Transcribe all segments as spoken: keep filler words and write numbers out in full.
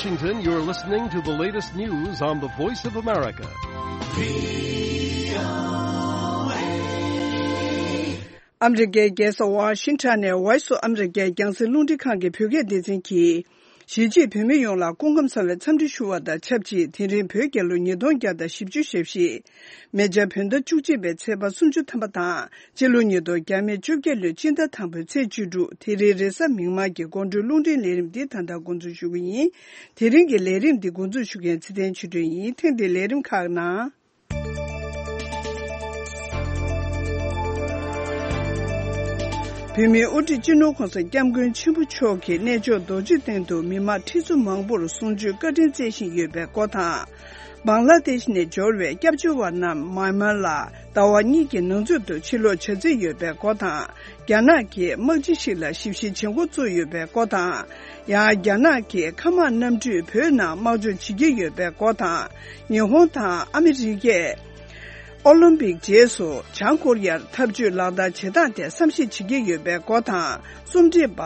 Washington, you're listening to the latest news on the Voice of America. ཨ་མི་རི་ཀའི་རྒྱལ་ས་ཝ་ཤིང་ཊོན་ནས་Voice of America རྒྱང་སྲིང་རླུང་འཕྲིན་ཁང་གི་བོད་སྐད་སྡེ་ཚན་གྱིས། གཞིས་བྱེས་བོད་མི་ཡོངས་ལ་སྐུ་ཁམས་བཟང་བའི་འཚམས་འདྲི་ཞུ་བ་དང་ཆབས་ཅིག་དེ་རིང་བོད་རྒྱལ་ལོ་ཉིས་སྟོང་བརྒྱ་དང་བཞི་བཅུ་ཞེ་བཞི། མེ་བྱ་བོད་ཟླ་བཅུ་གཅིག་པའི་ཚེས་པ་སུམ་ཅུ་ཐམ་པ་དང་། སྤྱི་ལོ་ཉིས་སྟོང་བརྒྱ་མེད་བཅོ་བརྒྱད་ལོའི་སྤྱི་ཟླ་དང་པོའི་ཚེས་བཅུ་དྲུག་དེ་རིང་རེས་གཟའ་མིག་དམར་གྱི་དགོང་དྲོའི་རླུང་འཕྲིན་ལས་རིམ་འདི་ད་ལྟ་འགོ་འཛུགས་ཞུ་གི་ཡིན། དེ་རིང་གི་ལས་རིམ་འདི་འགོ་འཛུགས་ཞུ་མཁན་ཚེ་བརྟན་ཆོས་སྒྲོན་ཡིན། ཐེངས་འདིའི་ལས་རིམ་ཁག་ནང་། བོད་མིའི་དབུ་ཁྲིད་སྤྱི་ནོར་༸གོང་ས་༸སྐྱབས་མགོན་ཆེན་པོ་མཆོག་གིས་གནས་མཆོག་རྡོ་རྗེ་གདན་དུ་མི་མང་ཁྲི་ཚོ་མང་པོར་གསུང་ཆོས་བཀའ་དྲིན་སྩལ་བཞིན་ཡོད་པའི་སྐོར་དང་། བང་ལ་དེཤ་ནས་འབྱོར་བའི་སྐྱབས་བཅོལ་བ་རྣམས་མཱན་མཱར་ལ་ཟླ་བ་གཉིས་ཀྱི་ནང་ཚུད་དུ་ཕྱིར་ལོག་བྱ་རྩིས་ཡོད་པའི་སྐོར་དང་། རྒྱ་ནག་གིས་དམག་སྤྱི་ཞིག་ལ་ཞིབ་བཤེར་བྱེད་འགོ་བཙུགས་ཡོད་པའི་སྐོར་དང་། ཡང་རྒྱ་ནག་གིས་མཁའ་དམག་གནམ་གྲུས་བོད་ནང་དམག་སྦྱོང་བྱེད་ཀྱི་ཡོད་པའི་སྐོར་དང་། ཉི་ཧོང་དང་ཨ་མི་རི་ཀས་ཨོ་ལིམ་པིག་རྗེས་སུ་བྱང་ཀོ་རི་ཡར་འཐབ་ཇུས་ལག་བསྟར་བྱེད་སྟངས་ཐད་བསམ་གཞིག་བྱེད་ཀྱི་ཡོད་པའི་སྐོར་དང་། རྩོམ་སྒྲིག་པ་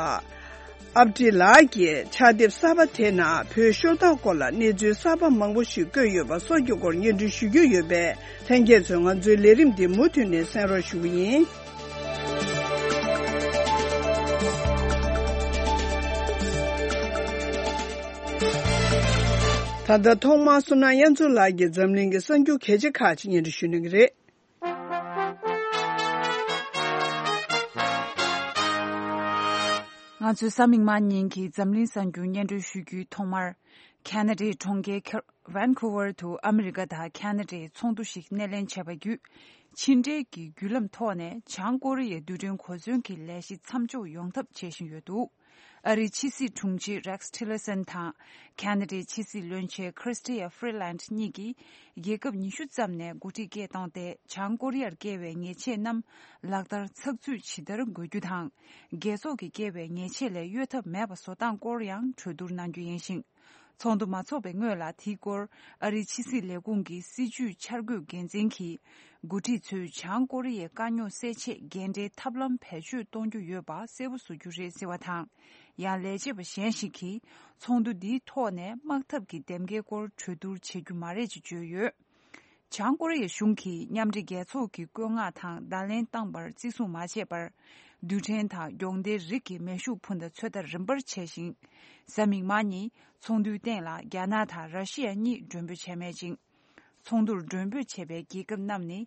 ཨབ་ཏི་ལགས་ཀྱིས་ཕྱག་དེབ་གསར་པ་དེ་ནང་བོད་ཤོར་སྟངས་སྐོར་ལ་གནས་ཚུལ་གསར་པ་མང་པོ་ཞིག་བཀོད་ཡོད་པ་སོགས་ཀྱི་སྐོར་སྙན་སྒྲོན་ཞུ་རྒྱུ་ཡོད་པས། ལྷན་རྒྱས་ཚོས་ང་ཚོའི་ལས་རིམ་འདི་མུ་མཐུད་ནས་གསན་རོགས་ཞུ་གི་ཡིན། ད་ལྟ་ཐོག་མར་བསོད་ནམས་དབྱངས་འཛོམས་ལགས་ཀྱིས་འཛམ་གླིང་གི་གསར་འགྱུར་གལ་ཆེ་ཁག་ཅིག་སྙན་སྒྲོན་ཞུ་གནང་གི་རེད། ང་ཚོས་གཟའ་མིག་དམར་ཉིན་གྱི་འཛམ་གླིང་གསར་འགྱུར་སྙན་སྒྲོན་ཞུ་རྒྱུའི་ཐོག་མར། ཁེ་ན་ཌའི་གྲོང་ཁྱེར་ཁེ་ཝན་ཁུ་ཝར་དུ་ཨ་མི་རི་ཀ་དང་ཁེ་ན་ཌའི་ཚོགས་འདུ་ཞིག་སྣེ་ལེན་བྱས་པ་བརྒྱུད། ཕྱི་འབྲེལ་གྱི་བརྒྱུད་ལམ་ཐོག་ནས་བྱང་ཀོ་རི་ཡའི་རྡུལ་ཕྲན་གོ་མཚོན་གྱི་ལས་གཞི་མཚམས་འཇོག་ཡོང་ཐབས་བྱེད་བཞིན་ཡོད་འདུག་ཨ་རིའི་ཕྱི་སྲིད་དྲུང་ཆེ་རེགས་ཊི་ལར་སན་དང་། ཁེ་ན་ཌའི་ཕྱི་སྲིད་བློན་ཆེན་ཁྲི་སི་ཊི་ཡ་ཧྥི་རི་ལན་ཌི་གཉིས་ཀྱིས། རྒྱལ་ཁབ་ཉི་ཤུ་ཙམ་ནས་འགོ་ཁྲིད་སྐད་བཏང་སྟེ། བྱང་ཀོ་རི་ཡར་བཀལ་བའི་ཉེས་ཆད་རྣམས་ལག་བསྟར་ཚགས་ཚུད་ཇི་ལྟར་དགོས་རྒྱུ་དང་། རྒྱལ་ཚོགས་ཀྱིས་བཀལ་བའི་ཉེས་ཆད་ལས་གཡོལ་ཐབས་མེད་པ་བཟོ་སྟངས་སྐོར་ཡང་གྲོས་བསྡུར་གནང་རྒྱུ་ཡིན་ཞིང་། ཚོགས་འདུ་མ་འཚོགས་པའི་སྔོན་ལ། དེའི་སྐོར་ཨ་རིའི་ཕྱི་སྲིད་ལས་ཁུངས་ཀྱི་སྲིད་བྱུས་འཆར་འགོད་འགན་འཛིན་གྱིས། འགོ་ཁྲིད་ཚོས་བྱང་ཀོ་རི་ཡའི་དཀའ་རྙོག་སེལ་ཆེད་འགན་འཁྲིའི་ཐབས་ལམ་བེད་སྤྱོད་གཏོང་རྒྱུ་ཡོད་པ་གསལ་པོ་བཟོ་རྒྱུ་རེད་ཟེར་བ་དང་། ཡང་ལས་བྱེད་པ་གཞན་ཞིག་གིས་ཚོགས་འདུ་འདིའི་ཐོག་ནས་དམག་འཐབ་ཀྱི་འདེམས་ཀའི་སྐོར་གྲོས་བསྡུར་བྱེད་རྒྱུ་མ་རེད་ཅེས་བརྗོད་ཡོད། བྱང་ཀོ་རི་ཡའི་གཞུང་གིས་མཉམ་འབྲེལ་རྒྱལ་ཚོགས་ཀྱི་བཀོད་མངགས་དང་བརྡ་ལན་བཏང་བར་བརྩི་སྲུང་མ་བྱས་པར། རྡུལ་ཕྲན་དང་སྒྱོགས་མདེལ་རིགས་ཀྱི་མེ་ཤུགས་འཕུར་མདའ་ཚོད་ལྟ་རིམ་པར་བྱས་ཤིང་། གཟའ་མིག་དམར་ཉིན་ཚོགས་འདུའི་སྟེང་ལ་རྒྱ་ནག་དང་ར་ཤི་ཡ་གཉིས་མགྲོན་འབོད་བྱས་མེད་ཅིང་། ཚོགས་འདུར་མགྲོན་འབོད་བྱས་པའི་རྒྱལ་ཁབ་རྣམས་ནི།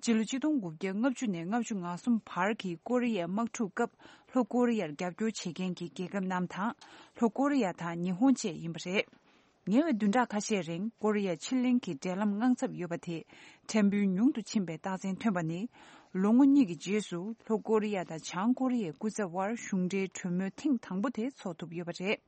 སྤྱི་ལོ་ཆིག་སྟོང་དགུ་བརྒྱ་ལྔ་བཅུ་ནས་ལྔ་བཅུ་ང་གསུམ་བར་གྱི་ཀོ་རི་ཡའི་དམག་འཁྲུག་སྐབས་ལྷོ་ཀོ་རི་ཡར་རྒྱབ་སྐྱོར་བྱེད་མཁན་གྱི་རྒྱལ་ཁབ་རྣམས་དང་། ལྷོ་ཀོ་རི་ཡ་དང་ཉི་ཧོང་བཅས་ཡིན་པ་རེད། ཉེ་བའི་བདུན་ཕྲག་ཁ་ཤས་རིང་ཀོ་རི་ཡ་ཕྱེད་གླིང་གི་འབྲེལ་ལམ་དངངས་འཚབ་ཡོད་པ་དེ་ཕྲན་བུ་ཉུང་དུ་ཕྱིན་པའི་རྟགས་མཚན་ཐོན་པ་ནི། ལོ་ངོ་གཉིས་ཀྱི་རྗེས་སུ་ལྷོ་ཀོ་རི་ཡ་དང་བྱང་ཀོ་རི་ཡའི་སྐུ་ཚབ་དབར་གཞུང་འབྲེལ་གྲོས་མོལ་ཐེངས་དང་པོ་དེ་འཚོགས་ཐུབ་ཡོད་པ་རེད།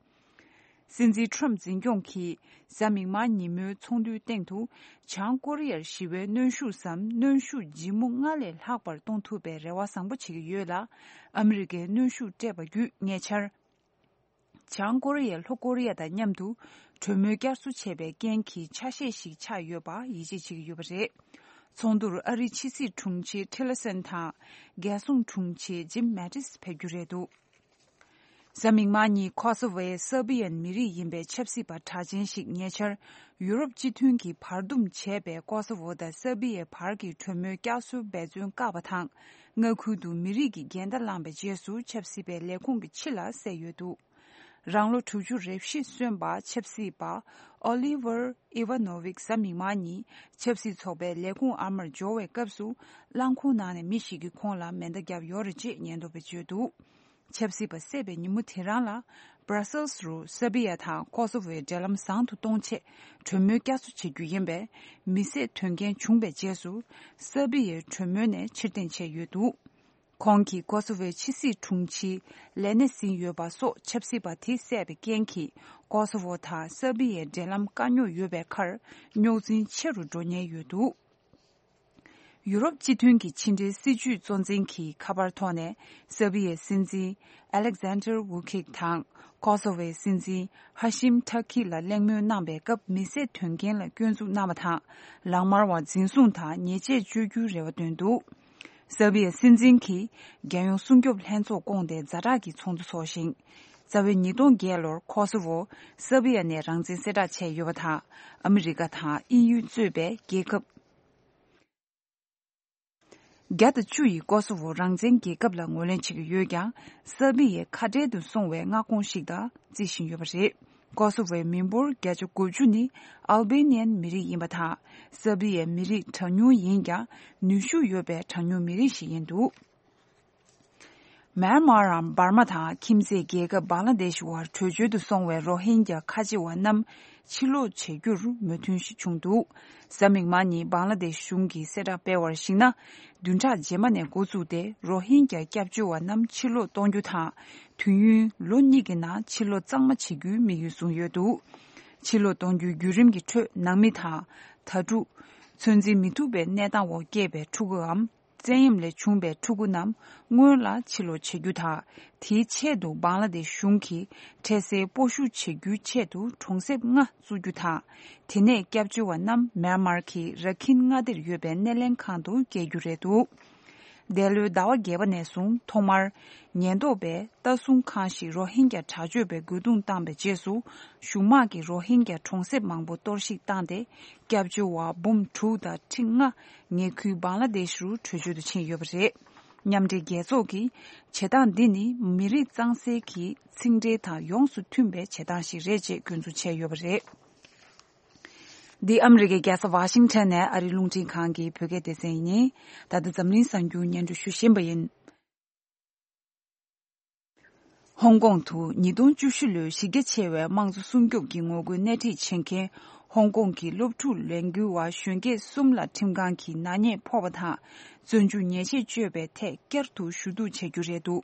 སྲིད་འཛིན་ཁྲོམ་འཛིན་སྐྱོང་གིས་གཟའ་མིག་དམར་ཉིན་མོའི་ཚོགས་འདུའི་སྟེང་དུ། བྱང་ཀོ་རི་ཡར་ཞི་བའི་གནོན་ཤུགས་སམ། གནོན་ཤུགས་ལྗིད་མོ་སྔར་ལས་ལྷག་པར་གཏོང་ཐུབ་པའི་རེ་བ་བཟང་པོ་བྱེད་ཀྱི་ཡོད་ལ། ཨ་མི་རི་ཀས་གནོན་ཤུགས་སྤྲད་པ་བརྒྱུད་ཉེ་ཆར། བྱང་ཀོ་རི་ཡས་ལྷོ་ཀོ་རི་ཡ་དང་མཉམ་དུ་གྲོས་མོལ་བསྐྱར་གསོ་བྱས་པའི་རྐྱེན་གྱིས་ཆ་ཤས་ཤིག་ཆག་ཡོད་པ་ཡིད་ཆེས་བྱེད་ཀྱི་ཡོད་པ་རེད། ཚོགས་འདུར་ཨ་རིའི་ཕྱི་སྲིད་དྲུང་ཆེ་ཊི་ལར་སན་དང་། རྒྱལ་སྲུང་དྲུང་ཆེ་ཇིམ་མེ་ཏིས་ཕེབས་རྒྱུ་རེད་འདུག་གཟའ་མིག་དམར་ཉིན་ཁོ་སོ་ཝོའི་སར་བི་ཡན་མི་རིགས་ཡིན་པའི་ཆབ་སྲིད་པ་གྲགས་ཅན་ཞིག་ཉེ་ཆར་ཡུ་རོབ་སྤྱི་མཐུན་གྱིས་བར་འདུམ་བྱས་པའི་ཁོ་སོ་ཝོ་དང་སར་བི་ཡའི་བར་གྱི་གྲོས་མོལ་བསྐྱར་གསོའི་འབད་བརྩོན་བཀག་པ་དང་། མངའ་ཁུལ་དུ་མི་རིགས་ཀྱི་འགལ་ཟླ་བསླངས་པའི་རྗེས་སུ་ཆབ་སྲིད་པའི་ལས་ཁུངས་ཀྱི་ཕྱི་ལ་བསད་ཡོད་འདུག་རང་ལོ་དྲུག་ཅུ་རེ་བཞི་སོན་པ་ཆབ་སྲིད་པ་ཨོ་ལི་ཝར་ཨི་ཝ་ནོ་ཝིག་གཟའ་མིག་དམར་ཉིན་ཆབ་སྲིད་ཚོགས་པའི་ལས་ཁུངས་ཨ་མར་འབྱོར་བའི་སྐབས་སུ། རླངས་འཁོར་ནང་ནས་མི་ཞིག་གིས་ཁོང་ལ་མེ་མདའ་བརྒྱབ་ཡོད་རེད་ཅེས་ཉེན་རྟོག་པས་བརྗོད་འདུག་ཆབ་སྲིད་པ་བསད་པའི་ཉིན་མོ་དེ་རང་ལ། སྦྲ་སེལ་སི་རུ་སར་བི་ཡ་དང་ཁོ་སོ་ཝོའི་འབྲེལ་ལམ་བཟང་དུ་གཏོང་ཆེད་གྲོས་མོལ་བསྐྱར་གསོ་བྱེད་རྒྱུ་ཡིན་པས། མི་བསད་དོན་རྐྱེན་བྱུང་པའི་རྗེས་སུ། སར་བི་ཡའི་གྲོས་མོལ་ནས་ཕྱིར་འཐེན་བྱས་ཡོད་འདུག་ཁོང་གིས་ཀོ་སོ་ཝོའི་ཕྱི་སྲིད་དྲུང་ཆེའི་ལས་གནས་ཟིན་ཡོད་པ་སོགས་ཆབ་སྲིད་པ་དེ་བསད་པའི་རྐྱེན་གྱིས་ཀོ་སོ་ཝོ་དང་སར་བི་ཡའི་འབྲེལ་ལམ་དཀའ་རྙོག་ཡོད་པའི་ཁར་རྙོག་འཛིང་ཆེ་རུ་འགྲོ་ཉེན་ཡོད་འདུག་ཡུ་རོབ་སྤྱི་མཐུན་གྱི་ཕྱི་འབྲེལ་སྲིད་བྱུས་གཙོ་འཛིན་གྱི་ཁ་པར་ཐོག་ནས་སར་བི་ཡའི་སྲིད་འཛིན་ཨ་ལེག་ཟན་ཏར་ཝུ་ཁིག་དང་ཀོ་སོ་ཝོའི་སྲིད་འཛིན་ཧ་ཤིམ་ཐ་ཁི་ལ་གླེང་མོལ་གནང་པའི་སྐབས་མི་བསད་དོན་རྐྱེན་ལ་སྐྱོན་འཛུགས་གནང་བ་དང་། ལག་དམར་བ་འཛིན་བཟུང་དང་ཉེས་ཆད་གཅོད་རྒྱུའི་རེ་བ་བཏོན་འདུག་སར་བི་ཡའི་སྲིད་འཛིན་གྱིས་རྒྱལ་ཡོངས་སྲུང་སྐྱོབ་ལྷན་ཚོགས་བསྐོངས་ཏེ་ཛ་དྲག་གི་ཚོགས་འདུ་འཚོགས་ཤིང་། རྩ་བའི་ཉིས་སྟོང་བརྒྱད་ལོར་ཁོ་སོ་ཝོ་སར་བི་ཡ་ནས་རང་བཙན་གསལ་བསྒྲགས་བྱས་ཡོད་པ་དང་། ཨ་མི་རི་ཀ་དང་དབྱིན་ཡུལ་གཙོས་པའི་རྒྱལ་ཁབ་བརྒྱ་དང་བཅུ་ཡིས་ཀོ་སོ་ཝོ་རང་བཙན་རྒྱལ་ཁབ་ལ་ངོས་ལེན་བྱེད་ཀྱི་ཡོད་ཀྱང་། སར་བི་ཡའི་ཁ་བྲལ་དུ་སོང་བའི་མངའ་ཁོངས་ཤིག་དང་བརྩི་བཞིན་ཡོད་པ་རེད། ཀོ་སོ་ཝོའི་མི་འབོར་བརྒྱ་ཆ་དགུ་བཅུ་ནི་ཨལ་བེ་ནི་ཡན་མི་རིགས་ཡིན་པ་དང་། སར་བི་ཡའི་མི་རིགས་གྲངས་ཉུང་ཡིན་ཀྱང་། ནུས་ཤུགས་ཡོད་པའི་གྲངས་ཉུང་མི་རིགས་ཤིག་ཡིན་འདུག་མེན་མར་འམ་འབར་མ་དང་ཁྱིམ་མཚེས་རྒྱལ་ཁབ་བང་ལ་དེཤ་བར་བྲོས་བྱོལ་དུ་སོང་བའི་རོ་ཧིན་གྱ་ཁ་ཆེ་བ་རྣམས་ཕྱིར་ལོག་བྱེད་རྒྱུར་མོས་མཐུན་ཞིག་བྱུང་འདུག་གཟའ་མིག་དམར་ཉིན་བང་ལ་དེཤ་གཞུང་གིས་གསལ་བསྒྲགས་སྤེལ་བར་གཞིགས་ན། བདུན་ཕྲག་རྗེས་མ་ནས་འགོ་བཙུགས་ཏེ་རོ་ཧིན་གྱ་སྐྱབས་བཅོལ་བ་རྣམས་ཕྱིར་ལོག་གཏོང་རྒྱུ་དང་། དུས་ཡུན་ལོ་གཉིས་ཀྱི་ནང་ཕྱིར་ལོག་གཙང་མ་བྱེད་རྒྱུའི་དམིགས་ཡུལ་བཟུང་ཡོད་འདུག་ཕྱིར་ལོག་གཏོང་རྒྱུའི་བརྒྱུད་རིམ་གྱི་ཁྲོད་ནང་མི་དང་། དྭ་ཕྲུག་ཚོད་འཛིན་མི་ཐུབ་པའི་གནས་སྟངས་འོག་སྐྱེས་པའི་ཕྲུ་གུའམ། བཙན་གཡེམ་ལས་བྱུང་བའི་ཕྲུ་གུ་རྣམས་སྔོན་ལ་ཕྱིར་ལོག་བྱེད་རྒྱུ་དང་། དེའི་ཆེད་དུ་བང་ལ་དེཤ་གཞུང་གིས་འཕྲལ་སེལ་སྤོ་བཤུད་བྱེད་རྒྱུའི་ཆེད་དུ་གྲོང་གསེབ་ལྔ་བཙུགས་རྒྱུ་དང་། དེ་ནས་སྐྱབས་བཅོལ་བ་རྣམས་མེན་མར་གྱི་ར་ཁིན་མངའ་སྡེར་ཡོད་པའི་སྣེ་ལེན་ཁང་དུ་བསྐྱལ་རྒྱུ་རེད་འདུག་འདས་ལོའི་ཟླ་བ་བརྒྱད་པ་ནས་བཟུང་ཐོག་མར་ཉེན་རྟོག་པས་ལྟ་སྲུང་ཁང་ཞིག་རོ་ཧིན་གྱ་དྲག་སྤྱོད་པའི་རྒོལ་རྡུང་བཏང་པའི་རྗེས་སུ། གཞུང་དམག་གིས་རོ་ཧིན་གྱ་གྲོང་གསེབ་མང་པོ་གཏོར་བཤིག་བཏང་སྟེ། སྐྱབས་བཅོལ་བ་འབུམ་དྲུག་དང་ཁྲི་ལྔ་ཉེ་ཁུལ་བང་ལ་དེཤ་རུ་བྲོས་བྱོལ་དུ་ཕྱིན་ཡོད་པ་རེད། མཉམ་འབྲེལ་རྒྱལ་ཚོགས་ཀྱིས་བྱེད་སྟངས་འདི་ནི་མི་རིགས་གཙང་སེལ་གྱི་ཚིག་འགྲེལ་དང་ཡོངས་སུ་མཐུན་པའི་བྱེད་སྟངས་ཤིག་རེད་ཅེས་སྐྱོན་འཛུགས་བྱས་ཡོད་པ་རེད། འདི་ཨ་མི་རི་ཀའི་རྒྱལ་ས་ཝ་ཤིང་ཊོན་ནས་ཨ་རིའི་རླུང་འཕྲིན་ཁང་གི་བོད་སྐད་སྡེ་ཚན་ཡིན། ད་ལྟ་འཛམ་གླིང་གསར་འགྱུར་སྙན་སྒྲོན་ཞུ་བཞིན་པ་ཡིན། ཧོང་ཀོང་དུ་ཉིས་སྟོང་བཅུ་བཞི་ལོའི་གཞི་རྒྱ་ཆེ་བའི་དམངས་གཙོ་སྲུང་སྐྱོབ་ཀྱི་ངོ་རྒོལ་སྣེ་ཁྲིད་བྱེད་མཁན་ཧོང་ཀོང་གི་སློབ་ཕྲུག་ལས་འགུལ་བ་གཞོན་སྐྱེས་གསུམ་ལ་ཁྲིམས་ཁང་གིས་ནག་ཉེས་ཕོག་པ་དང་། བཙོན་འཇུག་ཉེས་ཆད་གཅོད་པའི་ཐད་བསྐྱར་དུ་ཞུ་གཏུག་བྱ་རྒྱུ་རེད་འདུག་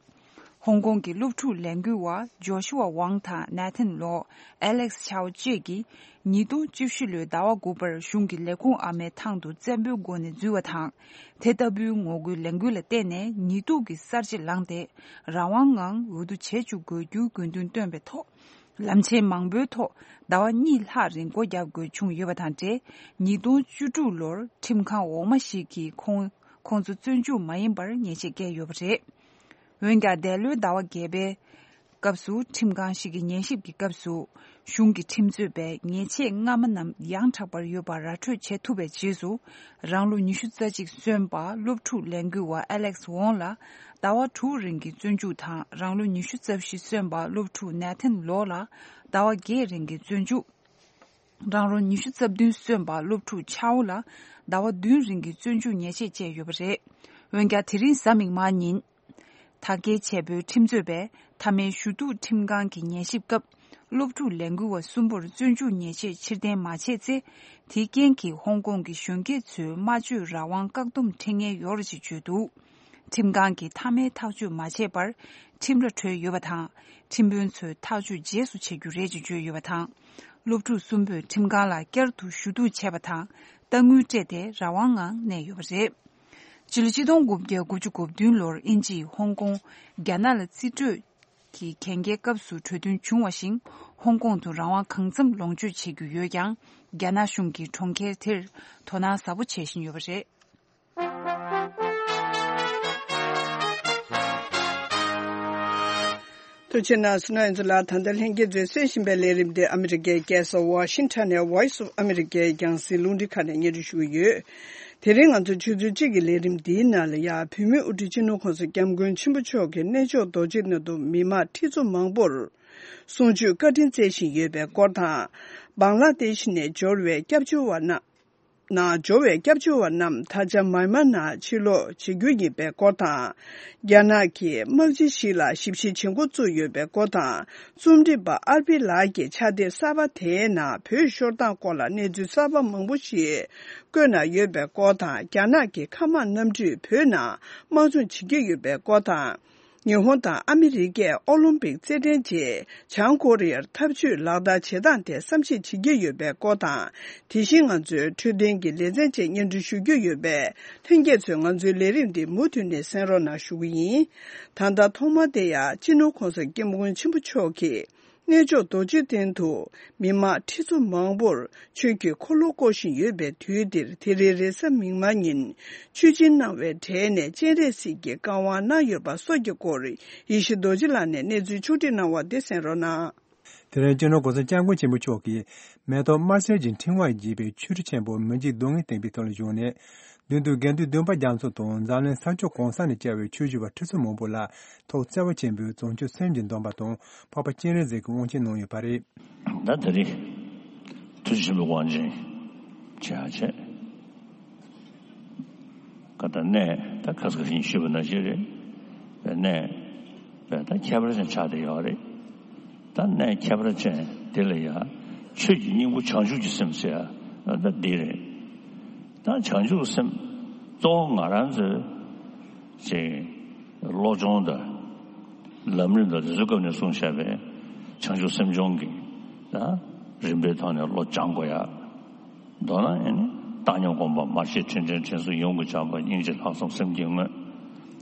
ཧོང་ཀོང་གི་སློབ་ཕྲུག་ལས་འགུལ་བ་ཇོ་ཤུ་ཝ་ཝང་དང་ནེ་ཐན་ལོ། ཨེ་ལེགས་ཆའོ་བཅས་ཀྱིས་ཉིས་སྟོང་བཅུ་བཞི་ལོའི་ཟླ་བ་དགུ་པར་གཞུང་གི་ལས་ཁུངས་ཨ་མའི་ཐང་དུ་བཙན་པོའི་སྒོ་ནས་འཛུལ་བ་དང་། དེ་ལྟ་བུའི་ངོ་རྒོལ་ལས་འགུལ་ལ་བརྟེན་ནས་ཉེས་གཏུག་གི་གསར་བརྗེ་ལངས་ཏེ། རང་དབང་ངང་འོས་བསྡུ་བྱེད་བཅུག་དགོས་རྒྱུའི་དགོས་འདུན་བཏོན་པའི་ཐོག་ལམ་ཆེན་མང་པོའི་ཐོག་ཟླ་བ་གཉིས་ལྷག་རིང་སྒོ་རྒྱག་དགོས་བྱུང་ཡོད་པ་དང་འབྲེལ། ཉིས་སྟོང་བཅུ་དྲུག་ལོར་ཁྲིམས་ཁང་འོག་མ་ཞིག་གིས་ཁོང་ཁོང་ཚོ་བཙོན་འཇུག་མ་ཡིན་པར་ཉེས་ཆད་བཀལ་ཡོད་པ་རེད། འོན་ཀྱང་། འདས་ལོའི་ཟླ་བ་བརྒྱད་པའི་སྐབས་སུ། ཁྲིམས་ཁང་ཞིག་གི་ཉན་ཞིབ་ཀྱི་སྐབས་སུ། གཞུང་གི་ཁྲིམས་རྩོད་པས་ཉེས་ཆད་སྔ་མ་རྣམས་ཡང་དྲག་པར་ཡོད་པ་ར་སྤྲོད་བྱེད་ཐུབ་པའི་རྗེས་སུ། རང་ལོ་ཉི་ཤུ་རྩ་གཅིག་སོན་པ་སློབ་ཕྲུག་ལས་འགུལ་བ་ཨེ་ལེགས་ཝོང་ལ་ཟླ་བ་དྲུག་རིང་གི་བཙོན་འཇུག་དང་། རང་ལོ་ཉི་ཤུ་རྩ་བཞི་སོན་པ་སློབ་ཕྲུག་ནེ་ཐན་ལོ་ལ་ཟླ་བ་བརྒྱད་རིང་གི་བཙོན་འཇུག་རང་ལོ་ཉི་ཤུ་རྩ་བདུན་སོན་པ་སློབ་ཕྲུག་ཆའོ་ལ་ཟླ་བ་བདུན་རིང་གི་བཙོན་འཇུག་ཉེས་ཆད་བཅད་ཡོད་པ་རེད། འོན་ཀྱང་། དེ་རིང་གཟའ་མིག་དམར་ཉིན། དྲག་སྐྱེད་ཆེ་པོའི་ཁྲིམས་རྩོད་པས་མཐའ་མའི་ཞུ་གཏུག་ཁྲིམས་ཁང་གི་ཉན་ཞིབ་སྐབས། སློབ་ཕྲུག་ལས་འགུལ་བ་གསུམ་པོར་བཙོན་འཇུག་ཉེས་ཆད་ཕྱིར་འཐེན་མ་བྱས་ཚེ། དེའི་རྐྱེན་གྱིས་ཧོང་ཀོང་གི་གཞོན་སྐྱེས་ཚོའི་སྨྲ་བརྗོད་རང་དབང་བཀག་སྡོམ་འཕྲད་ངེས་ཡོད་རེད་ཅེས་བརྗོད་འདུག་ཁྲིམས་ཁང་གིས་མཐའ་མའི་ཐག་གཅོད་མ་བྱས་པར་ཁྲིམས་ར་གྲོལ་ཡོད་པ་དང་། ཁྲིམས་དཔོན་ཚོས་ཐག་གཅོད་རྗེས་སུ་བྱེད་རྒྱུ་རེད་ཅེས་བརྗོད་ཡོད་པ་དང་། སློབ་ཕྲུག་གསུམ་པོས་ཁྲིམས་ཁང་ལ་བསྐྱར་དུ་ཞུ་གཏུག་བྱས་པ་དང་། གཏའ་དངུལ་སྤྲད་དེ་རང་དབང་ངང་གནས་ཡོད་པ་རེད། སྤྱི་ལོ་ཆིག་སྟོང་དགུ་བརྒྱ་དགུ་བཅུ་གོ་བདུན་ལོར་དབྱིན་ཇིས་ཧོང་ཀོང་རྒྱ་ནག་ལ་རྩིས་སྤྲོད་ཀྱི་གན་རྒྱའི་སྐབས་སུ་གྲོས་མཐུན་བྱུང་བ་བཞིན། ཧོང་ཀོང་དུ་རང་དབང་གང་འཚམ་ལོངས་སྤྱོད་བྱེད་རྒྱུ་ཡོད་ཀྱང་། རྒྱ་ནག་གཞུང་གིས་གྲོང་ཁྱེར་དེར་དོ་སྣང་ཟབ་པོ་བྱེད་བཞིན་ཡོད་པ་རེད། ཐུགས་རྗེ་གནང་སོང་ན། ཨེ་ཛི་ལགས། ད་ལྟ་ལྷན་རྒྱས་ཚོས་གསན་བཞིན་པའི་ལས་རིམ་འདི་ཨ་མི་རི་ཀའི་རྒྱལ་ས་ཝ་ཤིང་ཊོན་ནས་Voice of America རྒྱང་སྲིང་རླུང་འཕྲིན་ཁང་ནས་སྙན་སྒྲོན་ཞུ་གི་ཡོད། དེ་རིང་ང་ཚོ་ཆུ་ཚོད་གཅིག་གི་ལས་རིམ་འདིའི་ནང་ལ་ཡང་། བོད་མིའི་དབུ་ཁྲིད་སྤྱི་ནོར་གོང་ས་སྐྱབས་མགོན་ཆེན་པོ་མཆོག་གིས་གནས་མཆོག་རྡོ་རྗེ་གནང་དུ་མི་མང་ཁྲི་ཚོ་མང་པོར་གསུང་ཆོས་བཀའ་དྲིན་སྩལ་བཞིན་ཡོད་པའི་སྐོར་དང་། བང་ལ་དེཤ་ནས་འབྱོར་བའི་སྐྱབས་བཅོལ་བ་རྣམས། ནང་འབྱོར་བའི་སྐྱབས་བཅོལ་བ་རྣམས་ད་ཆ་མཱན་མཱ་ནང་ཕྱིར་ལོག་བྱེད་རྒྱུ་ཡིན་པའི་སྐོར་དང་། རྒྱ་ནག་གིས་དམག་སྤྱི་ཞིག་ལ་ཞིབ་བཤེར་བྱེད་འགོ་བཙུགས་ཡོད་པའི་སྐོར་དང་། རྩོམ་སྒྲིག་པ་ཨར་པི་ལགས་ཀྱིས་ཕྱག་དེབ་གསར་པ་དེའི་ནང་བོད་ཤོར་སྟངས་སྐོར་ལ་གནས་ཚུལ་གསར་པ་མང་པོ་ཞིག་བཀོད་གནང་ཡོད་པའི་སྐོར་དང་། རྒྱ་ནག་གིས་མཁའ་དམག་གནམ་གྲུས་བོད་ནང་དམག་སྦྱོང་བྱེད་ཀྱི་ཡོད་པའི་སྐོར་དང་། ཉི་ཧོང་དང་ཨ་མི་རི་ཀས་ཨོ་ལིམ་པིག་རྩེད་འགྲན་རྗེས། བྱང་ཀོ་རི་ཡར་འཐབ་ཇུས་ལག་བསྟར་བྱེད་སྟངས་ཐད་བསམ་གཞིག་བྱེད་ཀྱི་ཡོད་པའི་སྐོར་དང་། དེ་བཞིན་ང་ཚོའི་འཕྲོད་བསྟེན་གྱི་ལེ་ཚན་བཅས་སྙན་སྒྲོན་ཞུ་རྒྱུ་ཡོད་པས། ལྷན་རྒྱས་ཚོས་ང་ཚོའི་ལས་རིམ་འདི་མུ་མཐུད་ནས་གསན་རོགས་གནང་ཞུ་གི་ཡིན། ད་ལྟ་ཐོག་མར་དེ་ཡང་སྤྱི་ནོར་གོང་ས་སྐྱབས་མགོན་ཆེན་པོ་མཆོག་གིས། གནས་མཆོག་རྡོ་རྗེ་གདན་དུ་མི་མང་ཁྲི་ཚོ་མང་པོར་ཆོས་ཀྱི་འཁོར་ལོ་བསྐོར་བཞིན་ཡོད་པའི་དུས་འདིར། དེ་རིང་རེས་གཟའ་མིག་དམར་ཉིན་ཆོས་སྦྱིན་གནང་བའི་གྲས་ནས་སྤྱན་རས་གཟིགས་ཀྱི་བཀའ་དབང་གནང་ཡོད་པ་སོགས་ཀྱི་སྐོར་ཡེ་ཤེས་རྡོ་རྗེ་ལགས་ནས་གནས་ཚུལ་ཕྱོགས་སྒྲིག་གནང་བ་འདི་གསན་རོགས་གནང་། དེ་རིང་སྤྱི་ནོར་༸གོང་ས་༸སྐྱབས་མགོན་ཆེན་པོ་མཆོག་གིས་མེ་ཏོག་དམར་སེར་གྱི་ཕྲེང་བ་བརྒྱུས་པའི་ཆོ་འཕྲུལ་ཆེན་པོ་མི་འཇིགས་རྡུལ་ལྔའི་སྟེང་པའི་ཐོག་ལ་བཞུགས་ནས། མདུན་དུ་དགེ་འདུན་བདུན་པ་རྒྱ་མཚོ་དང་འཛམ་གླིང་ས་ཕྱོགས་གང་ས་ནས་བཅར་བའི་ཆོས་ཞུ་བ་ཁྲི་ཚོ་མང་པོ་ལ་ཐུགས་བརྩེ་བ་ཆེན་པོས་བྱང་ཆུབ་སེམས་ཀྱི་སྡོམ་པ་དང་འཕགས་པ་སྤྱན་རས་གཟིགས་ཀྱི་དབང་ཆེན་གནང་ཡོད་པ་རེད། ད་དེ་རིང་ཐུགས་རྗེ་ཆེན་པོའི་དབང་ཆེན་བྱས་བྱས། ཀ་ད་གནས་ད་ཁ་སང་ཞིག་ཞུས་པ་ནང་བཞིན་རེད། པའི་གནས་པའི་ད་ཁྱད་པར་ཅན་ཆགས་བསྡད་ཡོད་རེད། ད་གནས་ཁྱད་པར་ཅན་དེ་ལ་ཡང་ཆོས་ཀྱི་སྙིང་པོ་བྱང་ཆུབ་ཀྱི་སེམས་ཟེར་ཡ་ད་འདི་རེད། ད་བྱང་ཆུབ་སེམས་གཙོ་བོ་ང་རང་ཚོའི་ཅིག་བློ་སྦྱོང་དང་ལམ་རིམ་དང་དེ་ཚོའི་སྐབས་ནས་གསུངས་བཞག་པའི་བྱང་ཆུབ་སེམས་སྦྱོང་གི་ད་རིམ་པའི་ཐོག་ནས་བློ་སྦྱང་དགོས་ཡ། མདོར་ན་ཨེ་ནི་བཏང་སྙོམས་སྒོམ་པ་མར་ཤེས་ཕྲིན་ལས་འབྲིང་སོ་ཡོངས་ཀྱི་སྦྱངས་པ་སྙིང་རྗེ་ལྷག་བསམ་སེམས་ཀྱི་དངོས།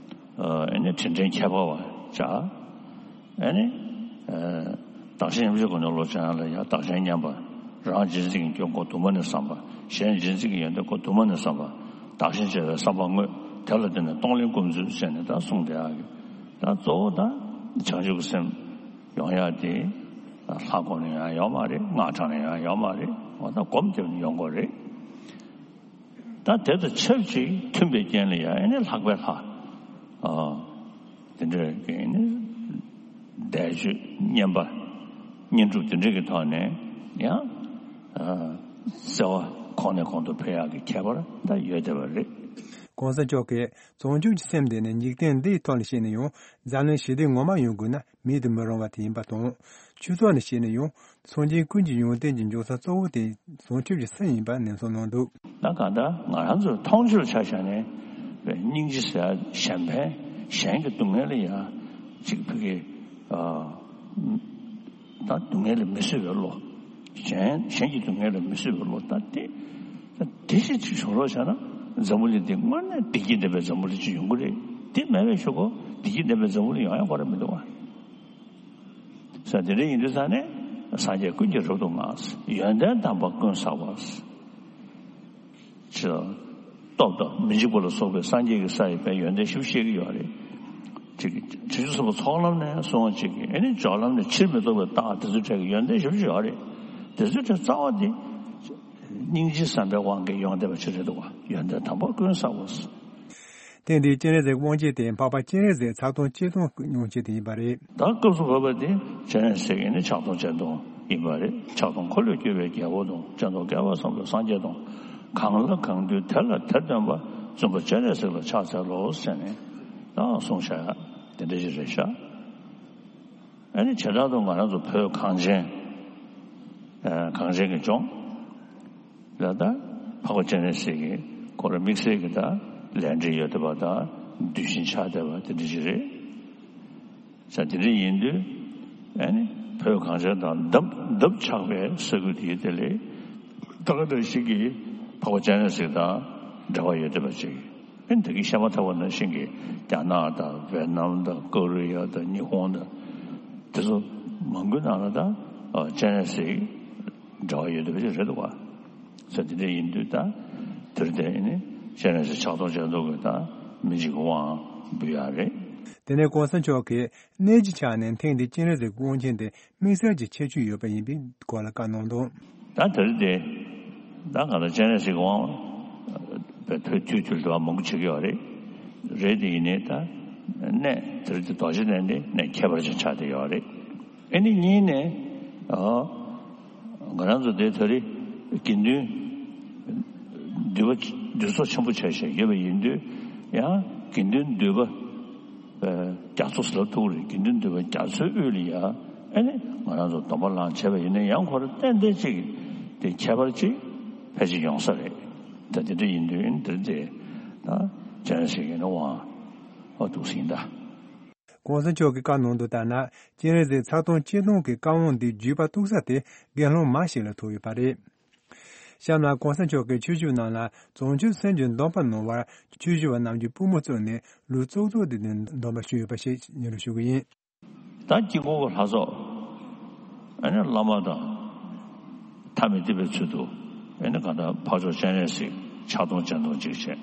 ཨེ་ནི་དྲིན་དྲན་ཁྱད་པར་བ་བྱ། ཨེ་ནི། བདག་གཞན་མཉམ་བརྗེའི་སྒོ་ནས་བློ་སྦྱང་ཡ་ལ་ཡང་བདག་གཞན་མཉམ་པ། རང་གཅེས་འཛིན་གྱི་སྐྱོན་ཁོག་དུ་མ་ནས་བསམ་པ། གཞན་གཅེས་འཛིན་གྱི་ཡོན་ཏན་ཁོག་དུ་མ་ནས་བསམ་པ། བདག་གཞན་བརྗེ་བའི་བསམ་པ་དངོས། དེ་ལ་བརྟེན་ནས་གཏོང་ལེན་སྒོམ་ཚུལ་བྱས་ནས་ད་གསུངས་བསྡད་ཡག་གི། ད་གཙོ་བོ་ད་བྱང་ཆུབ་ཀྱི་སེམས་ཡོང་ཡག་དེ་ལྷ་སྒོམ་ནས་ཡང་ཡོང་མ་རེད། སྔགས་བགྲངས་ནས་ཡང་ཡོང་མ་རེད། འོ་ད་སྒོམ་བརྒྱབ་ནས་ཡོང་དགོས་རེད། ད་དེ་དང་ཆབས་ཅིག་མཐུན་པའི་རྐྱེན་ལ་ཡང་ཨེ་ནི་ལྷག་པའི་ལྷ། ཨ། དེ་འདྲའི་གི་ཨེ་ནི་བཟླས་བརྗོད་བསྙེན་པ་བསྙེན་སྒྲུབ་དེ་འདྲའི་གི་ཐོག་ནས་ཡང་ཨ་བརྩེ་བ་གོང་ནས་གོང་དུ་འཕེལ་ཡག་གི་ཁྱད་པར་ད་ཡོད་བསྡད་པ་རེད། གོང་ས་མཆོག་གིས་བྱང་ཆུབ་ཀྱི་སེམས་དེ་ནི་འཇིག་རྟེན་འདིའི་ཐོག་ལ་བཤད་ན་ཡང་འཛམ་གླིང་ཞི་བདེ་ངོ་མ་ཡོང་དགོས་ན། མེད་དུ་མི་རུང་བ་དེ་ཡིན་པ་དང་། ཆོས་ཕྱོགས་ནས་བཤད་ན་ཡང་སངས་རྒྱས་ཀུན་གྱི་ཡོན་ཏན་གྱི་འབྱུང་ས་གཙོ་བོ་དེ་བྱང་ཆུབ་ཀྱི་སེམས་ཡིན་པ་ནན་གསུངས་གནང་འདུག་ད་གང་ལྟར་ང་རང་ཚོའི་མཐོང་ཆོས་ཆ་བཞག་ནས་སྙིང་རྗེ་ཟེར་གཞན་ཕན་གཞན་གྱི་སྡུག་བསྔལ་ལ་ཡང་གཅིག་ཕ་གི་ད་སྡུག་བསྔལ་ལ་མི་བཟོད་པའི་བློ། གཞན་གཞན་གྱི་སྡུག་བསྔལ་ལ་མི་བཟོད་པའི་བློ་ད་དེ་ད་དེ་ཞིག་ཅིག་བྱུང་རོགས་བྱས་ན་འཛམ་བུ་གླིང་འདི་དངོས་གནས་བདེ་སྐྱིད་ལྡན་པའི་འཛམ་བུ་གླིང་ཅིག་ཡོང་གི་རེད། དེ་མེད་པའི་ཤོག་གོ་བདེ་སྐྱིད་ལྡན་པའི་འཛམ་བུ་གླིང་ཡོང་ཡ་ཁོ་རང་མི་འདུག་བ། ས་དེ་འདྲ་ཡིན་དུས་ས་ནས་སངས་རྒྱས་ཀུན་གྱིས་རབ་ཏུ་བསྔགས། ཡོན་ཏན་དམ་པ་ཀུན་བསགས་པ། ཅེས་སྟོབས་དང་མི་འཇིགས་པ་ལ་སོགས་པའི་སངས་རྒྱས་ཀྱི་ས་ཡི་དཔལ་ཡོན་ཏན་ཞིབ་བཤད་ཀྱི་ཡོད་རེད། ཅིག་བྱང་ཆུབ་སེམས་དཔའ་ཚོགས་ལམ་ནས་སོང་ཅིག་གིས་ཨེ་ནི་སྦྱོར་ལམ་ནས་ཕྱིར་མི་ལྡོག་པའི་རྟགས་དེ་ཚོའི་གྲས་ཀྱི་ཡོན་ཏན་ཞིབ་ཅིག་ཡོད་རེད། དེ་ཚོའི་གྲས་རྩ་བ་དེ་སྙིང་རྗེ་བསམ་པའི་དབང་གིས་ཡོང་བསྡད་པ་ཅིག་རེད་འདུག་བ། ཡོན་ཏན་དམ་པ་ཀུན་བསགས་པ། ཐེངས་འདིའི་སྤྱན་རས་གཟིགས་དབང་ཆེན་དེ་འཕགས་པ་སྤྱན་རས་གཟིགས་ཚར་སྟོང་གཅིག་སྟོང་སྔོན་ཆད་དེ་ཡིན་པ་རེད། ད་སྐབས་སུ་བབས་པ་དེ་སྤྱན་རས་གཟིགས་ཡིན་ནི་ཕྱག་སྟོང་སྤྱན་སྟོང་ཡིན་པ་རེད། ཕྱག་སྟོང་འཁོར་ལོས་སྒྱུར་བའི་རྒྱལ་པོ་དང་། སྤྱན་སྟོང་བསྐལ་པ་བཟང་པོའི་སངས་རྒྱས་དང་། གང་ལ་གང་འདུལ་དེ་ལ་དེར་སྟོན་པ། བཙུན་པ་སྤྱན་རས་གཟིགས་ལ་ཕྱག་འཚལ་ལོ་ཟེར་ནས་ད་གསུངས་བཞག་ཡ་དེ་འདྲ་ཞིག་རེད་ཤག་ཨ་ནི་བྱེ་བྲག་ཏུ་ང་རང་ཚོ་བོད་གངས་ཅན། ཨ་གངས་ཅན་གྱི་ལྗོངས་ལ་ད་འཕགས་པ་སྤྱན་རས་གཟིགས་ཀྱི་ཁོ་རང་དམིགས་བསལ་གྱི་ད་ལས་འབྲེལ་ཡོད་བསྡད་པ་དང་གདུལ་ཞིང་ཆགས་བསྡད་པ་དེ་འདྲ་ཞིག་རེད། ས་དེ་འདྲ་ཡིན་དུས་ཨ་ནི་བོད་གངས་ཅན་དང་འདབ་འདབ་ཆགས་པའི་ས་ཁུལ་དེའི་དེ་ལས་ད་ག་འདྲ་ཞིག་གིས་འཕགས་པ་སྤྱན་རས་གཟིགས་དང་འབྲེལ་བ་ཡོད་བསྡད་པ་ཅིག་ཨེ་ད་གིན་བཤད་མ་ཐག་པ་ནང་བཞིན་གྱི་རྒྱ་ནག་དང་ཝེ་ནམ་དང་ཀོ་རི་ཡ་དང་ཉི་ཧོང་དང་དེ་ཚོ་མང་པོའི་ནང་ལ་ད་སྤྱན་རས་གཟིགས་འབྲེལ་བ་ཡོད་བསྡད་པ་ཞིག་རེད་འདུག་བ། ས་དེ་འདྲ་ཡིན་དུས་ད་དེར་བརྟེན་ནས་སྤྱན་རས་གཟིགས་ཕྱག་སྟོང་སྤྱན་སྟོང་གི་ད་མི་འཇིགས་ཀྱི་དབང་འབུལ་ཡག་རེད། དེ་ནས་གོང་ས་མཆོག་གིས་གནས་ཀྱི་ཆ་ནས་ཐེངས་འདིའི་སྤྱན་རས་གཟིགས་དབང་ཆེན་དེ་དམིགས་བསལ་གྱི་ཁྱད་ཆོས་ཡོད་པ་ཡིན་པའི་སྐོར་ལ་བཀའ་གནང་འདུག་ད་དེ་རིང་དེ་ད་ང་ལ་སྤྱན་རས་གཟིགས་དབང་བའི་ཐུགས་དུས་དུས་ལ་མང་པོ་བྱེད་ཀྱི་ཡོད་རེད། རེད་དེ་ཡིན་ནའི་ད་གནས་དེ་རིང་དེ་རྡོ་རྗེ་གདན་དེ་གནས་ཁྱད་པར་ཅན་ཆགས་བསྡད་ཡོད་རེད། ཨེ་ནི་གཉིས་ནས་ཨ་ང་རང་ཚོ་དེ་དེ་རིང་དགེ་འདུན་འདུས་པ་འདུས་ཚོགས་ཆེན་པོ་བྱས་བྱས་ཡོད་པ་ཡིན་དུས་ཡང་དགེ་འདུན་འདུས་པ། རྒྱ་མཚོ་ཟེར་ལབ་ཐུབ་རེད། དགེ་འདུན་འདུས་པ་རྒྱ་མཚོའི་དབུས་ལ་ཡ་ཨེ་ནི་ང་རང་ཚོ་སྡོམ་པ་ལངས་བྱས་པ་ཡིན་ན་ཡང་ཁོ་རང་ཏན་ཏན་ཅིག་དེ་ཁྱད་པར་ཅིག་ཕལ་ཆེར་ཡོང་ས་རེད། ད་དེ་འདྲ་ཡིན་དུས་ཨེ་ནི་དེ་རེད་དེ་ད་སྤྱན་རས་གཟིགས་ཡིན་ན་དབང་ཨ་ཐུགས་ཟིན་ད། གོང་ས་མཆོག་གིས་བཀའ་གནང་དོན་ལྟར་ན་སྤྱན་རས་གཟིགས་ཚར་སྟོང་གཅིག་སྟོང་གི་བཀའ་དབང་འདི་བརྒྱུད་པ་གཏོགས་ས་དེ་དགེ་སློང་མ་ཞིག་ལ་ཐུག་ཡོད་པ་རེད། གཤམ་ལ་གོང་ས་མཆོག་གིས་ཆོས་ཞུ་ནང་ལ་བྱང་ཆུབ་སེམས་ཀྱི་སྡོམ་པ་གནང་བར་ཆོས་ཞུ་བ་རྣམས་ཀྱིས་པུས་མོ་བཙུགས་ནས་ལུས་བཙུགས་བཙུགས་ཏེ་སྡོམ་པ་ཞུས་ཡོད་པ་ཞིག་སྙན་སྒྲོན་ཞུ་གི་ཡིན། ད་དཀྱིལ་འཁོར་གྱི་ལྷ་ཚོགས་ ཨ་ནི་བླ་མ་དང་ཐ་མི་དད་པའི་ཚུལ་དུ་ཨ་ནི་གང་ལྟར་ཕར་ཕྱོགས་སྤྱན་རས་གཟིགས་ཕྱག་སྟོང་སྤྱན་སྟོང་གཅིག་བྱས།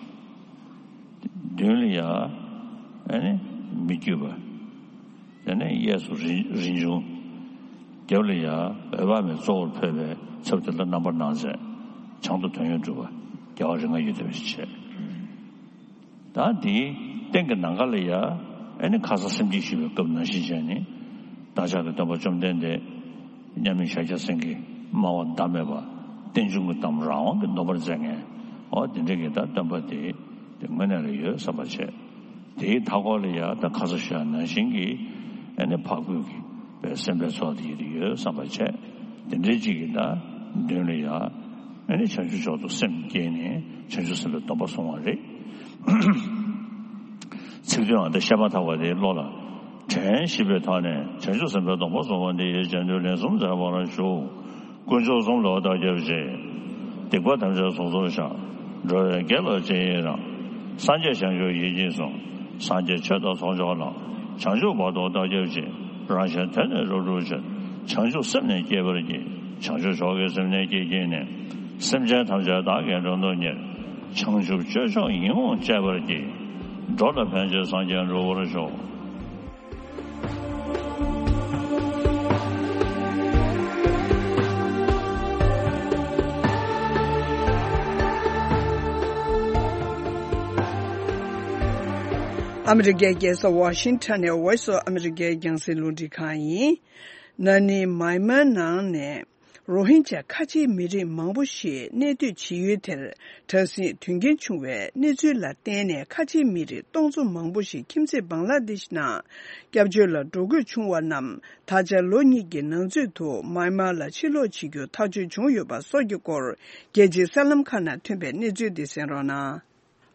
མདུན་ལ་ཡ་ཨ་ནི་མི་བསྐྱོད་པ། དེ་ནས་གཡས་སུ་རིན་རིན་འབྱུང་། རྒྱབ་ལ་ཡ་འོད་དཔག་མེད་གཙོ་བོར་འཕོས་པའི་ཚབ་དེ་ལ་རྣམ་པར་སྣང་མཛད། བྱང་དུ་དོན་ཡོད་གྲུབ་པ་རྒྱལ་བ་རིགས་ལྔ་ཡོད་དེ་བྱས། ད་འདིའི་སྟེང་གི་ནམ་མཁའ་ལ་ཡ་ཨ་ནི་ཁ་སང་སེམས་བསྐྱེད་ཞུས་པའི་སྐབས་ནང་བཞིན་བྱས་ནས་བདག་ཅག་གི་སྟོན་པ་བཅོམ་ལྡན་འདས་མཉམ་མེད་ཤཱཀྱ་སེང་གེ་སྨྲ་བ་ཟླ་མེད་པ་རྟེན་འབྱུང་གི་གཏམ་རང་དབང་གིས་འདོན་པར་མཛད་མཁན། འོ་དེ་འདྲ་གི་ད་སྟོན་པ་དེ་དེ་དངོས་གནས་ལ་ཡོད་བསམ་པ་བྱས། དེའི་མཐའ་སྐོར་ལ་ཡ་ད་ཁ་སང་ཞུས་པ་ནང་བཞིན་གྱི་ཨ་ནི་འཕགས་བོད་ཀྱི་པའི་སེམས་དཔའི་ཚོགས་དེ་ཡོད་བསམ་པ་བྱས། དེ་འདྲའི་གཅིག་གི་ད་མདུན་ལ་ཡ་ཨ་ནི་བྱང་ཆུབ་མཆོག་ཏུ་སེམས་བསྐྱེད་ནས་བྱང་ཆུབ་སེམས་དཔའི་སྡོམ་པ་བཟུང་བ་རེད། ཚིག་དོན་ཨ་ད་བཤད་མ་ཐག་པ་དེ་བློ་ལ་དྲན་ཞིབ་པའི་ཐོག་ནས་བྱང་ཆུབ་སེམས་དཔའི་སྡོམ་པ་བཟུང་བ་འདི་ཡི་རྗེས་ཟློས་ལན་གསུམ་མཛད་པར་ཞུ། དཀོན་མཆོག་གསུམ་ལ་བདག་སྐྱབས་མཆི། སྡིག་པ་ཐམས་ཅད་སོ་སོར་བཤགས། འགྲོ་བའི་དགེ་ལ་ཇི་ཡིན་རང་། སངས་རྒྱས་བྱང་ཆུབ་ཡིད་ཀྱིས་བཟུང་། སངས་རྒྱས་ཆོས་དང་ཚོགས་མཆོག་ལ། བྱང་ཆུབ་བར་དུ་བདག་སྐྱབས་མཆི། རང་གཞན་དོན་ནི་རབ་བསྒྲུབ་ཕྱིར། བྱང་ཆུབ་སེམས་ནི་བསྐྱེད་པར་བགྱི། བྱང་ཆུབ་མཆོག་གི་སེམས་ནི་བསྐྱེད་བགྱིས་ནས། སེམས་ཅན་ཐམས་ཅད་བདག་གིས་མགྲོན་དུ་གཉེར། བྱང་ཆུབ་སྤྱོད་མཆོག་ཡིད་འོང་སྤྱད་པར་བགྱི། འགྲོ་ལ་ཕན་ཕྱིར་སངས་རྒྱས་འགྲུབ་པར་ཤོག། ཨ་མི་རི་ཀའི་རྒྱལ་ས་ཝ་ཤིང་ཊོན་ནས་Voice of America རྒྱང་སྲིང་རླུང་འཕྲིན་ཁང་ཡིན། ན་ནིང་མཱི་མཱར་ནང་ནས་རོ་ཧིན་ཇཱ་ཁ་ཆེའི་མི་རིགས་མང་པོ་ཞིག་གནས་སྡོད་བྱེད་ཡུལ་དེར་དྲག་ཟིང་དོན་རྐྱེན་བྱུང་བའི་གནས་ཚུལ་ལ་བརྟེན་ནས་ཁ་ཆེའི་མི་རིགས་སྟོང་ཚོ་མང་པོ་ཞིག་ཁྱིམ་མཚེས་བང་ལ་དེཤ་ནང་སྐྱབས་བཅོལ་ལ་འགྲོ་དགོས་བྱུང་བ་རྣམས། ད་ཆ་ལོ་གཉིས་ཀྱི་ནང་ཚུད་དུ་མཱི་མཱར་ལ་ཕྱིར་ལོག་བྱེད་རྒྱུ་ཐག་གཅོད་བྱུང་ཡོད་པ་སོགས་ཀྱི་སྐོར། རྒྱལ་སྤྱིའི་གསར་ལམ་ཁག་ནང་ཐོན་པའི་གནས་ཚུལ་འདི་གསན་རོགས་གནང་།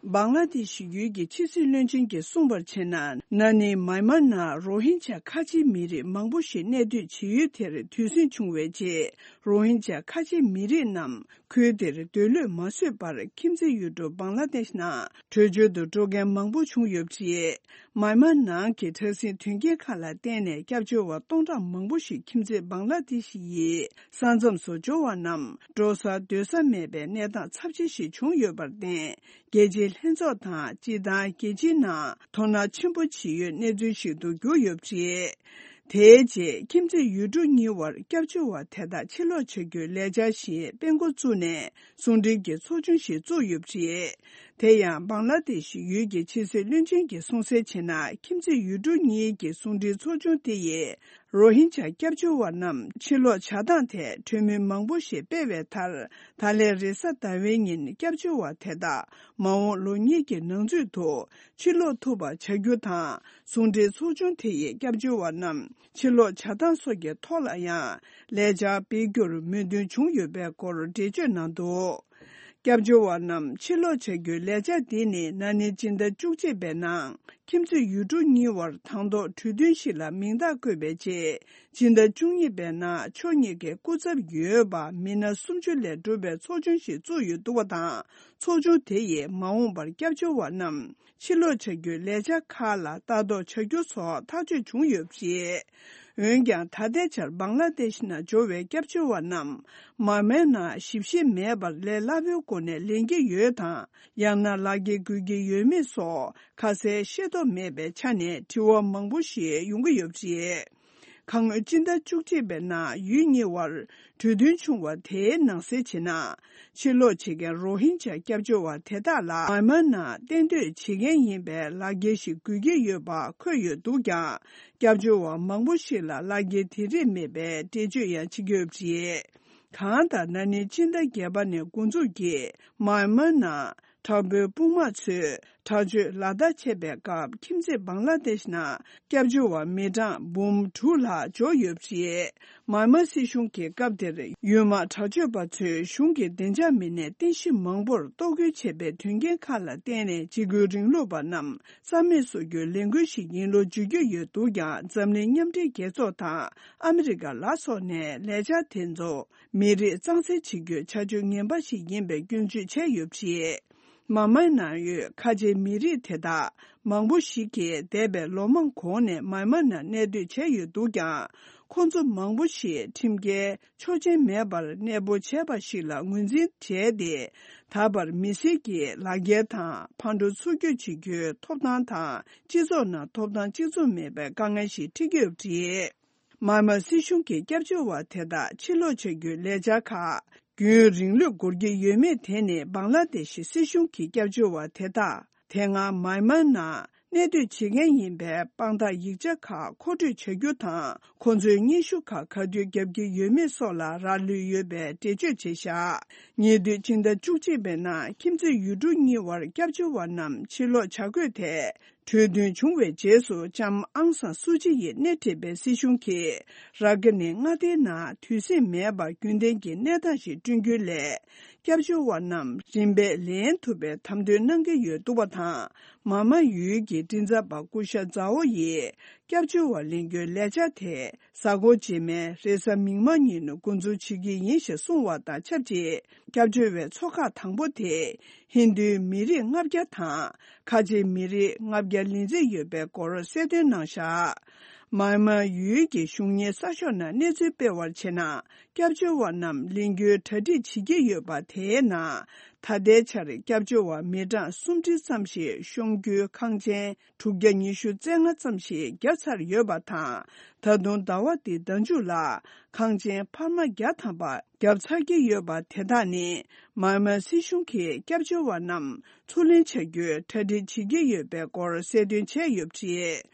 བང་ལ་དེཤ་ཡུལ་གྱི་ཕྱི་སྲིད་བློན་ཆེན་གྱིས་གསུངས་པར་བྱས་ན། ན་ནིང་མཱི་མཱར་ནང་རོ་ཧིན་ཇཱ་ཁ་ཆེའི་མི་རིགས་མང་པོ་ཞིག་གནས་སྡོད་བྱེད་ཡུལ་དེར་དུས་ཟིང་བྱུང་བའི་རྗེས། རོ་ཧིན་ཇཱ་ཁ་ཆེའི་མི་རིགས་རྣམས་ཁུལ་དེར་སྡོད་ལུགས་མ་བཟོད་པར་ཁྱིམ་མཚེས་ཡུལ་གྲུ་བང་ལ་དེཤ་ནང་བྲོས་བྱོལ་དུ་འགྲོ་མཁན་མང་པོ་བྱུང་ཡོད་པ་རེད། མཱི་མཱར་ནང་གི་དྲག་ཟིང་དོན་རྐྱེན་ཁག་ལ་བརྟེན་ནས་སྐྱབས་བཅོལ་བ་སྟོང་ཕྲག་མང་པོ་ཞིག་ཁྱིམ་མཚེས་བང་ལ་དེཤ་ཡི་ས་མཚམས་སུ་འབྱོར་བ་རྣམས་འགྲོ་ས་སྡོད་ས་མེད་པའི་གནས་སྟངས་ཚབས་ཆེ་ཞིག་བྱུང་ཡོད་པར་བརྟེན། རྒྱལ་སྤྱིའི་ལྷན་ཚོགས་དང་སྤྱིར་བཏང་རྒྱལ་སྤྱིའི་ནང་དོ་སྣང་ཆེན་པོ་བྱེད་ཡུལ་གནས་ཚུལ་ཞིག་ཏུ་གྱུར་ཡོད་པ་རེད། དེའི་རྗེས་ཁྱིམ་མཚེས་ཡུལ་གྲུ་གཉིས་བར་སྐྱབས་བཅོལ་བ་དེ་དག་ཕྱིར་ལོག་བྱ་རྒྱུའི་ལས་འཆར་ཞིག་སྤེལ་འགོ་བཙུགས་ནས་ཟུང་འབྲེལ་གྱི་ཚོགས་ཆུང་ཞིག་བཙུགས་ཡོད་པ་རེད། དེ་ཡང་བང་ལ་དེཤ་ཡུལ་གྱི་ཕྱི་སྲིད་བློན་ཆེན་གྱིས་གསུངས་གསལ་བྱས་ན། ཁྱིམ་མཚེས་ཡུལ་གྲུ་གཉིས་ཀྱི་ཟུང་འབྲེལ་ཚོགས་ཆུང་དེ་ཡིས་རོ་ཧིན་ཇཱ་སྐྱབས་བཅོལ་བ་རྣམས་ཕྱིར་ལོག་བྱ་སྟངས་ཐད་གྲོས་མོལ་མང་པོ་ཞིག་སྤེལ་བའི་མཐར། ད་ལན་རེས་གཟའ་ཟླ་བའི་ཉིན་སྐྱབས་བཅོལ་བ་དེ་དག་མ་འོངས་ལོ་གཉིས་ཀྱི་ནང་ཚུད་དུ་ཕྱིར་ལོག་ཐུབ་པ་བྱ་རྒྱུ་དང་། ཟུང་འབྲེལ་ཚོགས་ཆུང་དེ་ཡིས་སྐྱབས་བཅོལ་བ་རྣམས་ཕྱིར་ལོག་བྱ་སྟངས་སོགས་ཀྱི་ཐོག་ལ་ཡང་ལས་འཆར་སྤེལ་རྒྱུར་མོས་མཐུན་བྱུང་ཡོད་པའི་སྐོར་འགྲེལ་བརྗོད་གནང་འདུག། སྐྱབས་བཅོལ་བ་རྣམས་ཕྱིར་ལོག་བྱ་རྒྱུའི་ལས་འཆར་འདི་ནི་ན་ནིང་སྤྱི་ཟླ་བཅུ་གཅིག་པའི་ནང་ཁྱིམ་མཚེས་ཡུལ་གྲུ་གཉིས་བར་དང་ཐོག་གྲོས་མཐུན་ཞིག་ལ་མིང་རྟགས་བཀོད་པའི་རྗེས། སྤྱི་ཟླ་བཅུ་གཉིས་པའི་ནང་ཕྱོགས་གཉིས་ཀའི་སྐུ་ཚབ་ཡོད་པ་མི་སྣ་སུམ་ཅུ་ལས་གྲུབ་པའི་ཚོགས་ཆུང་ཞིག་བཙུགས་ཡོད་འདུག་པ་དང་། ཚོགས་ཆུང་དེ་ཡིས་མ་འོངས་པར་སྐྱབས་བཅོལ་བ་རྣམས་ཕྱིར་ལོག་བྱ་རྒྱུའི་ལས་འཆར་ཁག་ལ་ལྟ་རྟོག་བྱ་རྒྱུ་སོགས་ཐག་གཅོད་བྱུང་ཡོད་པ་རེད། འོན་ཀྱང་ད་ལྟའི་ཆར་བང་ལ་དེཤ་ནང་འབྱོར་བའི་སྐྱབས་བཅོལ་བ་རྣམས་མཱི་མཱར་ནང་ཞིབ་བཤེར་མེད་པར་ལས་སླ་པོའི་སྒོ་ནས་ལེན་གྱི་ཡོད་དང་། ཡང་ན་ལག་འཁྱེར་དགོས་ཀྱི་ཡོད་མེད་སོགས་ཁ་གསལ་ཤེས་རྟོགས་མེད་པའི་ཆ་ནས་དྲི་བ་མང་པོ་ཞིག་ཡོང་གི་ཡོད་པ་རེད། ཁ་སྔོན་སྤྱི་ཟླ་བཅུ་གཅིག་པའི་ནང་ཡུལ་གཉིས་བར་གྲོས་མཐུན་བྱུང་བ་དེའི་ནང་གསལ་བྱས་ན། ཕྱིར་ལོག་བྱེད་མཁན་རོ་ཧིན་ཇཱ་སྐྱབས་བཅོལ་བ་དེ་དག་ལ་མཱི་མཱར་ནང་གཏན་སྡོད་བྱེད་མཁན་ཡིན་པའི་ལག་འཁྱེར་ཞིག་དགོས་ཀྱི་ཡོད་པ་འཁོད་ཡོད་འདུག་ཀྱང་། སྐྱབས་བཅོལ་བ་མང་པོ་ཞིག་ལ་ལག་འཁྱེར་དེ་རིགས་མེད་པའི་འགྲེལ་བརྗོད་ཡང་བྱེད་ཀྱི་ཡོད་པ་རེད། གང་ལྟར་ན་ནིང་སྤྱི་ཟླ་བརྒྱད་པ་ནས་འགོ་འཛུགས་ཀྱིས་མཱི་མཱར་ནང་དྲག་པོའི་དཔུང་དམག་ཚོས་དྲག་སྤྱོད་ལག་བསྟར་བྱས་པའི་སྐབས་ཁྱིམ་མཚེས་བང་ལ་དེཤ་ནང་སྐྱབས་བཅོལ་བ་མི་གྲངས་འབུམ་དྲུག་ལྷག་འབྱོར་ཡོད་པ་རེད། མཱི་མཱར་སྲིད་གཞུང་གིས་སྐབས་དེར་ཡུལ་དམག་དྲག་སྤྱོད་པ་ཚོས་གཞུང་གི་བདེ་འཇགས་མི་སྣའི་རྟེན་གཞི་མང་པོར་གཏོར་རྒོལ་བྱས་པའི་དོན་རྐྱེན་ཁག་ལ་བརྟེན་ནས་འཇིགས་སྐུལ་རིང་ལུགས་པ་རྣམས་རྩ་མེད་བཟོ་རྒྱུའི་ལས་འགུལ་ཞིག་ཡིན་ལུགས་བརྗོད་ཀྱི་ཡོད་འདུག་ཀྱང་། འཛམ་གླིང་མཉམ་འབྲེལ་རྒྱལ་ཚོགས་དང་ཨ་མི་རི་ཀ་ལ་སོགས་ནས་ལས་འཆར་དེ་ཚོ་མི་རིགས་གཙང་སེལ་བྱེད་རྒྱུའི་བྱ་སྤྱོད་ངན་པ་ཞིག་ཡིན་པའི་སྐྱོན་བརྗོད་བྱས་ཡོད་པ་རེད། མཱི་མཱར་ནང་ཡོད་ཁ་ཆེའི་མི་རིགས་དེ་དག་མང་པོ་ཞིག་གིས་འདས་པའི་ལོ་མང་གོང་ནས་མཱི་མཱར་ནང་གནས་སྡོད་བྱས་ཡོད་འདུག་ཀྱང་། ཁོང་ཚོ་མང་པོ་ཞིག་ཁྲིམས་འགལ་ཆོག་མཆན་མེད་པར་གནས་སྤོ་བྱས་པ་ཞིག་ལ་ངོས་འཛིན་བྱས་ཏེ། ད་བར་མི་སེར་གྱི་ལག་འཁྱེར་དང་ཕར་འགྲོ་ཚུར་སྐྱོད་བྱེད་རྒྱུའི་ཐོབ་ཐང་དང་། སྤྱི་ཚོགས་ནང་ཐོབ་ཐང་གཅིག་མཚུངས་མེད་པའི་དཀའ་ངལ་ཞིག་འཕྲད་ཀྱི་ཡོད་པ་རེད། མཱན་མཱ་སྲིད་གཞུང་གི་སྐྱབས་བཅོལ་བ་དེ་དག་ཕྱིར་ལོག་བྱ་རྒྱུའི་ལས་འཆར་ཁག་རྒྱུན་རིང་ལུགས་འགོར་གྱི་ཡོད་མེད་དེ་ནི། བང་ལ་དེ་ཤི་སྲིད་གཞུང་གི་སྐྱབས་བཅོལ་བ་དེ་དག་དེ་སྔ་མཱན་མཱ་ནང་གནས་སྡོད་བྱེད་མཁན་ཡིན་པའི་དཔང་རྟགས་ཡིག་ཆ་ཁག་མཁོ་སྤྲོད་བྱ་རྒྱུ་དང་། ཁོང་ཚོའི་སྙན་ཞུ་ཁག་ག་དུས་བརྒྱབ་ཀྱི་ཡོད་མེད་སོགས་ལ་རག་ལུས་ཡོད་པའི་འགྲེལ་བརྗོད་བྱས་བཞག་ཉེ་དུས་སྤྱི་ཟླ་བཅུ་གཅིག་པའི་ནང་ཁྱིམ་མཚེས་ཡུལ་གྲུ་གཉིས་དབར་སྐྱབས་བཅོལ་བ་རྣམས་ཕྱིར་ལོག་བྱ་དགོས་ཐད། གྲོས་མཐུན་བྱུང་བའི་རྗེས་སུ། ལྕམ་ཨང་སང་སུ་ཅི་ཡིས་སྣེ་ཁྲིད་པའི་སྲིད་གཞུང་གིས་ར་གི་ནི་མངའ་སྡེའི་ནང་དུས་ཟིང་མེད་པར་རྒྱུན་ལྡན་གྱི་གནས་སྟངས་ཤིག་བསྐྲུན་རྒྱུའི་སླད། སྐྱབས་བཅོལ་བ་རྣམས་རིམ་པས་ལེན་ཐུབ་པའི་དམ་དོན་གནང་གི་ཡོད་འདུག་པ་དང་། མཱན་མཱ་ཡུལ་གྱི་མགྲིན་ཚབ་པ་སྐུ་ཞབས་ཛའོ་ཡིས་སྐྱབས་བཅོལ་བ་ལེན་རྒྱུའི་ལས་འཆར་དེ་གཟའ་འཁོར་རྗེས་མའི་རེས་གཟའ་མིག་དམར་ཉིན་འགོ་འཛུགས་བྱེད་ཀྱི་ཡིན་ཞེས་གསུངས་བ་དང་ཆབས་ཅིག་སྐྱབས་བཅོལ་བའི་ཚོགས་ཁག་དང་པོ་དེ། ཧིན་རྡུའི་མི་རིགས་ལྔ་བརྒྱ་དང་། ཁ་ཆེའི་མི་རིགས་ལྔ་བརྒྱ་ལི་རྩིས་ཡོད་པའི་སྐོར་གསལ་སྟོན་གནང་བཞག་མཱན་མཱ་ཡུལ་གྱི་གཞུང་གཉེར་གསར་ཤོག་ནང་གནས་ཚུལ་སྤེལ་བར་བྱས་ན། སྐྱབས་བཅོལ་བ་རྣམས་ལེན་རྒྱུའི་གྲ་སྒྲིག་བྱེད་ཀྱི་ཡོད་པ་དེའི་ནང་། ད་ལྟའི་ཆར་སྐྱབས་བཅོལ་བ་མི་གྲངས་སུམ་ཁྲི་ཙམ་ཞིག་ཤོང་རྒྱུའི་ཁང་ཆེན་དྲུག་བརྒྱ་ཉི་ཤུ་རྩ་ལྔ་ཙམ་ཞིག་བརྒྱབ་ཚར་ཡོད་པ་དང་། ད་དུང་ཟླ་བ་འདིའི་ཟླ་མཇུག་ལ་ཁང་ཆེན་འཕར་མ་བརྒྱ་ཐམ་པ་བརྒྱབ་ཚར་གྱི་ཡོད་པ། དེ་དག་ནི་མཱན་མཱ་སྲིད་གཞུང་གིས་སྐྱབས་བཅོལ་བ་རྣམས་ཚུར་ལེན་བྱ་རྒྱུའི་གྲ་སྒྲིག་བྱེད་ཀྱི་ཡོད་པའི་སྐོར་གསལ་སྟོན་བྱས་ཡོད་པ་རེད།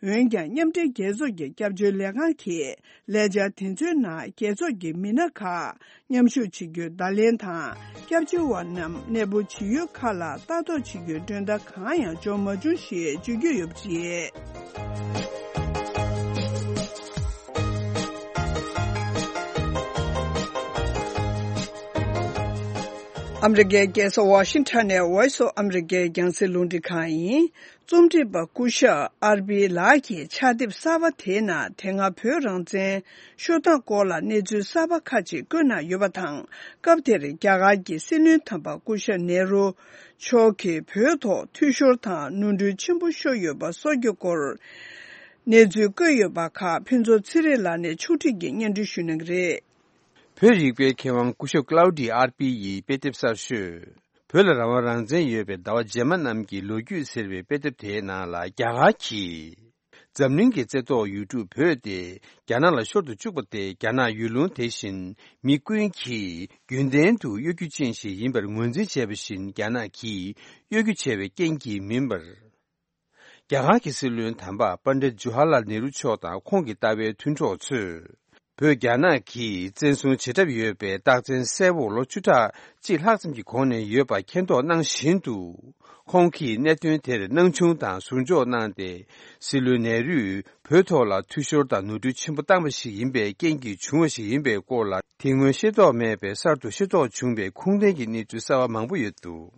འོན་ཀྱང་། མཉམ་འབྲེལ་རྒྱལ་ཚོགས་ཀྱི་སྐྱབས་བཅོལ་ལས་ཁང་གིས་ལས་འཆར་དེ་ཚོའི་ནང་རྒྱལ་ཚོགས་ཀྱི་མི་སྣ་ཁག་མཉམ་ཞུགས་བྱེད་རྒྱུའི་བརྡ་ལན་དང་། སྐྱབས་བཅོལ་བ་རྣམས་གནས་སྤོ་བྱེད་ཡུལ་ཁག་ལ་ལྟ་རྟོག་བྱེད་རྒྱུའི་མགྲོན་བརྡ་གང་ཡང་འབྱོར་མ་བྱུང་ཞེས་བརྗོད་ཀྱི་ཡོད་པ་རེད། ཨ་མི་རི་ཀའི་རྒྱལ་ས་ཝ་ཤིང་ཊོན་ནས་Voice of America རྒྱང་སྲིང་རླུང་འཕྲིན་ཁང་ཡིན། རྩོམ་སྒྲིག་པ་སྐུ་ཞབས་ཨར་པི་ལགས་ཀྱིས་ཕྱག་དེབ་གསར་པ་དེའི་ནང་དེ་སྔ་བོད་རང་བཙན་ཤོར་སྟངས་སྐོར་ལ་གནས་ཚུལ་གསར་པ་ཁག་ཅིག་བཀོད་གནང་ཡོད་པ་དང་། སྐབས་དེར་རྒྱ་གར་གྱི་སྲིད་བློན་དམ་པ་སྐུ་ཞབས་ནེ་རུ་མཆོག་གིས་བོད་ཐོག་འཐུས་ཤོར་དང་ནོར་འཁྲུལ་ཆེན་པོ་ཤོར་ཡོད་པ་སོགས་ཀྱི་སྐོར་གནས་ཚུལ་བཀོད་ཡོད་པ་ཁག་ཕུན་ཚོགས་ཚེ་རིང་ལགས་ནས་ཕྱོགས་བསྒྲིགས་ཀྱིས་སྙན་སྒྲོན་ཞུ་གནང་གི་རེད། བོད་རིག་པའི་མཁས་དབང་སྐུ་ཞབས་ཀླའུ་ཌི་ཨར་པི་ཡི་དཔེ་དེབ་གསར་ཤོས། བོད་ལ་རང་དབང་རང་བཙན་ཡོད་པའི་ཟླ་བ་རྗེས་མ་རྣམས་ཀྱི་ལོ་རྒྱུས་ཟེར་བའི་དཔེ་དེབ་དེའི་ནང་ལ། རྒྱ་གར་གྱིས་འཛམ་གླིང་གི་རྩེ་ཐོག་ཡུལ་གྲུ་བོད་དེ་རྒྱ་ནག་ལ་ཤོར་དུ་བཅུག་པ་དེ། རྒྱ་ནག་ཡུལ་ལུང་དེ་བཞིན་མི་ཀུན་གྱིས་རྒྱུན་ལྡན་དུ་གཡོ་སྒྱུ་ཅན་ཞིག་ཡིན་པར་ངོས་འཛིན་བྱས་པ་བཞིན། རྒྱ་ནག་གིས་གཡོ་སྒྱུ་བྱས་པའི་རྐྱེན་གྱིས་མིན་པར། རྒྱ་གར་གྱི་སྲིད་བློན་དམ་པ་པཎྜི་ཏ་ཇུ་ཧ་ལ་ལ་ནེ་རུ་མཆོག་དང་ཁོང་གི་ལྟ་བའི་མཐུན་གྲོགས་ཚོས། བོད་རྒྱ་ནག་གིས་བཙན་བཟུང་བྱེད་གྲབས་ཡོད་པའི་རྟགས་མཚན་གསལ་པོ་ལོ་བཅུ་ཕྲག་གཅིག་ལྷག་ཙམ་གྱི་གོང་ནས་ཡོད་པ་མཁྱེན་རྟོགས་གནང་བཞིན་དུ། ཁོང་གིས་གནད་དོན་དེར་སྣང་ཆུང་དང་ཟུར་འཇོག་གནང་སྟེ། སྲིད་བློན་ནེ་རུས་བོད་ཐོག་ལ་འཐུས་ཤོར་དང་ནོར་འཁྲུལ་ཆེན་པོ་བཏང་བ་ཞིག་ཡིན་པའི་རྐྱེན་གྱིས་བྱུང་བ་ཞིག་ཡིན་པའི་སྐོར་ལ། དེ་སྔོན་ཤེས་རྟོགས་མེད་པའི་གསར་དུ་ཤེས་རྟོགས་བྱུང་བའི་ཁུངས་ལྡན་གྱི་གནས་ཚུལ་གསར་པ་མང་པོ་ཡོད་འདུག་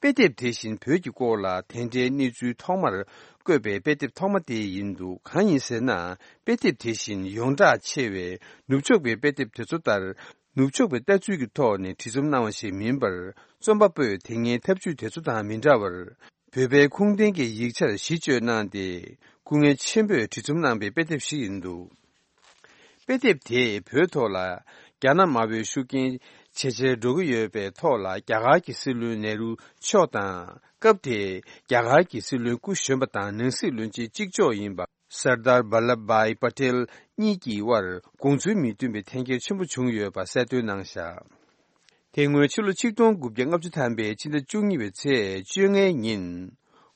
དཔེ་དེབ་དེ་བཞིན་བོད་ཀྱི་སྐོར་ལ་དེ་འདྲའི་གནས་ཚུལ་ཐོག་མར་བཀོད་པའི་དཔེ་དེབ་ཐོག་མ་དེ་ཡིན་འདུག་གང་ཡིན་ཟེར་ན། དཔེ་དེབ་དེ་བཞིན་ཡོངས་གྲགས་ཆེ་བའི་ནུབ་ཕྱོགས་པའི་དཔེ་དེབ་དེ་ཚོ་ལྟར། ནུབ་ཕྱོགས་པའི་ལྟ་ཚུལ་གྱི་ཐོག་ནས་བྲིས་རྩོམ་གནང་བ་ཞིག་མིན་པར། རྩོམ་པ་པོས་དེ་སྔའི་ཐབས་ཇུས་དེ་ཚོ་དང་མི་འདྲ་བར། བོད་པའི་ཁུངས་ལྡན་གྱི་ཡིག་ཆར་གཞི་བཅོལ་གནང་སྟེ། སྐུ་ངལ་ཆེན་པོས་བྲིས་རྩོམ་གནང་པའི་དཔེ་དེབ་ཞིག་ཡིན་འདུག་དཔེ་དེབ་དེས་བོད་ཐོག་ལ་རྒྱ་ནག་དམར་པོའི་ཤུགས་རྐྱེན་ཇེ་ཆེར་འགྲོ་གི་ཡོད་པའི་ཐོག་ལ། རྒྱ་གར་གྱི་སྲིད་བློན་ནེ་རུ་མཆོག་དང་། སྐབས་དེའི་རྒྱ་གར་གྱི་སྲིད་བློན་སྐུ་གཞོན་པ་དང་ནང་སྲིད་བློན་ཆེན་གཅིག་ལྕོགས་ཡིན་པ་སར་དར་བྷ་ལབ་བྷའི་པ་ཏེལ་གཉིས་ཀྱི་དབར་དགོངས་ཚུལ་མི་མཐུན་པའི་འཐེན་འཁྱེར་ཆེན་པོ་བྱུང་ཡོད་པ་གསལ་སྟོན་གནང་བཞག་དེ་སྔོན་ཕྱི་ལོ་ཆིག་སྟོང་དགུ་བརྒྱ་ལྔ་བཅུ་ཐམ་པའི་ཕྱི་ཟླ་བཅུ་གཉིས་པའི་ཚེས་བཅོ་ལྔའི་ཉིན།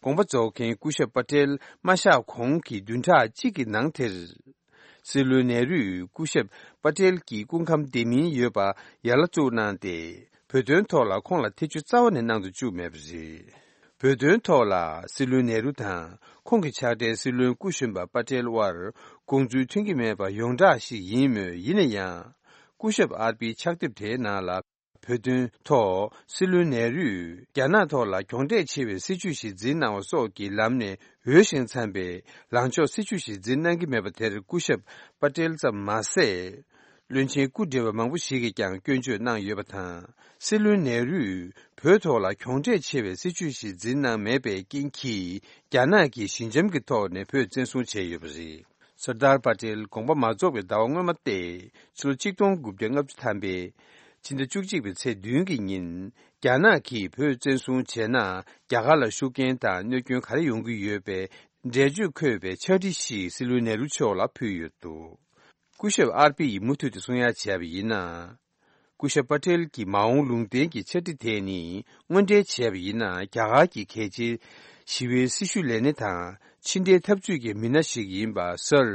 དགོངས་པ་རྫོགས་མཁན་སྐུ་ཞབས་པ་ཏེལ་མ་གཤེགས་གོང་གི་བདུན་ཕྲག་གཅིག་གི་ནང་དེར། སྲིད་བློན་ནེ་རུས་སྐུ་ཞབས་པ་ཏེལ་གྱི་སྐུ་ཁམས་བདེ་མིན་ཡོད་པ་ཡར་ལ་བཙུགས་གནང་སྟེ། བོད་དོན་ཐོག་ལ་ཁོང་ལ་ཐེ་བྱུས་རྩ་བ་ནས་གནང་དུ་བཅུག་མེད་པ་རེད། བོད་དོན་ཐོག་ལ་སྲིད་བློན་ནེ་རུ་དང་ཁོང་གི་ཕྱག་སྦྲེལ་སྲིད་བློན་སྐུ་གཞོན་པ་པ་ཏེལ་དབར་དགོངས་ཚུལ་མཐུན་གྱི་མེད་པ་ཡོངས་གྲགས་ཤིག་ཡིན་མོད། ཡིན་ན་ཡང་། སྐུ་ཞབས་ཨར་པིའི་ཕྱག་དེབ་དེའི་ནང་ལ། བོད་དོན་ཐོག་སྲིད་བློན་ནེ་རུས་རྒྱ་ནག་ཐོག་ལ་གྱོང་གྲད་ཆེ་བའི་སྲིད་བྱུས་ཤིག་འཛིན་གནང་བ་སོགས་ཀྱི་ལམ་ནས་འོས་ཤིང་འཚམས་པའི་ལངས་ཕྱོགས་སྲིད་བྱུས་ཤིག་འཛིན་གནང་གི་མེད་པ་དེར་སྐུ་ཞབས་པ་ཏེལ་ཙམ་མ་ཟད། བློན་ཆེན་སྐུ་བགྲེས་པ་མང་པོ་ཞིག་གིས་ཀྱང་སྐྱོན་བརྗོད་གནང་ཡོད་པ་དང་། སྲིད་བློན་ནེ་རུས་བོད་ཐོག་ལ་གྱོང་གྲད་ཆེ་བའི་སྲིད་བྱུས་ཤིག་འཛིན་གནང་མེད་པའི་རྐྱེན་གྱིས། རྒྱ་ནག་གིས་ཞི་འཇམ་གྱི་ཐོག་ནས་བོད་བཙན་བཟུང་བྱས་ཡོད་པ་རེད། སར་དར་པ་ཏེལ་དགོངས་པ་མ་རྫོགས་པའི་ཟླ་བ་སྔོན་མ་སྟེ། ཕྱི་ལོ་གཅིག་སྟོང་དགུ་བརྒྱ་ལྔ་བཅུ་ཐམ་པའི་ཕྱི་ཟླ་བཅུ་གཅིག་པའི་ཚེས་བདུན་གྱི་ཉིན། རྒྱ་ནག་གིས་བོད་བཙན་བཟུང་བྱས་ན། རྒྱ་གར་ལ་ཤུགས་རྐྱེན་དང་གནོད་སྐྱོན་ག་རེ་ཡོང་གི་ཡོད་པའི་འགྲེལ་བརྗོད་འཁོད་པའི་ཕྱག་བྲིས་ཤིག་སྲིད་བློན་ནེ་རུ་མཆོག་ལ་ཕུལ་ཡོད་འདུག་སྐུ་ཞབས་ཨར་པི་ཡིས་མུ་མཐུད་དུ་གསུང་ཡ་བྱས་པ་ཡིན་ན། སྐུ་ཞབས་པ་ཏེལ་གྱི་མ་འོངས་ལུང་བསྟན་གྱི་ཕྱག་བྲིས་དེ་ནི། དངོས་འབྲེལ་བྱས་པ་ཡིན་ན། རྒྱ་གར་གྱི་གལ་ཆེའི་ཞི་བའི་སྲི་ཞུ་ལས་སྣེ་དང་། ཕྱི་འབྲེལ་འཐབ་ཇུས་ཀྱི་མི་སྣ་ཞིག་ཡིན་པ། སར་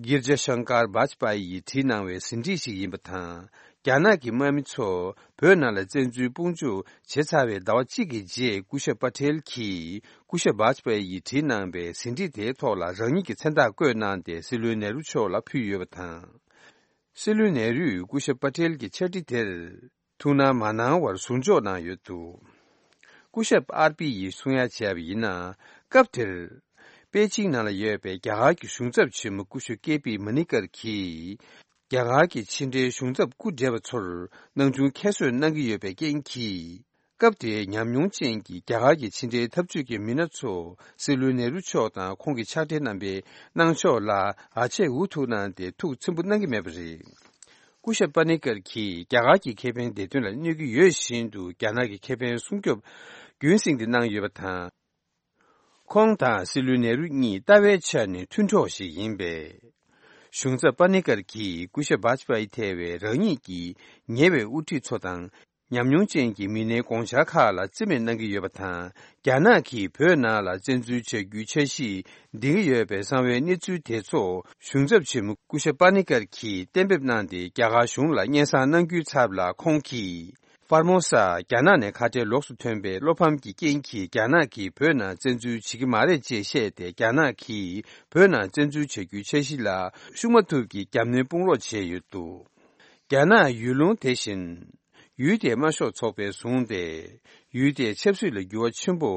གིར་ཇ་ཤང་ཀར་བཱཇ་པ་ཡིས་བྲིས་གནང་བའི་ཟིན་བྲིས་ཤིག་ཡིན་པ་དང་། རྒྱ་ནག་གི་དམག་མི་ཚོ་བོད་ནང་ལ་བཙན་འཛུལ་དཔུང་འཇུག་བྱས་ཚར་བའི་ཟླ་བ་གཅིག་གི་རྗེས། སྐུ་ཞབས་པ་ཏེལ་གྱིས་སྐུ་ཞབས་བཱཇ་པ་ཡིས་བྲིས་གནང་བའི་ཟིན་བྲིས་དེའི་ཐོག་ལ་རང་ཉིད་ཀྱི་མཚན་རྟགས་བཀོད་གནང་སྟེ། སྲིད་བློན་ནེ་རུ་མཆོག་ལ་ཕུལ་ཡོད་པ་དང་། སྲིད་བློན་ནེ་རུས་སྐུ་ཞབས་པ་ཏེལ་གྱི་ཕྱག་བྲིས་དེར་ཐུགས་སྣང་མ་གནང་བར་ཟུར་འཇོག་གནང་ཡོད་འདུག་སྐུ་ཞབས་ཨར་པི་ཡིས་གསུང་ཡ་བྱས་པ་ཡིན་ན། སྐབས་དེར་པེ་ཅིང་ནང་ལ་ཡོད་པའི་རྒྱ་གར་གྱི་གཞུང་ཚབ་ཆེན་མོ་སྐུ་ཞབས་ཀེ་པི་མ་ནི་ཀར་གྱིས། རྒྱ་གར་གྱི་ཕྱི་འབྲེལ་གཞུང་ཚབ་སྐུ་བགྲེས་པ་ཚོར་སྣང་ཆུང་ཁྱད་གསོད་གནང་གི་ཡོད་པའི་རྐྱེན་གྱིས། སྐབས་དེའི་ཉམས་མྱོང་ཅན་གྱི་རྒྱ་གར་གྱི་ཕྱི་འབྲེལ་འཐབ་ཇུས་ཀྱི་མི་སྣ་ཚོ་སྲིད་བློན་ནེ་རུ་མཆོག་དང་ཁོང་གི་ཕྱག་སྦྲེལ་རྣམ་པའི་གནང་ཕྱོགས་ལ་ཨ་ཆད་འུ་ཐུག་གནང་སྟེ་ཐུགས་ཚིམ་པོ་གནང་གི་མེད་པ་རེད། སྐུ་ཞབས་པ་ནི་ཀར་གྱིས་རྒྱ་གར་གྱི་ཁེ་ཕན་བདེ་དོན་ལ་གནོད་ཀྱི་ཡོད་བཞིན་དུ། རྒྱ་ནག་གི་ཁེ་ཕན་སྲུང་སྐྱོབ་རྒྱུན་སྲིང་དུ་གནང་ཡོད་པ་དང་། ཁོང་དང་སྲིད་བློན་ནེ་རུ་གཉིས་ལྟ་བའི་ཆ་ནས་མཐུན་གྲོགས་ཤིག་ཡིན་པས། གཞུང་ཚབ་པ་ནི་ཀར་གྱིས་སྐུ་ཞབས་བཱཇ་པ་ཡི་ཐེ་བའི་རང་ཉིད་ཀྱི་ཉེ་བའི་དབུ་ཁྲིད་ཚོ་དང་། ཉམས་མྱོང་ཅན་གྱི་མི་སྣའི་དགོངས་འཆར་ཁག་ལ་རྩིས་མེད་གནང་གི་ཡོད་པ་དང་། རྒྱ་ནག་གིས་བོད་ནང་ལ་བཙན་འཛུལ་བྱ་རྒྱུའི་འཆར་གཞི་འདིང་གི་ཡོད་པའི་གསང་བའི་གནས་ཚུལ་དེ་ཚོ་གཞུང་ཚབ་ཆེན་མོ་སྐུ་ཞབས་པ་ནི་ཀར་གྱིས་གཏན་འབེབས་གནང་སྟེ། རྒྱ་གར་གཞུང་ལ་སྙན་སེང་གནང་རྒྱུའི་ཚབ་ལ་ཁོང་གིས། ཧྥར་མོ་ས་རྒྱ་ནག་ནས་ཁ་བྲལ་ལོགས་སུ་ཐོན་པའི་བློ་ཕམ་གྱི་རྐྱེན་གྱིས། རྒྱ་ནག་གིས་བོད་ནང་བཙན་འཛུལ་བྱེད་ཀྱི་མ་རེད་ཅེས་བཤད་དེ། རྒྱ་ནག་གིས་བོད་ནང་བཙན་འཛུལ་བྱ་རྒྱུའི་འཆར་གཞི་ལ་ཤུགས་མ་ཐུབ་ཀྱིས་རྒྱབ་གནོན་དཔུང་རོགས་བྱས་ཡོད་འདུག་རྒྱ་ནག་ཡུལ་ལུང་དེ་བཞིན་ཡུལ་དེའི་དམར་ཤོག་ཚོགས་པས་བཟུང་སྟེ། ཡུལ་དེའི་ཆབ་སྲིད་ལ་འགྱུར་བ་ཆེན་པོ་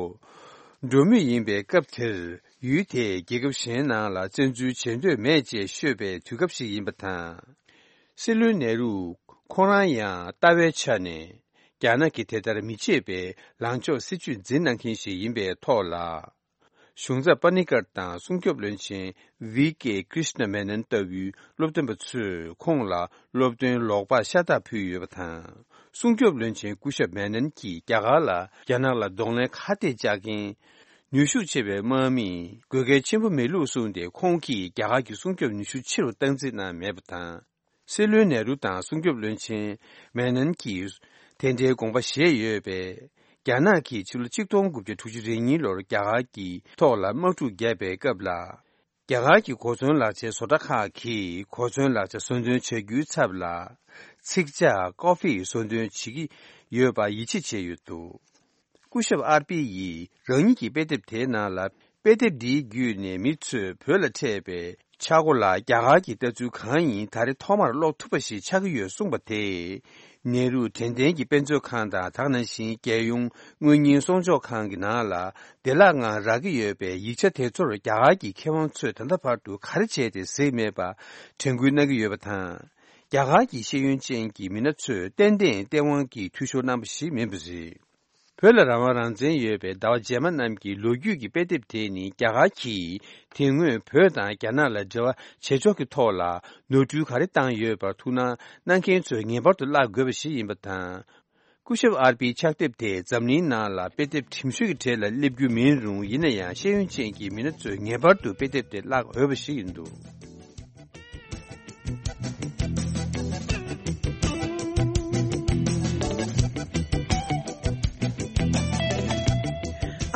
འགྲོ་མུས་ཡིན་པའི་སྐབས་དེར། ཡུལ་དེས་རྒྱལ་ཁབ་གཞན་ནང་ལ་བཙན་འཛུལ་བྱེད་འདོད་མེད་ཅེས་ཤོད་པའི་དུས་སྐབས་ཤིག་ཡིན་པ་དང་། སྲིད་བློན་ནེ་རུ་ཁོང་རང་ཡང་ལྟ་བའི་ཆ་ནས་རྒྱ་ནག་གིས་དེ་ལྟར་མི་བྱེད་པའི་ལངས་ཕྱོགས་སྲིད་བྱུས་འཛིན་གནང་མཁན་ཞིག་ཡིན་པའི་ཐོག་ལ། གཞུང་ཚབ་པ་ནི་ཀར་དང་སྲུང་སྐྱོབ་བློན་ཆེན་ཝི་ཀེ་ཀྲིཤ་ན་མེ་ནན་ལྟ་བུའི་སློབ་སྟོན་པ་ཚོས་ཁོང་ལ་སློབ་སྟོན་ལོག་པར་ཤ་སྟག་ཕུལ་ཡོད་པ་དང་། སྲུང་སྐྱོབ་བློན་ཆེན་སྐུ་ཞབས་མེ་ནན་གྱིས་རྒྱ་གར་ལ་རྒྱ་ནག་ལ་གདོང་ལེན་ཁ་གཏད་བཅག་མཁན་ནུས་ཤུགས་ཆེ་བའི་དམག་མིས་དགོས་གལ་ཆེན་པོ་མེད་ལུགས་གསུངས་ཏེ། ཁོང་གིས་རྒྱ་གར་གྱི་སྲུང་སྐྱོབ་ནུས་ཤུགས་ཆེ་རུ་བཏང་རྩིས་གནང་མེད་པ་དང་། སྲིད་བློན་ནེ་རུ་དང་སྲུང་སྐྱོབ་བློན་ཆེན་མེ་ནན་གྱིས་དེ་འདྲའི་དགོངས་པ་བཞེས་ཡོད་པས། རྒྱ་ནག་གིས་ཕྱི་ལོ་ཆིག་སྟོང་དགུ་བརྒྱ་དྲུག་ཅུ་རེ་གཉིས་ལོར་རྒྱ་གར་གྱི་ཐོག་ལ་དམག་འཁྲུག་བརྒྱབ་པའི་སྐབས་ལ། རྒྱ་གར་གྱི་གོ་མཚོན་ལག་ཆའི་བཟོ་གྲྭ་ཁག་གིས་གོ་མཚོན་ལག་ཆ་བཟོ་འདོན་བྱ་རྒྱུའི་ཚབ་ལ། ཚིག་ཇ་ཀོ་ཧྥི་བཟོ་འདོན་བྱེད་ཀྱི་ཡོད་པ་ཡིད་ཆེས་བྱས་ཡོད་འདུག་སྐུ་ཞབས་ཨར་པི་ཡིས་རང་ཉིད་ཀྱི་དཔེ་དེབ་དེའི་ནང་ལ། དཔེ་དེབ་འདིའི་བརྒྱུད་ནས་མི་ཚོས་བོད་ལ་འཕྲད་པའི་ཆག་སྒོ་ལ་རྒྱ་གར་གྱི་ལྟ་ཚུལ་གང་ཡིན་ད་རེས་ཐོག་མར་ཀློག་ཐུབ་པ་ཞིག་ཆགས་ཀྱི་ཡོད་གསུངས་པ་དེས། ནེ་རུ་དྲན་རྟེན་གྱི་དཔེ་མཛོད་ཁང་དང་། དེ་ནང་བཞིན་རྒྱལ་ཡོངས་དངུལ་རྙིང་གསོག་འཇོག་ཁང་གི་ནང་ལ་བདེ་བླག་ངང་རག་གི་ཡོད་པའི་ཡིག་ཆ་དེ་ཚོར་རྒྱ་གར་གྱི་མཁས་དབང་ཚོས་ད་ལྟ་བར་དུ་ག་རེ་བྱས་ཏེ་གཟིགས་མེད་པ་དྲན་སྐུལ་གནང་གི་ཡོད་པ་དང་། རྒྱ་གར་གྱི་ཤེས་ཡོན་ཅན་གྱི་མི་སྣ་ཚོས་ཏན་ཏན་སྟེས་དབང་གིས་འཐུས་ཤོར་གནང་པ་ཞིག་མིན་པ་རེད། བོད་ལ་རང་དབང་རང་བཙན་ཡོད་པའི་ཟླ་བ་རྗེས་མ་རྣམས་ཀྱི་ལོ་རྒྱུས་ཀྱི་དཔེ་དེབ་དེ་ནི། རྒྱ་གར་གྱིས་དེ་སྔོན་བོད་དང་རྒྱ་ནག་ལ་འབྲེལ་བ་བྱེད་ཕྱོགས་ཀྱི་ཐོག་ལ་ནོར་འཁྲུལ་ག་རེ་བཏང་ཡོད་པར་ཐུགས་སྣང་གནང་མཁན་ཚོས་ངེས་པར་དུ་བཀླག་དགོས་པ་ཞིག་ཡིན་པ་དང་། སྐུ་ཞབས་ཨར་པིའི་ཕྱག་དེབ་དེ་འཛམ་གླིང་ནང་ལ་དཔེ་དེབ་གྲིམ་ཤོས་ཀྱི་གྲས་ལ་སླེབས་རྒྱུ་མིན་རུང་། ཡིན་ན་ཡང་ཤེས་ཡོན་ཅན་གྱི་མི་སྣ་ཚོས་ངེས་པར་དུ་དཔེ་དེབ་དེ་བཀླག་འོས་པ་ཞིག་ཡིན་འདུག་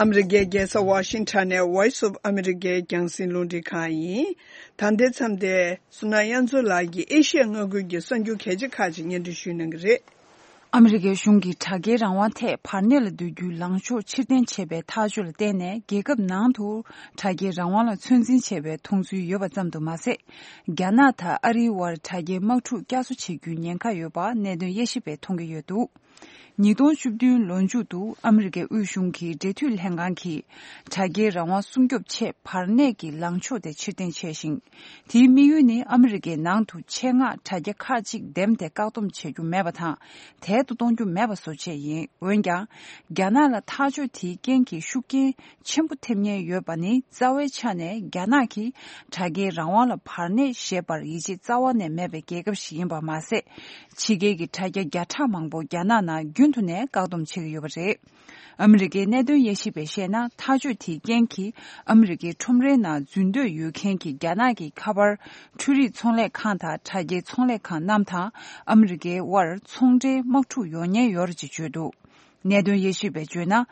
ཨ་མི་རི་ཀའི་རྒྱལ་ས་ཝ་ཤིང་ཊོན་ནས་Voice of America་རྒྱང་སྲིང་རླུང་འཕྲིན་ཁང་ཡིན། ད་ལྟའི་མཚམས་དེ་བསོད་ནམས་དབྱངས་མཚོ་ལགས་ཀྱིས་ཨེ་ཤི་ཡ་མངའ་ཁུལ་གྱི་གསར་འགྱུར་གལ་ཆེ་ཁག་ཅིག་སྙན་སྒྲོན་ཞུ་གནང་གི་རེད། ཨ་མི་རི་ཀའི་གཞུང་གིས་དྲ་རྒྱའི་རང་དབང་ཐད་བར་གནས་ལ་སྡོད་རྒྱུའི་ལངས་ཕྱོགས་ཕྱིར་འཐེན་བྱས་པའི་ཐག་གཅོད་ལ་བརྟེན་ནས། རྒྱལ་ཁབ་ནང་དུ་དྲ་རྒྱའི་རང་དབང་ལ་ཚོད་འཛིན་བྱས་པའི་མཐོང་ཚུལ་ཡོད་པ་ཙམ་དུ་མ་ཟད། རྒྱ་ནག་དང་ཨ་རིའི་དབར་དྲ་རྒྱའི་དམག་འཁྲུག་བསྐྱར་གསོ་བྱེད་རྒྱུའི་ཉེན་ཁ་ཡོད་པ་གནད་དོན་དབྱེ་ཞིབ་པས་མཐོང་གི་ཡོད་འདུག་ཉིས་སྟོང་བཅུ་བདུན་ལོ་མཇུག་ཏུ་ཨ་མི་རི་ཀའི་དབུས་གཞུང་གི་འབྲེལ་མཐུད་ལྷན་ཁང་གིས་དྲ་རྒྱའི་རང་དབང་སྲུང་སྐྱོབ་ཆེད་བར་གནས་ཀྱི་ལངས་ཕྱོགས་དེ་ཕྱིར་འཐེན་བྱས་ཤིང་། དེའི་དམིགས་ཡུལ་ནི་ཨ་མི་རི་ཀའི་ནང་དུ་ཆེད་མངགས་དྲ་རྒྱ་ཁག་ཅིག་འདེམས་ཏེ་བཀག་སྡོམ་བྱེད་རྒྱུ་མེད་པ་དང་། དལ་དུ་གཏོང་རྒྱུ་མེད་པ་བཟོ་ཆེད་ཡིན། འོན་ཀྱང་། རྒྱ་ནག་ལ་ཐག་གཅོད་དེའི་རྐྱེན་གྱིས་ཤུགས་རྐྱེན་ཆེན་པོ་ཐེབས་ཉེན་ཡོད་པ་ནི། རྩ་བའི་ཆ་ནས་རྒྱ་ནག་གིས་དྲ་རྒྱའི་རང་དབང་ལ་བར་གནས་བཞེས་པར་ཡིད་ཆེས་རྩ་བ་ནས་མེད་པའི་རྒྱལ་ཁབ་ཞིག་ཡིན་པ་མ་ཟད། ཕྱི་རྒྱལ་གྱི་དྲ་རྒྱ་བརྒྱ་ཕྲག་མང་པོ་རྒྱ་ནག་ནང་རྒྱུན་དུ་ནས་བཀག་སྡོམ་བྱེད་ཀྱི་ཡོད་པ་རེད། ཨ་མི་རི་ཀའི་གནད་དོན་དབྱེ་ཞིབ་པས་བཤད་ན། ཐག་གཅོད་དེའི་རྐྱེན་གྱིས་ཨ་མི་རི་ཀའི་ཁྲོམ་རའི་ནང་འཛུལ་འདོད་ཡོད་མཁན་གྱི་རྒྱ་ནག་གི་ཁ་པར། འཕྲུལ་རིག་ཚོང་ལས་ཁང་དང་དྲ་རྒྱའི་ཚོང་ལས་ཁང་རྣམས་དང་ཨ་མི་རི་ཀའི་དབར་ཚོང་འབྲེལ་དམག་འཁྲུག་ཡོང་ཉེན་ཡོད་རེད་ཅེས་བརྗོད་འདུག་གནད་དོན་དབྱེ་ཞིབ་པས་བརྗོད་ན།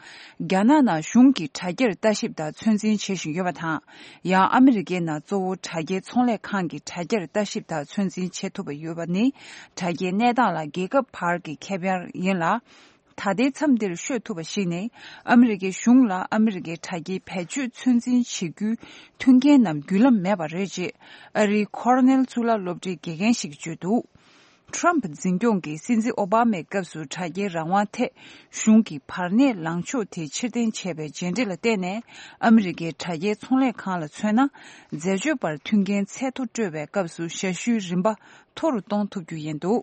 རྒྱ་ནག་ནང་གཞུང་གིས་དྲ་རྒྱར་ལྟ་ཞིབ་དང་ཚོད་འཛིན་བྱེད་བཞིན་ཡོད་པ་དང་། ཡང་ཨ་མི་རི་ཀའི་ནང་གཙོ་བོ་དྲ་རྒྱའི་ཚོང་ལས་ཁང་གིས་དྲ་རྒྱར་ལྟ་ཞིབ་དང་ཚོད་འཛིན་བྱེད་ཐུབ་པ་ཡོད་པ་ནི། དྲ་རྒྱའི་གནས་སྟངས་ལ་རྒྱལ་ཁབ་བར་གྱི་ཁེ་ཕན་ཡིན་ལ། ད་ལྟའི་མཚམས་འདིར་ཤོད་ཐུབ་པ་ཞིག་ནི། ཨ་མི་རི་ཀའི་གཞུང་ལ་ཨ་མི་རི་ཀའི་དྲ་རྒྱའི་བེད་སྤྱོད་ཚོད་འཛིན་བྱེད་རྒྱུའི་མཐུན་རྐྱེན་ནམ་བརྒྱུད་ལམ་མེད་པ་རེད་ཅེས། ཨ་རིའི་ཁོ་ར་ནེལ་གཙུག་ལག་སློབ་གྲྭའི་དགེ་རྒན་ཞིག་གིས་བརྗོད་འདུག་ཊྲམ་ཕ་འཛིན་སྐྱོང་གིས་སྲིད་འཛིན་ཨོ་བྷ་མའི་སྐབས་སུ་དྲ་རྒྱའི་རང་དབང་ཐད་གཞུང་གིས་བར་གནས་ལངས་ཕྱོགས་དེ་ཕྱིར་འཐེན་བྱས་པའི་རྗེས་འབྲས་ལ་བརྟེན་ནས། ཨ་མི་རི་ཀའི་དྲ་རྒྱའི་ཚོང་ལས་ཁང་ལ་མཚོན་ན། འཛད་སྤྱོད་པར་མཐུན་རྐྱེན་ཚད་མཐོ་སྤྲོད་པའི་སྐབས་སུ་ཞབས་ཞུའི་རིན་པ་མཐོ་རུ་གཏོང་ཐུབ་རྒྱུ་ཡིན་འདུག་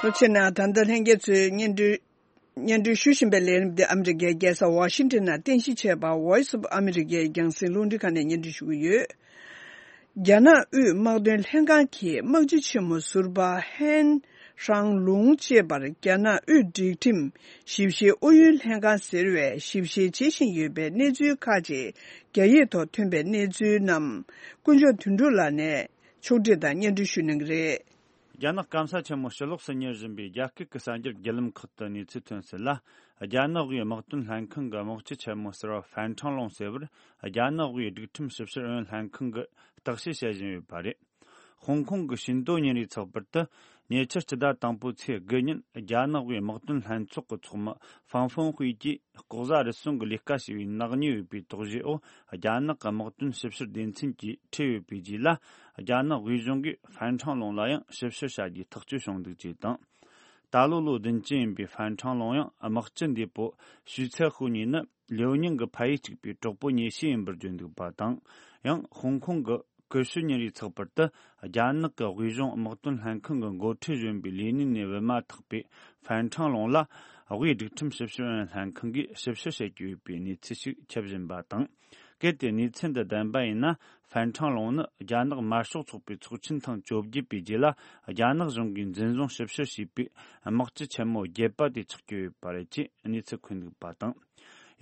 ལྷོ་ཕྱོགས་ནས་ད་ལྟ་ལྷན་རྒྱས་ཚོས་སྙན་སྒྲོན། སྙན་སྒྲོན་ཞུ་བཞིན་པའི་ལས་རིམ་འདི་ཨ་མི་རི་ཀའི་རྒྱལ་ས་ཝ་ཤིང་ཏོན་ནང་རྟེན་གཞི་བྱས་པ་Voice of America རྒྱང་སྲིང་རླུང་འཕྲིན་ཁང་ནས་སྙན་སྒྲོན་ཞུ་གི་ཡོད། རྒྱ་ནག་དབུས་དམག་དོན་ལྷན་ཁང་གི་དམག་སྤྱི་ཆེན་མོ་ཟུར་པ་ཧན་ཧྲང་ལུང་ཅེས་པར་རྒྱ་ནག་དབུས་སྒྲིག་ཁྲིམས་ཞིབ་བཤེར་ཨུ་ཡོན་ལྷན་ཁང་ཟེར་བས་ཞིབ་བཤེར་བྱེད་བཞིན་ཡོད་པའི་གནས་ཚུལ་ཁག་ཅིག་རྒྱ་ཡིག་ཐོག་ཐོན་པའི་གནས་ཚུལ་རྣམས་དཀོན་མཆོག་དོན་གྲུབ་ལགས་ནས་ཕྱོགས་སྒྲིག་དང་སྙན་སྒྲོན་ཞུ་གནང་གི་རེད། རྒྱ་ནག་སྐམ་ས་ཆེན་མོ་ཕྱི་ལོགས་སུ་གཉེར་བཞིན་པའི་རྒྱ་སྐད་ཀྱི་གསར་འགྱུར་བརྒྱུད་ལམ་ཁག་ཏུ་གནས་ཚུལ་ཐོན་གསལ་ལ། རྒྱ་ནག་དབུས་དམག་དོན་ལྷན་ཁང་གི་དམག་སྤྱི་ཆེན་མོ་ཟུར་པ་ཧྥན་ཁྲང་ལུང་ཟེར་བར་རྒྱ་ནག་དབུས་སྒྲིག་ཁྲིམས་ཞིབ་བཤེར་ཨུ་ཡོན་ལྷན་ཁང་གིས་བརྟག་དཔྱད་བྱེད་བཞིན་ཡོད་པ་རེད། ཧོང་ཀོང་གི་ཤིན་ཏོ་ཉིན་རེའི་ཚགས་པར་དུ། ཉེ་ཆར་སྤྱི་ཟླ་དང་པོའི་ཚེས་དགུ་ཉིན་རྒྱ་ནག་དབུས་དམག་དོན་ལྷན་ཚོགས་ཀྱི་ཚོགས་མི་ཧྥང་ཧྥང་ཧུའེ་ཀྱིས། ལྐོག་ཟ་རུལ་སུངས་ཀྱི་ལས་ཀ་བྱས་པའི་ནག་ཉེས་ཡོད་པའི་དོགས་གཞིའི་འོག་རྒྱ་ནག་གི་དམག་དོན་ཞིབ་བཤེར་སྡེ་ཚན་གྱིས་ཁྲིད་ཡོད་པའི་རྗེས་ལ། རྒྱ་ནག་དབུས་གཞུང་གིས་ཧྥན་ཁྲང་ལུང་ལ་ཡང་ཞིབ་བཤེར་བྱ་རྒྱུའི་ཐག་གཅོད་བྱུང་འདུག་ཅེས་དང་། ད་ལོ་ལོ་བདུན་ཅུ་ཡིན་པའི་ཧྥན་ཁྲང་ལུང་ཡང་དམག་སྤྱི་འདས་པོ་ཞུས་ཚའེ་ཧུའུ་གཉིས་ནི་ལིའུ་ཉིང་གི་ཕ་ཡུལ་གཅིག་པའི་གྲོགས་པོ་ཉེ་ཤོས་ཡིན་པར་བརྗོད་འདུག་པ་དང་། ཡང་ཧོང་ཀོང་གི་ཀུ་ཤུ་ཉིན་རེའི་ཚགས་པར་དུ། རྒྱ་ནག་གི་དབུས་གཞུང་དམག་དོན་ལྷན་ཁང་གི་འགོ་ཁྲིད་གཞོན་པའི་ལས་གནས་ནས་བུད་མ་ཐག་པའི་ཧྥན་ཁྲང་ལུང་ལ། དབུས་སྒྲིག་ཁྲིམས་ཞིབ་བཤེར་ཨུ་ཡོན་ལྷན་ཁང་གིས་ཞིབ་བཤེར་བྱེད་ཀྱི་ཡོད་པའི་གནས་ཚུལ་ཞིག་ཁྱབ་བཞིན་པ་དང་། གལ་ཏེ་གནས་ཚུལ་འདི་བདེན་པ་ཡིན་ན། ཧྥན་ཁྲང་ལུང་ནི་རྒྱ་ནག་དམར་ཤོག་ཚོགས་པའི་ཚོགས་ཆེན་ཐེངས་བཅོ་བརྒྱད་པའི་རྗེས་ལ། རྒྱ་ནག་གཞུང་གིས་འཛིན་བཟུང་ཞིབ་བཤེར་བྱས་པའི་དམག་སྤྱི་ཆེན་མོ་བརྒྱད་པ་དེ་ཆགས་ཀྱི་ཡོད་པ་རེད་ཅེས་གནས་ཚུལ་འཁོད་འདུག་པ་དང་།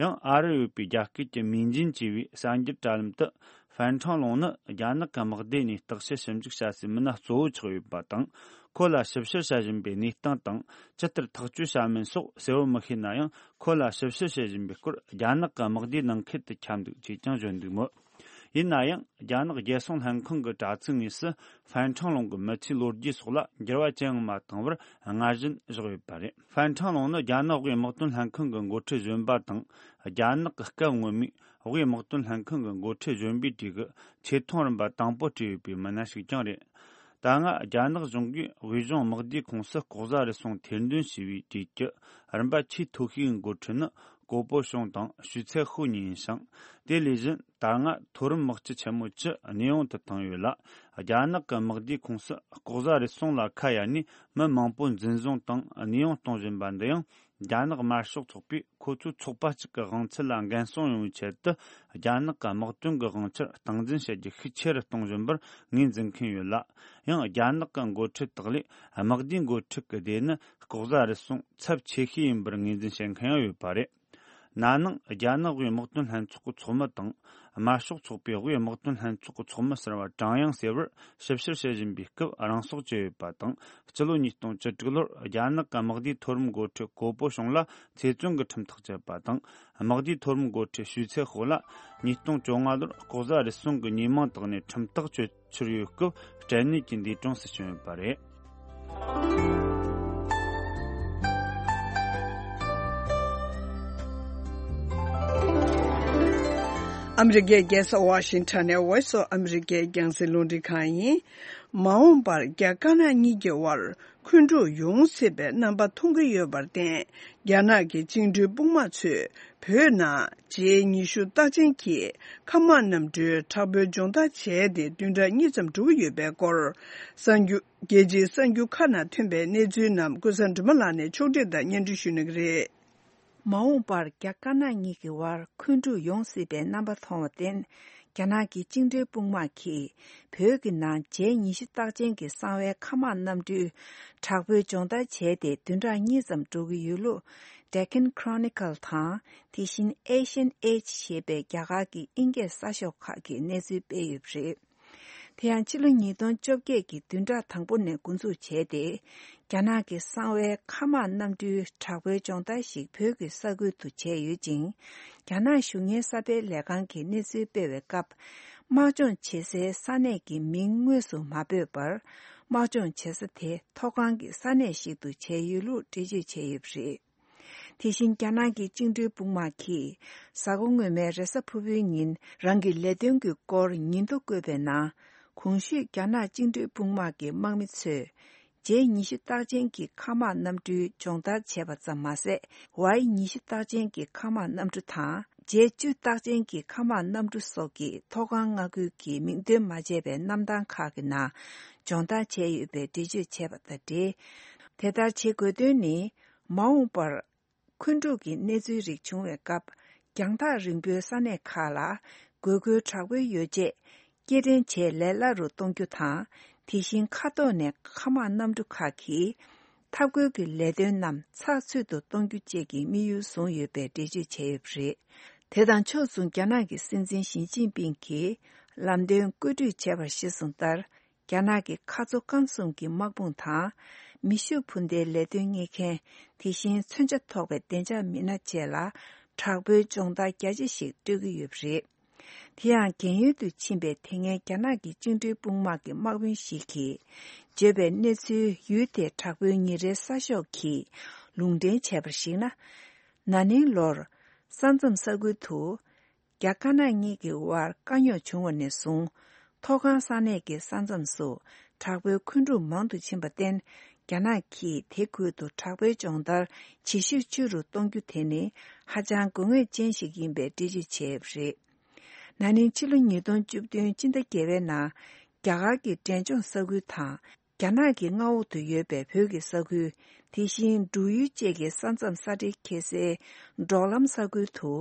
ཡང་ཨ་རིར་ཡོད་པའི་རྒྱ་སྐད་ཀྱི་མིང་ཅན་ཅེས་པའི་གསར་འགྱུར་དྲ་ལམ་དུ། ཧྥན་ཁྲང་ལུང་ནི་རྒྱ་ནག་གི་དམག་སྡེ་ནས་བརྟག་དཔྱད་ཞིབ་འཇུག་བྱ་སའི་མི་སྣ་གཙོ་བོ་ཆགས་ཡོད་པ་དང་། ཁོ་ལ་ཞིབ་བཤེར་བྱ་བཞིན་པའི་གནས་སྟངས་དང་། ཇི་ལྟར་ཐག་གཅོད་བྱ་མིན་སོགས་གསལ་བོ་མི་ཤེས་ན་ཡང་། ཁོ་ལ་ཞིབ་བཤེར་བྱེད་བཞིན་པའི་སྐོར་རྒྱ་ནག་གི་དམག་སྡེའི་ནང་ཁུལ་དུ་ཁྱབ་འདུག་ཅེས་ཀྱང་བརྗོད་འདུག་མོད། ཡིན་ན་ཡང་། རྒྱ་ནག་རྒྱལ་སྲུང་ལྷན་ཁང་གི་དྲ་ཚིགས་དངོས་སུ། ཧྥན་ཁྲང་ལུང་གི་མི་ཚེའི་ལོ་རྒྱུས་སོགས་ལ་འགྱུར་བ་ཅི་ཡང་མ་བཏང་བར་སྔར་བཞིན་བཞག་ཡོད་པ་རེད། ཧྥན་ཁྲང་ལུང་ནི་རྒྱ་ནག་དབུས་དམག་དོན་ལྷན་ཁང་གི་འགོ་ཁྲིད་གཞོན་པ་དང་། རྒྱ་ནག་གི་སྐབས་སྔོན་མའི་དབུས་དམག་དོན་ལྷན་ཁང་གི་འགོ་ཁྲིད་གཞོན་པའི་གྲས་ཀྱི་ཆེ་མཐོང་རིམ་པ་དང་པོ་བྲིས་ཡོད་པའི་མི་སྣ་ཞིག་ཀྱང་རེད། ད་སྔ་རྒྱ་ནག་གཞུང་གིས་དབུས་གཞུང་དམག་སྡེའི་ཁོངས་སུ་ལྐོག་ཟ་རུལ་སུངས་ཐེར་འདོན་བྱས་པའི་གྲས་ཀྱི་རིམ་པ་ཆེས་མཐོ་ཤོས་ཀྱི་འགོ་ཁྲིད་ནི། ཀོ་པོ་ཤུང་དང་ཞུས་ཚའེ་ཧུའུ་གཉིས་ཡིན་ཞིང་། དེ་ལས་གཞན་ད་སྔ་མཐོ་རིམ་དམག་སྤྱི་ཆེན་མོ་བཅུ་གནས་དབྱུང་དུ་བཏང་ཡོད་ལ། རྒྱ་ནག་གི་དམག་སྡེའི་ཁོངས་སུ་ལྐོག་ཟ་རུལ་སུངས་ལ་ཁ་གཡར་ནས་མི་མང་པོ་འཛིན་བཟུང་དང་གནས་དབྱུང་གཏོང་བཞིན་པ་འདི་ཡང་། རྒྱ་ནག་དམར་ཤོག་ཚོགས་པས་ཁོ་ཚོའི་ཚོགས་པ་གཅིག་གི་དབང་ཚད་ལ་འགན་སྲུང་ཡོང་བའི་ཆེད་དུ། རྒྱ་ནག་གི་དམག་དོན་གྱི་དབང་ཆར་སྟངས་འཛིན་བྱེད་རྒྱུ་ཤུགས་ཆེ་རུ་གཏོང་བཞིན་པར་ངོས་འཛིན་མཁན་ཡོད་ལ། ཡང་རྒྱ་ནག་གི་འགོ་ཁྲིད་དག་ལས་དམག་སྡེའི་འགོ་ཁྲིད་ཀྱི་སྡེ་ནི་ལྐོག་ཟ་རུལ་སུངས་ཚབས་ཆེ་ཤོས་ཡིན་པར་ངོས་འཛིན་བྱེད་མཁན་ཡང་ཡོད་པ་རེད། ན་ནིང་རྒྱ་ནག་དབུས་དམག་དོན་ལྷན་ཚོགས་ཀྱི་ཚོགས་མི་དང་། དམར་ཤོག་ཚོགས་པའི་དབུས་དམག་དོན་ལྷན་ཚོགས་ཀྱི་ཚོགས་མི་ཟུར་པ་ཀྲང་དབྱང་ཟེར་བར་ཞིབ་བཤེར་བྱེད་བཞིན་པའི་སྐབས་རང་སྲོག་བཅད་ཡོད་པ་དང་། སྤྱི་ལོ་ཉིས་སྟོང་བཅུ་དྲུག་ལོར་རྒྱ་ནག་གི་དམག་སྡེའི་མཐོ་རིམ་འགོ་ཁྲིད་ཀོ་པོ་ཤུང་ལ་ཚེ་བཙོན་གྱི་ཁྲིམས་ཐག་བཅད་པ་དང་། དམག་སྡེའི་མཐོ་རིམ་འགོ་ཁྲིད་ཞུས་ཚའེ་ཧུའུ་ལ་ཉིས་སྟོང་བཅོ་ལྔ་ལོར་ལྐོག་ཟ་རུལ་སུངས་ཀྱི་ཉེས་མིང་བཏགས་ནས་ཁྲིམས་ཐག་གཅོད། ཕྱིར་ཡོད་སྐབས་སྐྲན་ནད་ཀྱི་འདས་གྲོངས་སུ་བྱུང་ཡོད་པ་རེད། ཨ་མི་རི་ཀའི་རྒྱལ་ས་ཝ་ཤིང་ཊོན་ནས་Voice of America་རྒྱང་སྲིང་རླུང་འཕྲིན་ཁང་ཡིན། མ་འོངས་པར་རྒྱ་དཀར་ནག་གཉིས་ཀྱི་དབར་འཁོན་འཁྲུག་ཡོང་སྲིད་པའི་རྣམ་པ་མཐོང་གི་ཡོད་པར་བརྟེན། རྒྱ་ནག་གི་བཅིངས་འགྲོལ་དཔུང་དམག་ཚོས་བོད་ནང་ཇེ་ཉི་ཤུ་རྟགས་ཅན་གྱི་མཁའ་དམག་གནམ་གྲུའི་དྲག་པོའི་སྦྱོང་བརྡར་བྱས་ཏེ་བདུན་ཕྲག་གཉིས་ཙམ་འགྲོ་གི་ཡོད་པའི་སྐོར། གསར་འགྱུར། རྒྱལ་སྤྱིའི་གསར་འགྱུར་ཁག་ནང་ཐོན་པའི་གནས་ཚུལ་རྣམས་ཀུན་བཟང་སྒྲོལ་མ་ལགས་ནས་ཕྱོགས་སྒྲིག་དང་སྙན་སྒྲོན་ཞུ་གནང་གི་རེད། མ་འོངས་པར་རྒྱ་དཀར་ནག་གཉིས་ཀྱི་དབར་འཁོན་འཁྲུག་ཡོང་སྲིད་པའི་རྣམ་པ་མཐོང་བར་བརྟེན། རྒྱ་ནག་གི་བཅིངས་འགྲོལ་དཔུང་དམག་གིས་བོད་ཀྱི་ནང་ཇེ་ཉི་ཤུ་རྟགས་ཅན་གྱི་གསང་བའི་མཁའ་དམག་གནམ་གྲུའི་དྲག་པོའི་སྦྱོང་བརྡར་བྱས་ཏེ་བདུན་ཕྲག་གཉིས་ཙམ་འགྲོ་གི་ཡོད་ལུགས། Deccan Chronicle་དང་དེ་བཞིན་Asian Age་ཞེས་པའི་རྒྱ་གར་གྱི་དབྱིན་སྐད་གསར་ཤོག་ཁག་གིས་གནས་ཚུལ་སྤེལ་ཡོད་པ་རེད། དེ་ཡང་ཕྱི་ལོ་ཉིས་སྟོང་བཅོ་བརྒྱད་ཀྱི་བདུན་ཕྲག་དང་པོ་ནས་འགོ་འཛུགས་བྱས་ཏེ། རྒྱ་ནག་གི་གསང་བའི་མཁའ་དམག་གནམ་གྲུའི་དྲག་པོའི་སྦྱོང་བརྡར་ཞིག་བོད་ཀྱི་ས་ཁུལ་དུ་བྱས་ཡོད་ཅིང་། རྒྱ་ནག་གཞུང་གཉེར་གསར་སྤེལ་ལས་ཁང་གིས་གནས་ཚུལ་སྤེལ་བའི་སྐབས། དམག་སྦྱོང་བྱེད་སའི་ས་གནས་ཀྱི་མིང་དངོས་སུ་མ་འབོད་པར། དམག་སྦྱོང་བྱེད་ས་དེ་མཐོ་སྒང་གི་ས་གནས་ཤིག་ཏུ་བྱས་ཡོད་ལུགས་འགྲེལ་བརྗོད་བྱས་ཡོད་པ་རེད། དེ་བཞིན་རྒྱ་ནག་གི་བཅིངས་འགྲོལ་དཔུང་དམག་གིས་གཟའ་འཁོར་སྔོན་མའི་རེས་གཟའ་ཕུར་བུའི་ཉིན་རང་གི་ལས་དོན་གྱི་སྐོར་ཉིན་ཐོ་བཀོད་པའི་ནང་། གོང་ཞུས་རྒྱ་ནག་བཅིངས་འགྲོལ་དཔུང་དམག་གི་དམག་མི་ཚོས་ཇེ་ཉི་ཤུ་རྟགས་ཅན་གྱི་མཁའ་དམག་གནམ་གྲུའི་སྦྱོང་བརྡར་བྱས་པ་ཙམ་མ་ཟད། ཝའི་ཉི་ཤུ་རྟགས་ཅན་གྱི་མཁའ་དམག་གནམ་གྲུ་དང་ཇེ་བཅུ་རྟགས་ཅན་གྱི་མཁའ་དམག་གནམ་གྲུ་སོགས་ཀྱི་མཐོ་སྒང་མངའ་ཁུལ་གྱི་མིང་འདོན་མ་བྱས་པའི་གནམ་ཐང་ཁག་གི་ནང་སྦྱོང་བརྡར་བྱས་ཡོད་པའི་འགྲེལ་བརྗོད་བྱས་པ་དང་འབྲེལ། དེ་ལྟར་བྱེད་དགོས་དོན་ནི། མ་འོངས་པར། འཁོན་འཁྲུག་གི་གནས་ཚུལ་རིགས་བྱུང་བའི་སྐབས། རྒྱང་ཐག་རིང་པོའི་ས་གནས་ཁག་ལ། དགོས་མཁོའི་དྲག་པོའི་ཡོ་བྱད། སྐྱེལ་འདྲེན་བྱེད་ལས་སླ་རུ་གཏོང་རྒྱུ་དང་། དེ་བཞིན་མཁའ་ཐོག་ནས་མཁའ་དམག་གནམ་གྲུ་ཁག་གིས། འཐབ་རྒོལ་གྱི་ལས་དོན་རྣམས་ཚགས་ཚུད་དུ་གཏོང་རྒྱུ་བཅས་ཀྱི་དམིགས་ཡུལ་བཟུང་ཡོད་པའི་འགྲེལ་བརྗོད་བྱས་ཡོད་པ་རེད། དེ་དང་ཕྱོགས་མཚུངས་རྒྱ་ནག་གི་སྲིད་འཛིན་ཞི་ཅིན་ཕིང་གིས། ལམ་སྟོན་བཀོད་སྒྲིག་བྱས་པར་གཞིར་བཟུང་ལྟར། རྒྱ་ནག་གི་མཁའ་མཚོ་སྐམ་གསུམ་གྱི་དམག་དཔུང་དང་། མེ་ཤུགས་འཕུར་མདེལ་ལས་དོན་གཉེར་མཁན། དེ་བཞིན་མཚོན་ཆ་ཐོགས་པའི་བདེ་འཇགས་མི་སྣ་བཅས་ལ། དྲག་པོའི་སྦྱོང་བརྡར་རྒྱ་ཆེ་ཞིག་སྤྲོད་ཀྱི་ཡོད་པ་རེད། དེ་ཡང་རྒན་ཡོལ་དུ་ཕྱིན་པའི་དེ་སྔའི་རྒྱ་ནག་གི་བཅིངས་འགྲོལ་དཔུང་དམག་གི་དམག་དཔོན་ཞིག་གིས། བརྗོད་པའི་གནས་ཚུལ་ཡུལ་དེའི་དྲག་པོའི་ཉིན་རེའི་གསར་ཤོག་གིས་ལུང་འདྲེན་བྱས་པར་གཞིགས་ན། ན་ནིང་ལོར། ས་མཚམས་ས་ཁུལ་དུ། རྒྱ་དཀར་ནག་གཉིས་ཀྱི་དབར་དཀའ་རྙོག་བྱུང་བ་ནས་བཟུང་། མཐོ་སྒང་ས་གནས་ཀྱི་ས་མཚམས་སུ་དྲག་པོའི་འཁོན་འཁྲུག་མང་དུ་ཕྱིན་པར་བརྟེན། རྒྱ་ནག་གིས་དེ་ཁུལ་དུ་དྲག་པོའི་སྦྱོང་བརྡར་ཇེ་ཤུགས་ཆེ་རུ་གཏོང་རྒྱུ་དེ་ནི་ཧ་ཅང་དགོས་ངེས་ཅན་ཞིག་ཡིན་པའི་འགྲེལ་བརྗོད་བྱས་ཡོད་པ་རེད། ན་ནིང་ཕྱི་ལོ་ཉིས་སྟོང་བཅུ་བདུན་སྤྱི་ཟླ་བརྒྱད་པའི་ནང་རྒྱ་གར་གྱི་འབྲས་ལྗོངས་ས་ཁུལ་དང་། རྒྱ་ནག་གི་མངའ་འོག་ཏུ་ཡོད་པའི་བོད་ཀྱི་ས་ཁུལ། དེ་བཞིན་འབྲུག་ཡུལ་བཅས་ཀྱི་ས་མཚམས་ས་འབྲེལ་འཁེལ་སའི་འབྲོག་ལམ་ས་ཁུལ་དུ།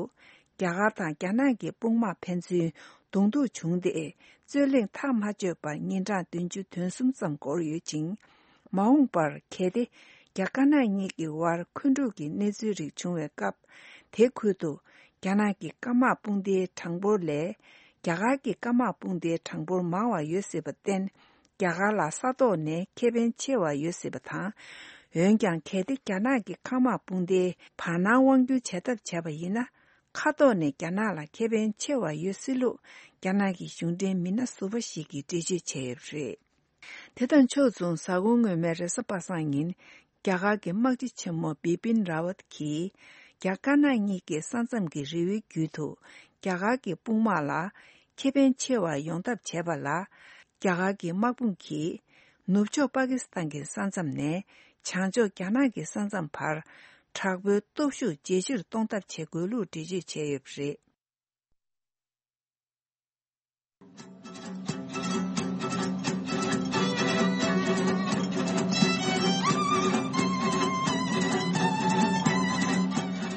རྒྱ་གར་དང་རྒྱ་ནག་གི་དཔུང་དམག་ཕན་ཚུན་གདོང་ཐུག་བྱུང་སྟེ། རྩོད་གླེང་ཐག་མ་ཆོད་པར་ཉིན་གྲངས་བདུན་ཅུ་དོན་གསུམ་ཙམ་འགོར་ཡོད་ཅིང་། མ་འོངས་པར་གལ་ཏེ། རྒྱ་དཀར་ནག་གཉིས་ཀྱི་དབར་འཁོན་འཁྲུག་གི་གནས་ཚུལ་རིགས་བྱུང་བའི་སྐབས། དེ་ཁུལ་དུ། རྒྱ་ནག་གི་སྐམ་དམག་དཔུང་སྡེའི་གྲངས་འབོར་ལས། རྒྱ་གར་གྱི་སྐམ་དམག་དཔུང་སྡེའི་གྲངས་འབོར་མང་བ་ཡོད་སྲིད་པར་བརྟེན། རྒྱ་གར་ལ་ས་ཐོག་ནས་ཁེ་ཕན་ཆེ་བ་ཡོད་སྲིད་པ་དང་། འོན་ཀྱང་། གལ་ཏེ་རྒྱ་ནག་གི་མཁའ་དམག་དཔུང་སྡེའི་བར་སྣང་དབང་སྒྱུར་བྱ་ཐབས་བྱས་པ་ཡིན་ན། མཁའ་ཐོག་ནས་རྒྱ་ནག་ལ་ཁེ་ཕན་ཆེ་བ་ཡོད་སྲིད་ལུགས། རྒྱ་ནག་གི་གཞུང་འབྲེལ་མི་སྣ་ཟུར་པ་ཞིག་གིས་འགྲེལ་བརྗོད་བྱས་ཡོད་པ་རེད། དེ་དང་ཕྱོགས་མཚུངས། གཟའ་འཁོར་སྔོན་མའི་རེས་གཟའ་པ་སངས་ཉིན། རྒྱ་གར་གྱི་དམག་སྤྱི་ཆེན་མོ་བི་པིན་ར་ཝད་ཀྱིས། རྒྱ་དཀར་ནག་གཉིས་ཀྱི་ས་མཚམས་ཀྱི་རི་བོའི་རྒྱུད་དུ། རྒྱ་གར་གྱི་དཔུང་དམག་ལ་ཁེ་ཕན་ཆེ་བ་ཡོང་ཐབས་བྱས་པ་ལ། རྒྱ་གར་གྱི་དམག་དཔུང་གིས། ནུབ་ཕྱོགས་པ་ཀི་སི་ཐན་གྱི་ས་མཚམས་ནས། བྱང་ཕྱོགས་རྒྱ་ནག་གི་ས་མཚམས་བར། དྲག་པོའི་སྟོབས་ཤུགས་ཇེ་ཆེར་གཏོང་ཐབས་བྱེད་དགོས་ལུགས་འགྲེལ་བརྗོད་བྱས་ཡོད་པ་རེད།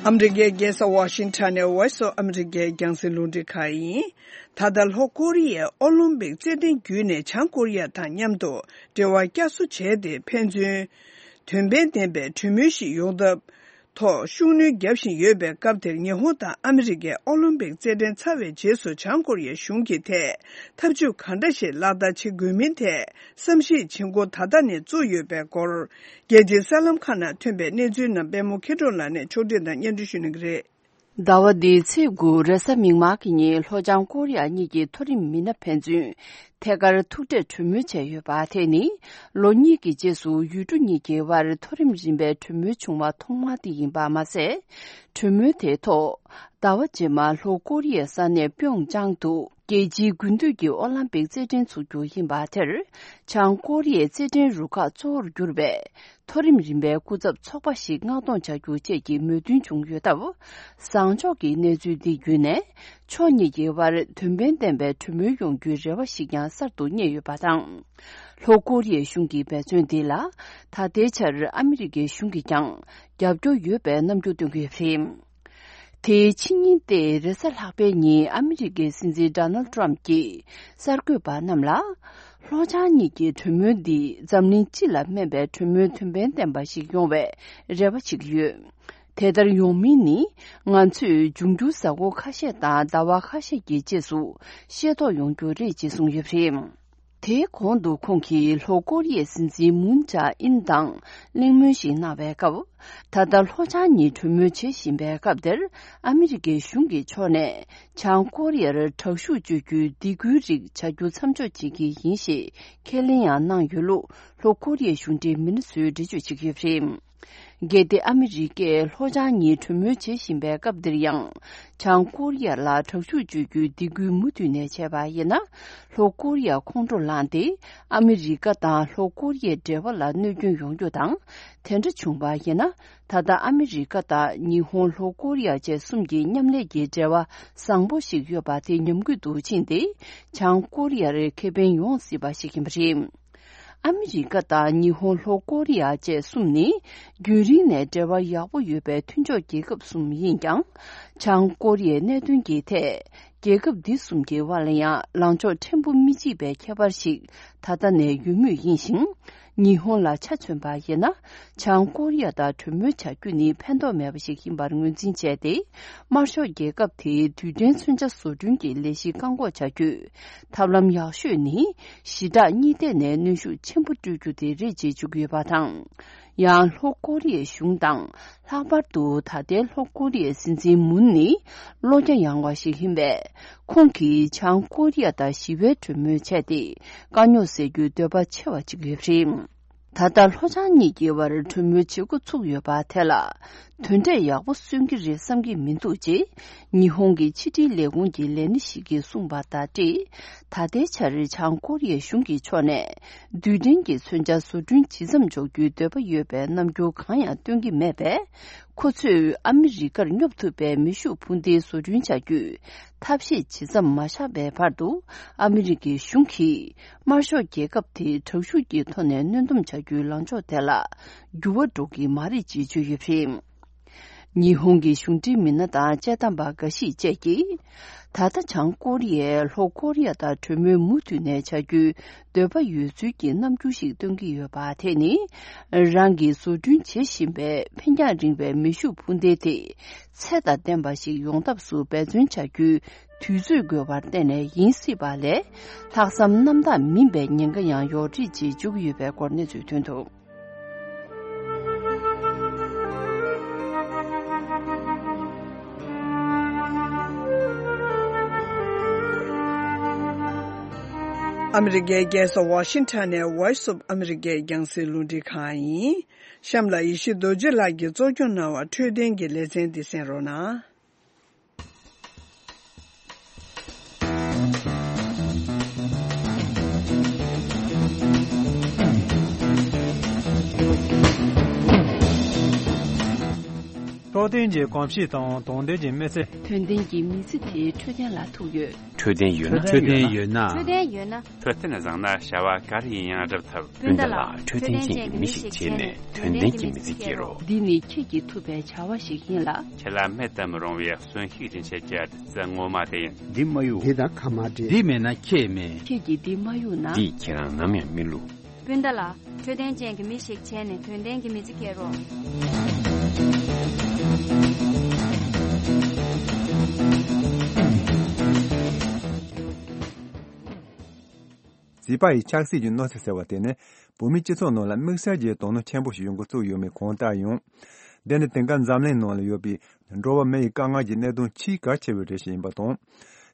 ཨ་མི་རི་ཀའི་རྒྱལ་ས་ཝ་ཤིང་ཊོན་ནས་Voice of America་རྒྱང་སྲིང་རླུང་འཕྲིན་ཁང་ཡིན། ད་ལྟ་ལྷོ་ཀོ་རི་ཡས་ཨོ་ལིམ་པིག་རྩེད་འགྲན་བརྒྱུད་ནས་བྱང་ཀོ་རི་ཡ་དང་མཉམ་དུ་འབྲེལ་བ་བསྐྱར་གསོ་བྱས་ཏེ་ཕན་ཚུན་དོན་ཕན་ལྡན་པའི་གྲོས་མོལ་ཞིག་ཡོང་ཐབས། ཐོག་ཤུགས་སྣོན་བརྒྱབ་བཞིན་ཡོད་པའི་སྐབས་དེར། ཉི་ཧོང་དང་ཨ་མི་རི་ཀའི་ཨོ་ལིམ་པིག་རྩེད་འགྲན་ཚར་བའི་རྗེས་སུ་བྱང་ཀོ་རི་ཡའི་གཞུང་གིས་ཐད་འཐབ་ཇུས་གང་འདྲ་ཞིག་ལག་བསྟར་བྱེད་དགོས་མིན་ཐད་བསམ་གཞིག་བྱེད་འགོ་ད་ལྟ་ནས་བཙུགས་ཡོད་པའི་སྐོར། རྒྱལ་སྤྱིའི་གསར་ལམ་ཁག་ནང་ཐོན་པའི་གནས་ཚུལ་རྣམས་པད་མོ་མཁས་གྲུབ་ལགས་ནས་ཕྱོགས་སྒྲིག་དང་སྙན་སྒྲོན་ཞུ་གནང་གི་རེད། ཟླ་བ་འདིའི་ཚེས་དགུ་རེས་གཟའ་མིག་དམར་གྱི་ཉིན་ལྷོ་བྱང་ཀོ་རི་ཡ་གཉིས་ཀྱི་མཐོ་རིམ་མི་སྣ་ཕན་ཚུན་ཐད་ཀར་ཐུག་འཕྲད་གྲོས་མོལ་བྱས་ཡོད་པ། དེ་ནི་ལོ་གཉིས་ཀྱི་རྗེས་སུ་ཡུལ་གྲུ་གཉིས་ཀྱི་དབར་མཐོ་རིམ་རིམ་པའི་གྲོས་མོལ་བྱུང་བ་ཐོག་མ་དེ་ཡིན་པ་མ་ཟད། གྲོས་མོལ་དེའི་ཐོག་ཟླ་བ་རྗེས་མར་ལྷོ་ཀོ་རི་ཡའི་ས་གནས་པིའོང་ཅང་དུ་རྒྱལ་སྤྱིའི་དགུན་དུས་ཀྱི་ཨོ་ལམ་པིག་རྩེད་འགྲན་ཚུགས་རྒྱུ་ཡིན་པ་དེར། བྱང་ཀོ་རི་ཡའི་རྩེད་འགྲན་རུ་ཁག་གཙོ་བོར་གྱུར་པའི་མཐོ་རིམ་རིམ་པའི་སྐུ་ཚབ་ཚོགས་པ་ཞིག་མངགས་གཏོང་བྱ་རྒྱུ་བཅས་ཀྱི་མོས་མཐུན་བྱུང་ཡོད་སྟབས། བཟང་ཕྱོགས་ཀྱི་གནས་ཚུལ་འདི་བརྒྱུད་ནས་ཕྱོགས་གཉིས་ཀྱི་དབར་དོན་ཕན་ལྡན་པའི་གྲོས་མོལ་ཡོང་རྒྱུའི་རེ་བ་ཞིག་ཀྱང་གསར་དུ་རྙེད་ཡོད་པ་དང་། ལྷོ་ཀོ་རི་ཡའི་གཞུང་གི་འབད་བརྩོན་འདི་ལ་ད་ལྟའི་ཆར་ཨ་མི་རི་ཀའི་གཞུང་གིས་ཀྱང་རྒྱབ་སྐྱོར་ཡོད་པའི་རྣམ་འགྱུར་སྟོན་གྱི་ཡོད་པ་རེད། དེའི་ཕྱི་ཉིན་ཏེ་རེས་གཟའ་ལྷག་པའི་ཉིན་ཨ་མི་རི་ཀའི་སྲིད་འཛིན་ཌོ་ནལ་ཏྲམ་གྱིས་གསར་འགོད་པ་རྣམས་ལ། ལྷོ་བྱང་གཉིས་ཀྱི་གྲོས་མོལ་འདི་འཛམ་གླིང་སྤྱི་ལ་སྨན་པའི་གྲོས་མོལ་དོན་ཕན་ལྡན་པ་ཞིག་ཡོང་བའི་རེ་བ་བྱེད་ཀྱི་ཡོད། དེ་ལྟར་ཡོང་མིན་ནི་ང་ཚོས་འབྱུང་འགྱུར་གཟའ་འཁོར་ཁ་ཤས་དང་ཟླ་བ་ཁ་ཤས་ཀྱི་རྗེས་སུ་ཤེས་རྟོགས་ཡོང་རྒྱུ་རེད་ཅེས་གསུངས་ཡོད་པ་རེད། དེའི་གོང་དུ་ཁོང་གིས་ལྷོ་ཀོ་རི་ཡའི་སྲིད་འཛིན་མུན་ཇཱ་ཨིན་དང་གླེང་མོལ་ཞིག་གནང་བའི་སྐབས། ད་ལྟ་ལྷོ་བྱང་གཉིས་གྲོས་མོལ་བྱེད་བཞིན་པའི་སྐབས་དེར། ཨ་མི་རི་ཀའི་གཞུང་གི་ཕྱོགས་ནས་བྱང་ཀོ་རི་ཡར་དྲག་ཤུགས་སྤྱོད་རྒྱུའི་སྡིགས་སྐུལ་རིགས་བྱ་རྒྱུ་མཚམས་འཇོག་བྱེད་ཀྱི་ཡིན་ཞེས་ཁས་ལེན་ཡང་གནང་ཡོད་ལུགས་ལྷོ་ཀོ་རི་ཡའི་གཞུང་འབྲེལ་མི་སྣ་ཚོས་འགྲེལ་བརྗོད་བྱེད་ཀྱི་ཡོད་པ་རེད། གལ་ཏེ་ཨ་མི་རི་ཀས་ལྷོ་བྱང་གཉིས་གྲོས་མོལ་བྱེད་བཞིན་པའི་སྐབས་འདིར་ཡང་། བྱང་ཀོ་རི་ཡ་ལ་དྲག་ཤུགས་སྤྱོད་རྒྱུའི་སྡིགས་སྐུལ་མུ་མཐུད་ནས་བྱས་པ་ཡིན་ན། ལྷོ་ཀོ་རི་ཡ་ཁོང་ཁྲོ་ལངས་ཏེ། ཨ་མི་རི་ཀ་དང་ལྷོ་ཀོ་རི་ཡའི་འབྲེལ་བ་ལ་གནོད་སྐྱོན་ཡོང་རྒྱུ་དང་། དེ་འདྲ་བྱུང་བ་ཡིན་ན། ད་ལྟ་ཨ་མི་རི་ཀ་དང་ཉི་ཧོང་། ལྷོ་ཀོ་རི་ཡ་བཅས་གསུམ་གྱི་མཉམ་ལས་ཀྱི་འབྲེལ་བ་བཟང་པོ་ཞིག་ཡོད་པ་དེ་ཉམས་རྒུད་དུ་ཕྱིན་ཏེ། བྱང་ཀོ་རི་ཡར་ཁེ་ཕན་ཡོང་སྲིད་པ་ཞིག་ཡིན་པ་རེད། ཨ་མི་རི་ཀ་དང་ཉི་ཧོང་། ལྷོ་ཀོ་རི་ཡ་བཅས་གསུམ་ནི་རྒྱུན་རིང་ནས་འབྲེལ་བ་ཡག་པོ་ཡོད་པའི་མཐུན་ཕྱོགས་རྒྱལ་ཁབ་གསུམ་ཡིན་ཀྱང་། བྱང་ཀོ་རི་ཡའི་གནད་དོན་གྱི་ཐད། རྒྱལ་ཁབ་འདི་གསུམ་གྱི་དབར་ལ་ཡང་ལངས་ཕྱོགས་ཕྲན་བུ་མི་གཅིག་པའི་ཁྱད་པར་ཞིག་ད་ལྟ་ནས་ཡོད་མུས་ཡིན་ཞིང་། ཉི་ཧོང་ལ་ཆ་མཚོན་པ་ཡིན་ན། བྱང་ཀོ་རི་ཡ་དང་གྲོས་མོལ་བྱ་རྒྱུ་ནི་ཕན་ཐོགས་མེད་པ་ཞིག་ཡིན་པར་ངོས་འཛིན་བྱས་ཏེ། དམར་ཤོག་རྒྱལ་ཁབ་དེའི་རྡུལ་ཕྲན་མཚོན་ཆ་བཟོ་སྐྲུན་གྱི་ལས་གཞི་བཀག་འགོག་བྱ་རྒྱུའི་ཐབས་ལམ་ཡག་ཤོས་ནི། ཞི་དྲག་གཉིས་ཐད་ནས་གནོན་ཤུགས་ཆེན་པོ་སྤྲོད་རྒྱུ་དེ་རེད་ཅེས་བརྗོད་ཀྱི་ཡོད་པ་དང་། ཡང་ལྷོ་ཀོ་རི་ཡའི་གཞུང་དང་། ལྷག་པར་དུ་ད་ལྟའི་ལྷོ་ཀོ་རི་ཡའི་སྲིད་འཛིན་མུན་ནི་བློ་རྒྱ་ཡངས་པ་ཞིག་ཡིན་པས། ཁོང་གིས་བྱང་ཀོ་རི་ཡ་དང་ཞི་བའི་གྲོས་མོལ་བྱས་ཏེ། དཀའ་རྙོག་སེལ་རྒྱུའི་འདོད་པ་ཆེ་བ་ཅིག་ཡོད་པ་རེད། ད་ལྟ་ལྷོ་བྱང་གཉིས་ཀྱི་བར་གྲོས་མོལ་བྱེད་འགོ་ཚུགས་ཡོད་པ་དེ་ལ། དོན་འབྲས་ཡག་པོ་སོན་གྱི་རེད་བསམ་གྱི་མི་འདུག་ཅེས། ཉི་ཧོང་གི་ཕྱི་དྲིལ་ལས་ཁུངས་ཀྱི་ལས་སྣེ་ཞིག་གིས་གསུངས་པ་དང་འབྲེལ། ད་ལྟའི་ཆར་བྱང་ཀོ་རི་ཡའི་གཞུང་གི་ཕྱོགས་ནས། རྡུལ་ཕྲན་གྱི་མཚོན་ཆ་བཟོ་སྐྲུན་ཇི་ཙམ་འཇོག་རྒྱུའི་འདོད་པ་ཡོད་པའི་རྣམ་འགྱུར་གང་ཡང་སྟོན་གྱི་མེད་པས། ཁོ་ཚོས་ཨ་མི་རི་ཀར་སྙོབ་ཐུབ་པའི་མེ་ཤུགས་འཕུར་མདེལ་བཟོ་སྐྲུན་བྱ་རྒྱུའི་ཐབས་ཤེས་ཇི་ཙམ་མ་བཞག་པའི་བར་དུ། ཨ་མི་རི་ཀའི་གཞུང་གིས་དམར་ཤོག་རྒྱལ་ཁབ་དེའི་དྲག་ཤུགས་ཀྱི་ཐོག་ནས་གནོན་སྡོམ་བྱ་རྒྱུའི་ལངས་ཕྱོགས་དེ་ལ་འགྱུར་བ་འགྲོ་གི་མ་རེད་ཅེས་བརྗོད་ཡོད་པ་རེད། ཉི་ཧོང་གི་གཞུང་འབྲེལ་མི་སྣ་དང་དཔྱད་གཏམ་པ་འགའ་ཞིག་བཅས་ཀྱིས། ད་ལྟ་བྱང་ཀོ་རི་ཡས་ལྷོ་ཀོ་རི་ཡ་དང་གྲོས་མོལ་མུ་མཐུད་ནས་བྱ་རྒྱུའི་འདོད་པ་ཡོད་ཚུལ་གྱི་རྣམ་འགྱུར་ཞིག་སྟོན་གྱི་ཡོད་པ། དེ་ནི། རང་གིས་བཟོ་སྐྲུན་བྱེད་བཞིན་པའི་འཕེན་རྒྱང་རིང་བའི་མེ་ཤུགས་འཕུར་མདེལ་དེ། ཚད་དང་ལྡན་པ་ཞིག་ཡོང་ཐབས་སུ་འབད་བརྩོན་བྱ་རྒྱུའི་དུས་ཚོད་དགོས་པར་བརྟེན་ནས་ཡིན་སྲིད་པ་ལས། ལྷག་བསམ་རྣམ་དག་མིན་པའི་ཉེན་ཁ་ཡང་ཡོད་རེད་ཅེས་བརྗོད་ཀྱི་ཡོད་པའི་སྐོར་གནས་ཚུལ་ཐོན་འདུག་ཨ་མི་རི་ཀའི་རྒྱལ་ས་ཝ་ཤིང་ཊོན་ནས་Voice of America རྒྱང་སྲིང་རླུང་འཕྲིན་ཁང་ཡིན། གཤམ་ལ་ཡེ་ཤེས་རྡོ་རྗེ་ལགས་ཀྱིས་གཙོ་སྐྱོང་གནང་བ་འཕྲོད་བསྟེན་གྱི་ལེ་ཚན་འདི་གསན་རོགས་གནང་། འཕྲོད་བསྟེན་གྱི་གོམས་གཤིས་དང་དོན་ལྡན་གྱི་མི་ཚེ། དོན་ལྡན་གྱི་མི་ཚེ་དེ་འཕྲོད་བསྟེན་ལ་ཐུག་ཡོད། འཕྲོད་བསྟེན་ཡོད་ན། འཕྲོད་བསྟེན་ཡོད་ན། འཕྲོད་བསྟེན་ཡོད་ན། འཕྲོད་བསྟེན་བཟང་ན་བྱ་བ་ག་རེ་ཡིན་ཡང་སྒྲུབ་ཐུབ། སྤུན་ཟླ་ལགས། འཕྲོད་བསྟེན་ཅན་གྱི་མི་ཞིག་བྱས་ནས་དོན་ལྡན་གྱི་མི་ཚེ་སྐྱེལ་རོགས། འདི་ནི་ཁྱེད་ཀྱིས་ཐུབ་པའི་བྱ་བ་ཞིག་ཡིན་ལ། ཁྱེད་ལ་མེད་དུ་མི་རུང་བའི་གསོན་ཤུགས་སྦྱིན་བྱེད་ཀྱི་བདུད་རྩི་ངོ་མ་དེ་ཡིན། འདི་མ་གཡུག་འདི་དང་ཁ་མ་འདྲེས། འདི་མེད་ན་ཁྱེད་མེད། ཁྱེད་ཀྱིས་འདི་མ་གཡུག་ན། འདིས་ཁྱེད་རང་ནམ་ཡང་མི་བསླུ། སྤུན་ཟླ་ལགས། འཕྲོད་བསྟེན་ཅན་གྱི་མི་ཞིག་བྱས་ནས་དོན་ལྡན་གྱི་མི་ཚེ་སྐྱེལ་རོགས། བྱིས་པ་ཡི་ཆགས་སྲེད་ཀྱི་གནོད་འཚེ་ཟེར་བ་དེ་ནི་བོད་མིའི་སྤྱི་ཚོགས་ནང་ལ་དམིགས་བསལ་གྱི་དོ་སྣང་ཆེན་པོ་ཞིག་ཡོང་འགོ་བཙུགས་ཡོད་མེད་གང་ལྟར་ཡང་། འདི་ནི་དེང་སྐབས་འཛམ་གླིང་ནང་ལ་ཡོད་པའི་འགྲོ་བ་མི་ཡི་དཀའ་ངལ་གྱི་གནད་དོན་ཆེས་གལ་ཆེ་བའི་རིགས་ཤིག་ཡིན་པ་དང་།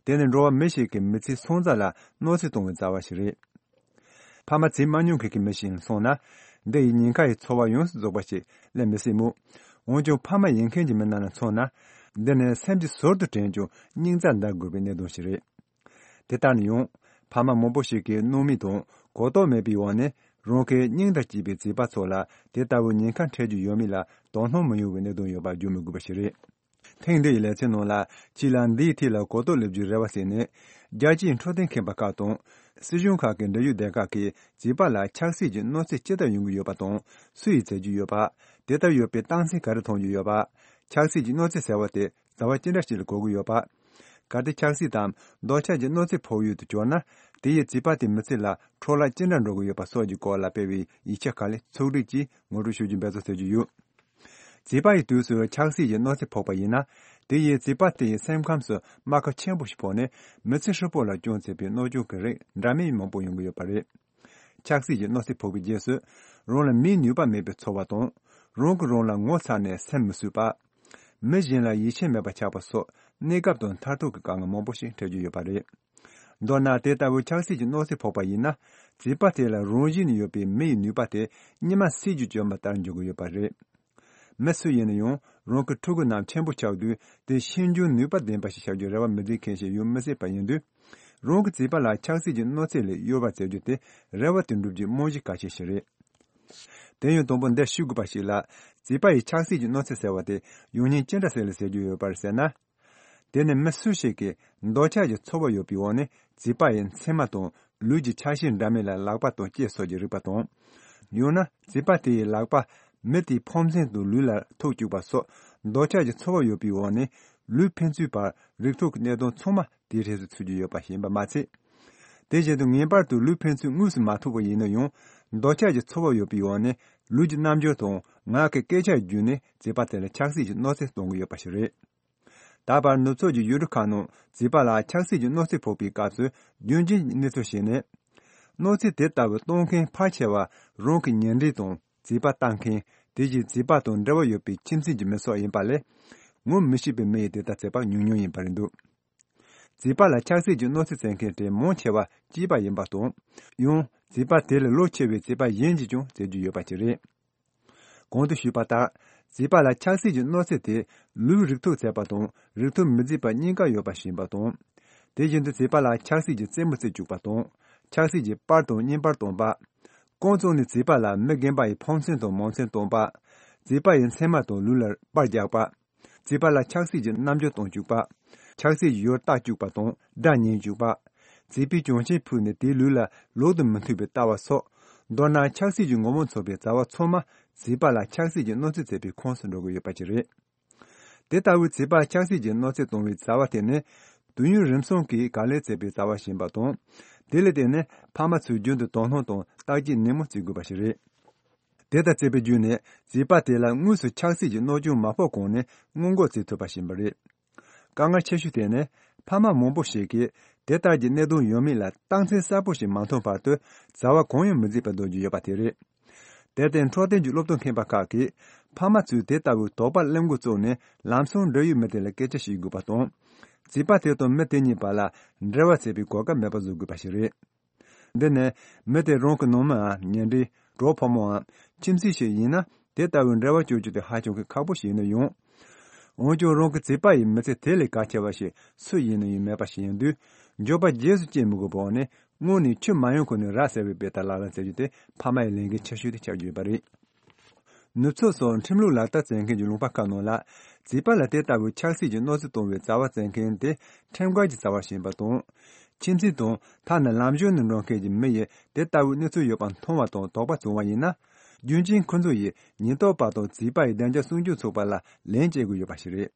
དེ་ནི་འགྲོ་བ་མི་ཞིག་གི་མི་ཚེའི་སོན་རྩ་ལ་གནོད་འཚེ་གཏོང་བའི་བྱ་བ་ཞིག་རེད། ཕ་མ་བྱེད་མ་མྱོང་མཁན་གྱི་མི་ཞིག་ཡིན་སོང་ན། འདི་ཡི་ཉེན་ཁ་ཡི་ཚོར་བ་ཡོངས་སུ་རྫོགས་པ་ཞིག་སླེབས་མི་སྲིད་མོད། འོན་ཀྱང་ཕ་མ་ཡིན་མཁན་གྱི་མི་རྣམས་ལ་མཚོན་ན། འདི་ནི་སེམས་ཀྱི་ཟུར་དུ་དྲན་ཀྱང་སྙིང་རྩ་འདར་དགོས་པའི་གནད་དོན་ཞིག་རེད། དེ་ལྟར་ན་ཡང་། ཕ་མ་མང་པོ་ཞིག་གིས་སྣང་མེད་དང་གོ་རྟོགས་མེད་པའི་འོག་ནས་རང་གི་སྙིང་དང་བཅས་པའི་བྱིས་པ་ཚོ་ལ་དེ་ལྟ་བུའི་ཉེན་ཁ་འཕྲད་རྒྱུ་ཡོད་མེད་ལ་དོ་སྣང་མི་ཡོང་བའི་གནད་དོན་ཡོད་པ་བརྗོད་མི་དགོས་པ་ཞིག་རེད། ཐེངས་འདི་ཡི་ལེ་ཚན་ནང་ལ་ཕྱི་ལ་འདིའི་ཐད་ལ་གོ་རྟོགས་སླེབས་རྒྱུའི་རེ་བ་ཟེར་ནས། རྒྱལ་སྤྱིའི་འཕྲོད་བསྟེན་ཁང་པ་ཁག་དང་། སྲིད་གཞུང་ཁག་གི་འབྲེལ་ཡོད་སྡེ་ཁག་གིས་བྱིས་པ་ལ་ཆགས་སྲེད་ཀྱི་གནོད་འཚེ་ཇི་ལྟར་ཡོང་གི་ཡོད་པ་དང་། སུ་ཡིས་བྱེད་ཀྱི་ཡོད་པ། དེ་ལྟར་ཡོད་པའི་རྟགས་མཚན་ག་རེ་མཐོང་རྒྱུ་ཡོད་པ། ཆགས་སྲེད་ཀྱི་གནོད་འཚེ་ཟེར་བ་དེ་བྱ་བ་ཅི་འདྲ་ཞིག་ལ་གོ་གི་ཡོད་པ། གལ་ཏེ་ཆགས་སྲེད་དམ་འདོད་ཆགས་ཀྱི་གནོད་འཚེ་ཕོག་ཡུལ་དུ་གྱུར་ན། དེ་ཡིས་བྱིས་པ་དེའི་མི་ཚེ་ལ་འཕྲོ་བརླག་ཅི་འདྲ་འགྲོ་གི་ཡོད་པ་སོགས་ཀྱི་སྐོར་ལ་སྤེལ་བའི་ཡིག་ཆ་ཁག་ལ་ཚོགས་སྒྲིག་གིས་ངོ་སྤྲོད་ཞུ་རྒྱུ་འབད་བརྩོན་བྱེད་ཀྱི་ཡོད། བྱིས་པ་ཡི་དུས་སུ་ཆགས་སྲེད་ཀྱི་གནོད་འཚེ་ཕོག་པ་ཡིན་ན། དེ་ཡིས་བྱིས་པ་དེ་ཡི་སེམས་ཁམས་སུ་རྨ་ཁ་ཆེན་པོ་ཞིག་ཕོག་ནས་མི་ཚེ་ཧྲིལ་པོ་ལ་སྐྱོན་བྱེད་པའི་གནོད་སྐྱོན་གྱི་རིགས་འདྲ་མིན་མང་པོ་ཡོང་གི་ཡོད་པ་རེད། ཆགས་སྲེད་ཀྱི་གནོད་འཚེ་ཕོག་པའི་རྗེས་སུ། རང་ལ་མིའི་ནུས་པ་མེད་པའི་ཚོར་བ་དང་། རང་གིས་རང་ལ་ངོ་ཚ་ནས་སེམས་མི་བསུ་བ། མི་གཞན་ལ་ཡིད་ཆེས་མེད་པ་ཆགས་པ་སོགས་གནས་སྐབས་དང་མཐར་ཐུག་གི་དཀའ་ངལ་མང་པོ་ཞིག་འཕྲད་ཀྱི་ཡོད་པ་རེད། མདོར་ན་དེ་ལྟ་བུའི་ཆགས་སྲེད་ཀྱི་གནོད་འཚེ་ཕོག་པ་ཡིན་ན། བྱིས་པ་དེ་ལ་རང་བཞིན་ནས་ཡོད་པའི་མི་ཡི་ནུས་པ་དེ་གཉིད་མ་སད་རྒྱུ་བཅོམ་པ་ལྟར་འགྱུར་གྱི་ཡོད་པ་རེད། མི་སུ་ཡིན་ན་ཡང་རང་གི་ཕྲུ་གུ་རྣམས་ཆེན་པོ་ཆགས་དུས་དེ་ཤེས་འཇོན་ནུས་པ་ལྡན་པ་ཞིག་ཆགས་རྒྱུའི་རེ་བ་མི་འཛིན་མཁན་ཞིག་ཡོང་མི་སྲིད་པ་ཡིན་དུས། རང་གི་བྱིས་པ་ལ་ཆགས་སྲེད་ཀྱི་གནོད་འཚེ་ལས་གཡོལ་བར་བྱེད་རྒྱུ་དེ་རེ་བ་དེ་འགྲུབ་རྒྱུའི་རྨང་གཞི་གལ་ཆེ་ཞིག་རེད། དེ་ཡང་དང་པོ་འདིར་ཞུ་དགོས་པ་ཞིག་ལ། བྱིས་པ་ཡི་ཆགས་སྲེད་ཀྱི་གནོད་འཚེ་ཟེར་བ་དེ་ཡོང་ཉེན་ཅི་འདྲ་ཞིག་ལ་ཟེར་རྒྱུ་ཡོད་པར་ཟེར་ན། དེ་ནི་མི་སུ་ཞིག་གིས་འདོད་ཆགས་ཀྱི་ཚོར་བ་ཡོད་པའི་འོག་ནས་བྱིས་པ་ཡི་མཚན་མ་དང་ལུས་ཀྱི་ཆ་ཤས་འདྲ་མིན་ལ་ལག་པ་དང་ལྕེ་སོགས་ཀྱི་རེག་པ་དང་། ཡང་ན་བྱིས་པ་དེ་ཡི་ལག་པ་མི་དེའི་ཕོ་མཚན་དང་ལུས་ལ་ཐུག་བཅུག་པ་སོགས་འདོད་ཆགས་ཀྱི་ཚོར་བ་ཡོད་པའི་འོག་ནས་ལུས་ཕན་ཚུན་བར་རེག་ཐུག་གི་གནད་དོན་ཚང་མ་དེའི་རྗེས་སུ་ཚུད་ཀྱི་ཡོད་པ་ཡིན་པ་མ་ཚད། དེ་བཞིན་དུ་ངེས་པར་དུ་ལུས་ཕན་ཚུན་དངོས་སུ་མ་ཐུག་པ་ཡིན་ན་ཡང་འདོད་ཆགས་ཀྱི་ཚོར་བ་ཡོད་པའི་འོག་ནས་ལུས་ཀྱི་རྣམ་འགྱུར་དང་ངག་གི་སྐད་ཆ་བརྒྱུད་ནས་བྱིས་པ་དེ་ལ་ཆགས་སྲེད་ཀྱི་གནོད་འཚེ་གཏོང་གི་ཡོད་པ་ཞིག་རེད། ད་བར་ནུབ་ཕྱོགས་ཀྱི་ཡུལ་གྲུ་ཁག་ནང་བྱིས་པ་ལ་ཆགས་སྲེད་ཀྱི་གནོད་འཚེ་ཕོག་པའི་སྐབས་སུ་རྒྱུན་འབྱམས་ཀྱི་གནས་ཚུལ་ཞིག་ནི། གནོད་འཚེ་དེ་ལྟ་བུ་གཏོང་མཁན་ཕལ་ཆེ་བ་རང་གི་ཉེ་འབྲེལ་དང་བྱིས་པ་ལྟ་མཁན། དེ་བཞིན་བྱིས་པ་དང་འབྲེལ་བ་ཡོད་པའི་ཁྱིམ་མཚེས་ཀྱི་མི་སོགས་ཡིན་པ་ལས། ངོ་མི་ཤེས་པའི་མི་ཡིས་དེ་ལྟར་བྱེད་པ་ཉུང་ཉུང་ཡིན་པ་རེད་འདུག་བྱིས་པ་ལ་ཆགས་སྲེད་ཀྱི་གནོད་འཚེ་བྱེད་མཁན་དེ་མང་ཆེ་བ་སྐྱེས་པ་ཡིན་པ་དང་། ཡང་བྱིས་པ་དེ་ལས་ལོ་ཆེ་བའི་བྱིས་པ་གཞན་གྱིས་ཀྱང་བྱེད་རྒྱུ་ཡོད་པ་ཅིག་རེད། གོང་དུ་ཞུས་པ་ལྟར། བྱིས་པ་ལ་ཆགས་སྲེད་ཀྱི་གནོད་འཚེ་དེ་ལུས་རེག་ཐུག་བྱེད་པ་དང་རེག་ཐུག་མི་བྱེད་པ་གཉིས་ཀ་ཡོད་པ་ཞིག་ཡིན་པ་དང་། དེ་བཞིན་དུ་བྱིས་པ་ལ་ཆགས་སྲེད་ཀྱི་རྩེད་མོ་རྩེ་བཅུག་པ་དང་། ཆགས་སྲེད་ཀྱི་པར་དང་བརྙན་པར་སྟོན་པ། ཀུན་རྫོབ་ནས་བྱིས་པ་ལ་མི་རྒན་པ་ཡི་ཕོ་མཚན་དང་མོ་མཚན་སྟོན་པ། བྱིས་པ་ཡི་མཚན་མ་དང་ལུས་ལ་པར་རྒྱག་པ། བྱིས་པ་ལ་ཆགས་སྲེད་ཀྱི་རྣམ་འགྱུར་སྟོན་བཅུག་པ། ཆགས་སྲེད་ཀྱི་ཡུལ་ལྟ་བཅུག་པ་དང་སྒྲ་ཉན་བཅུག་པ། བྱིས་པའི་གྱོན་ཆས་ཕུད་ནས་དེའི་ལུས་ལ་ལོག་ཏུ་མི་མཐུན་པའི་ལྟ་བ་སོགས། མདོར་ན་ཆགས་སྲེད་ཀྱི་ངོ་བོ་མཚོན་པའི་བྱ་བ་ཚང་མ་བྱིས་པ་ལ་ཆགས་སྲེད་ཀྱི་གནོད་འཚེ་བྱེད་པའི་ཁོངས་སུ་འགྲོ་གི་ཡོད་པ་ཅིག་རེད། དེ་ལྟ་བུའི་བྱིས་པ་ཆགས་སྲེད་ཀྱི་གནོད་འཚེ་གཏོང་བའི་བྱ་བ་དེ་ནི་དུས་ཡུན་རིང་སོང་གིས་ག་ལེར་བྱེད་པའི་བྱ་བ་ཞིག་ཡིན་པ་དང་། དེ་ལ་བརྟེན་ནས་ཕ་མ་ཚོས་རྒྱུན་དུ་དོ་སྣང་དང་བརྟག་དཔྱད་ནན་མོ་བྱེད་དགོས་པ་ཞིག་རེད། དེ་ལྟར་བྱས་པའི་བརྒྱུད་ནས་བྱིས་པ་དེ་ལ་དངོས་སུ་ཆགས་སྲེད་ཀྱི་གནོད་སྐྱོན་མ་ཕོག་གོང་ནས་སྔོན་འགོག་བྱེད་ཐུབ་པ་ཞིག་ཡིན་པ་རེད། དཀའ་ངལ་ཆེ་ཤོས་དེ་ནི་ཕ་མ་མང་པོ་ཞིག་གིས་དེ་ལྟར་གྱི་གནད་དོན་ཡོད་མེད་ལ་རྟགས་མཚན་གསལ་པོ་ཞིག་མ་མཐོང་བར་དུ་བྱ་བ་གང་ཡང་མི་བྱེད་པར་སྡོད་རྒྱུ་ཡོད་པ་དེ་རེད། དེར་བརྟེན་འཕྲོད་བསྟེན་གྱི་སློབ་སྟོན་མཁས་པ་ཁག་གིས་ཕ་མ་ཚོས་དེ་ལྟ་བུའི་དོགས་པ་སླེབས་འགོ་བཙུགས་ནས་ལམ་སང་འབྲེལ་ཡོད་མི་དེ་ལ་སྐད་ཆ་བཤད་དགོས་པ་དང་། བྱིས་པ་དེ་དང་མི་དེ་གཉིས་བར་ལ་འབྲེལ་བ་བྱེད་པའི་གོ་སྐབས་མེད་པ་བཟོ་དགོས་པ་ཞིག་རེད། འདི་ནི་མི་དེ་རང་གི་ནང་མིའམ་ཉེ་འབྲེལ། གྲོགས་ཕོ་མོའམ་ཁྱིམ་མཚེས་ཤིག་ཡིན་ན་དེ་ལྟ་བུའི་འབྲེལ་བ་གཅོད་རྒྱུ་དེ་ཧ་ཅང་གི་ཁག་པོ་ཞིག་ཡིན་ན་ཡང་། འོན་ཀྱང་རང་གི་བྱིས་པ་ཡི་མི་ཚེ་དེ་ལས་གལ་ཆེ་བ་ཞིག་སུ་ཡིན་ན་ཡང་མེད་པ་ཞིག་ཡིན་དུས། འགྱོད་པ་རྗེས་སུ་སྐྱེ་མི་དགོས་པའི་འོག་ནས་སྔོན་ནས་ཆུ་མ་ཡོང་གོང་ནས་ར་བཟི་བའི་དཔེ་ལྟར་ལག་ལེན་བྱེད་རྒྱུ་དེ་ཕ་མ་ཡི་ལས་འགན་ཆེ་ཤོས་དེ་ཆགས་ཀྱི་ཡོད་པ་རེད། ནུབ་ཕྱོགས་སོགས་ཁྲིམས་ལུགས་ལག་བསྟར་བྱེད་མཁན་གྱི་ལུང་པ་ཁག་ནང་ལ། བྱིས་པ་ལ་དེ་ལྟ་བུའི་ཆགས་སྲེད་ཀྱི་གནོད་འཚེ་གཏོང་བའི་བྱ་བ་བྱེད་མཁན་དེ་ཁྲིམས་འགལ་གྱི་བྱ་བ་ཞིག་ཡིན་པ་དང་། ཁྱིམ་མཚེས་དང་ཐ་ན་ལམ་གཞུང་ནས་འགྲོ་མཁན་གྱི་མི་ཡིས་དེ་ལྟ་བུའི་གནས་ཚུལ་ཡོད་པ་མཐོང་བ་དང་དོགས་པ་བྱུང་བ་ཡིན་ན། རྒྱུན་གཅིག་ཁོ་ཚོ་ཡིས་ཉེན་རྟོག་པ་དང་བྱིས་པ་ཡི་བདེ་འཇགས་སྲུང་སྐྱོབ་ཚོགས་པ་ལ་ལན་སྤྲད་དགོས་ཡོད་པ་ཞིག་རེད།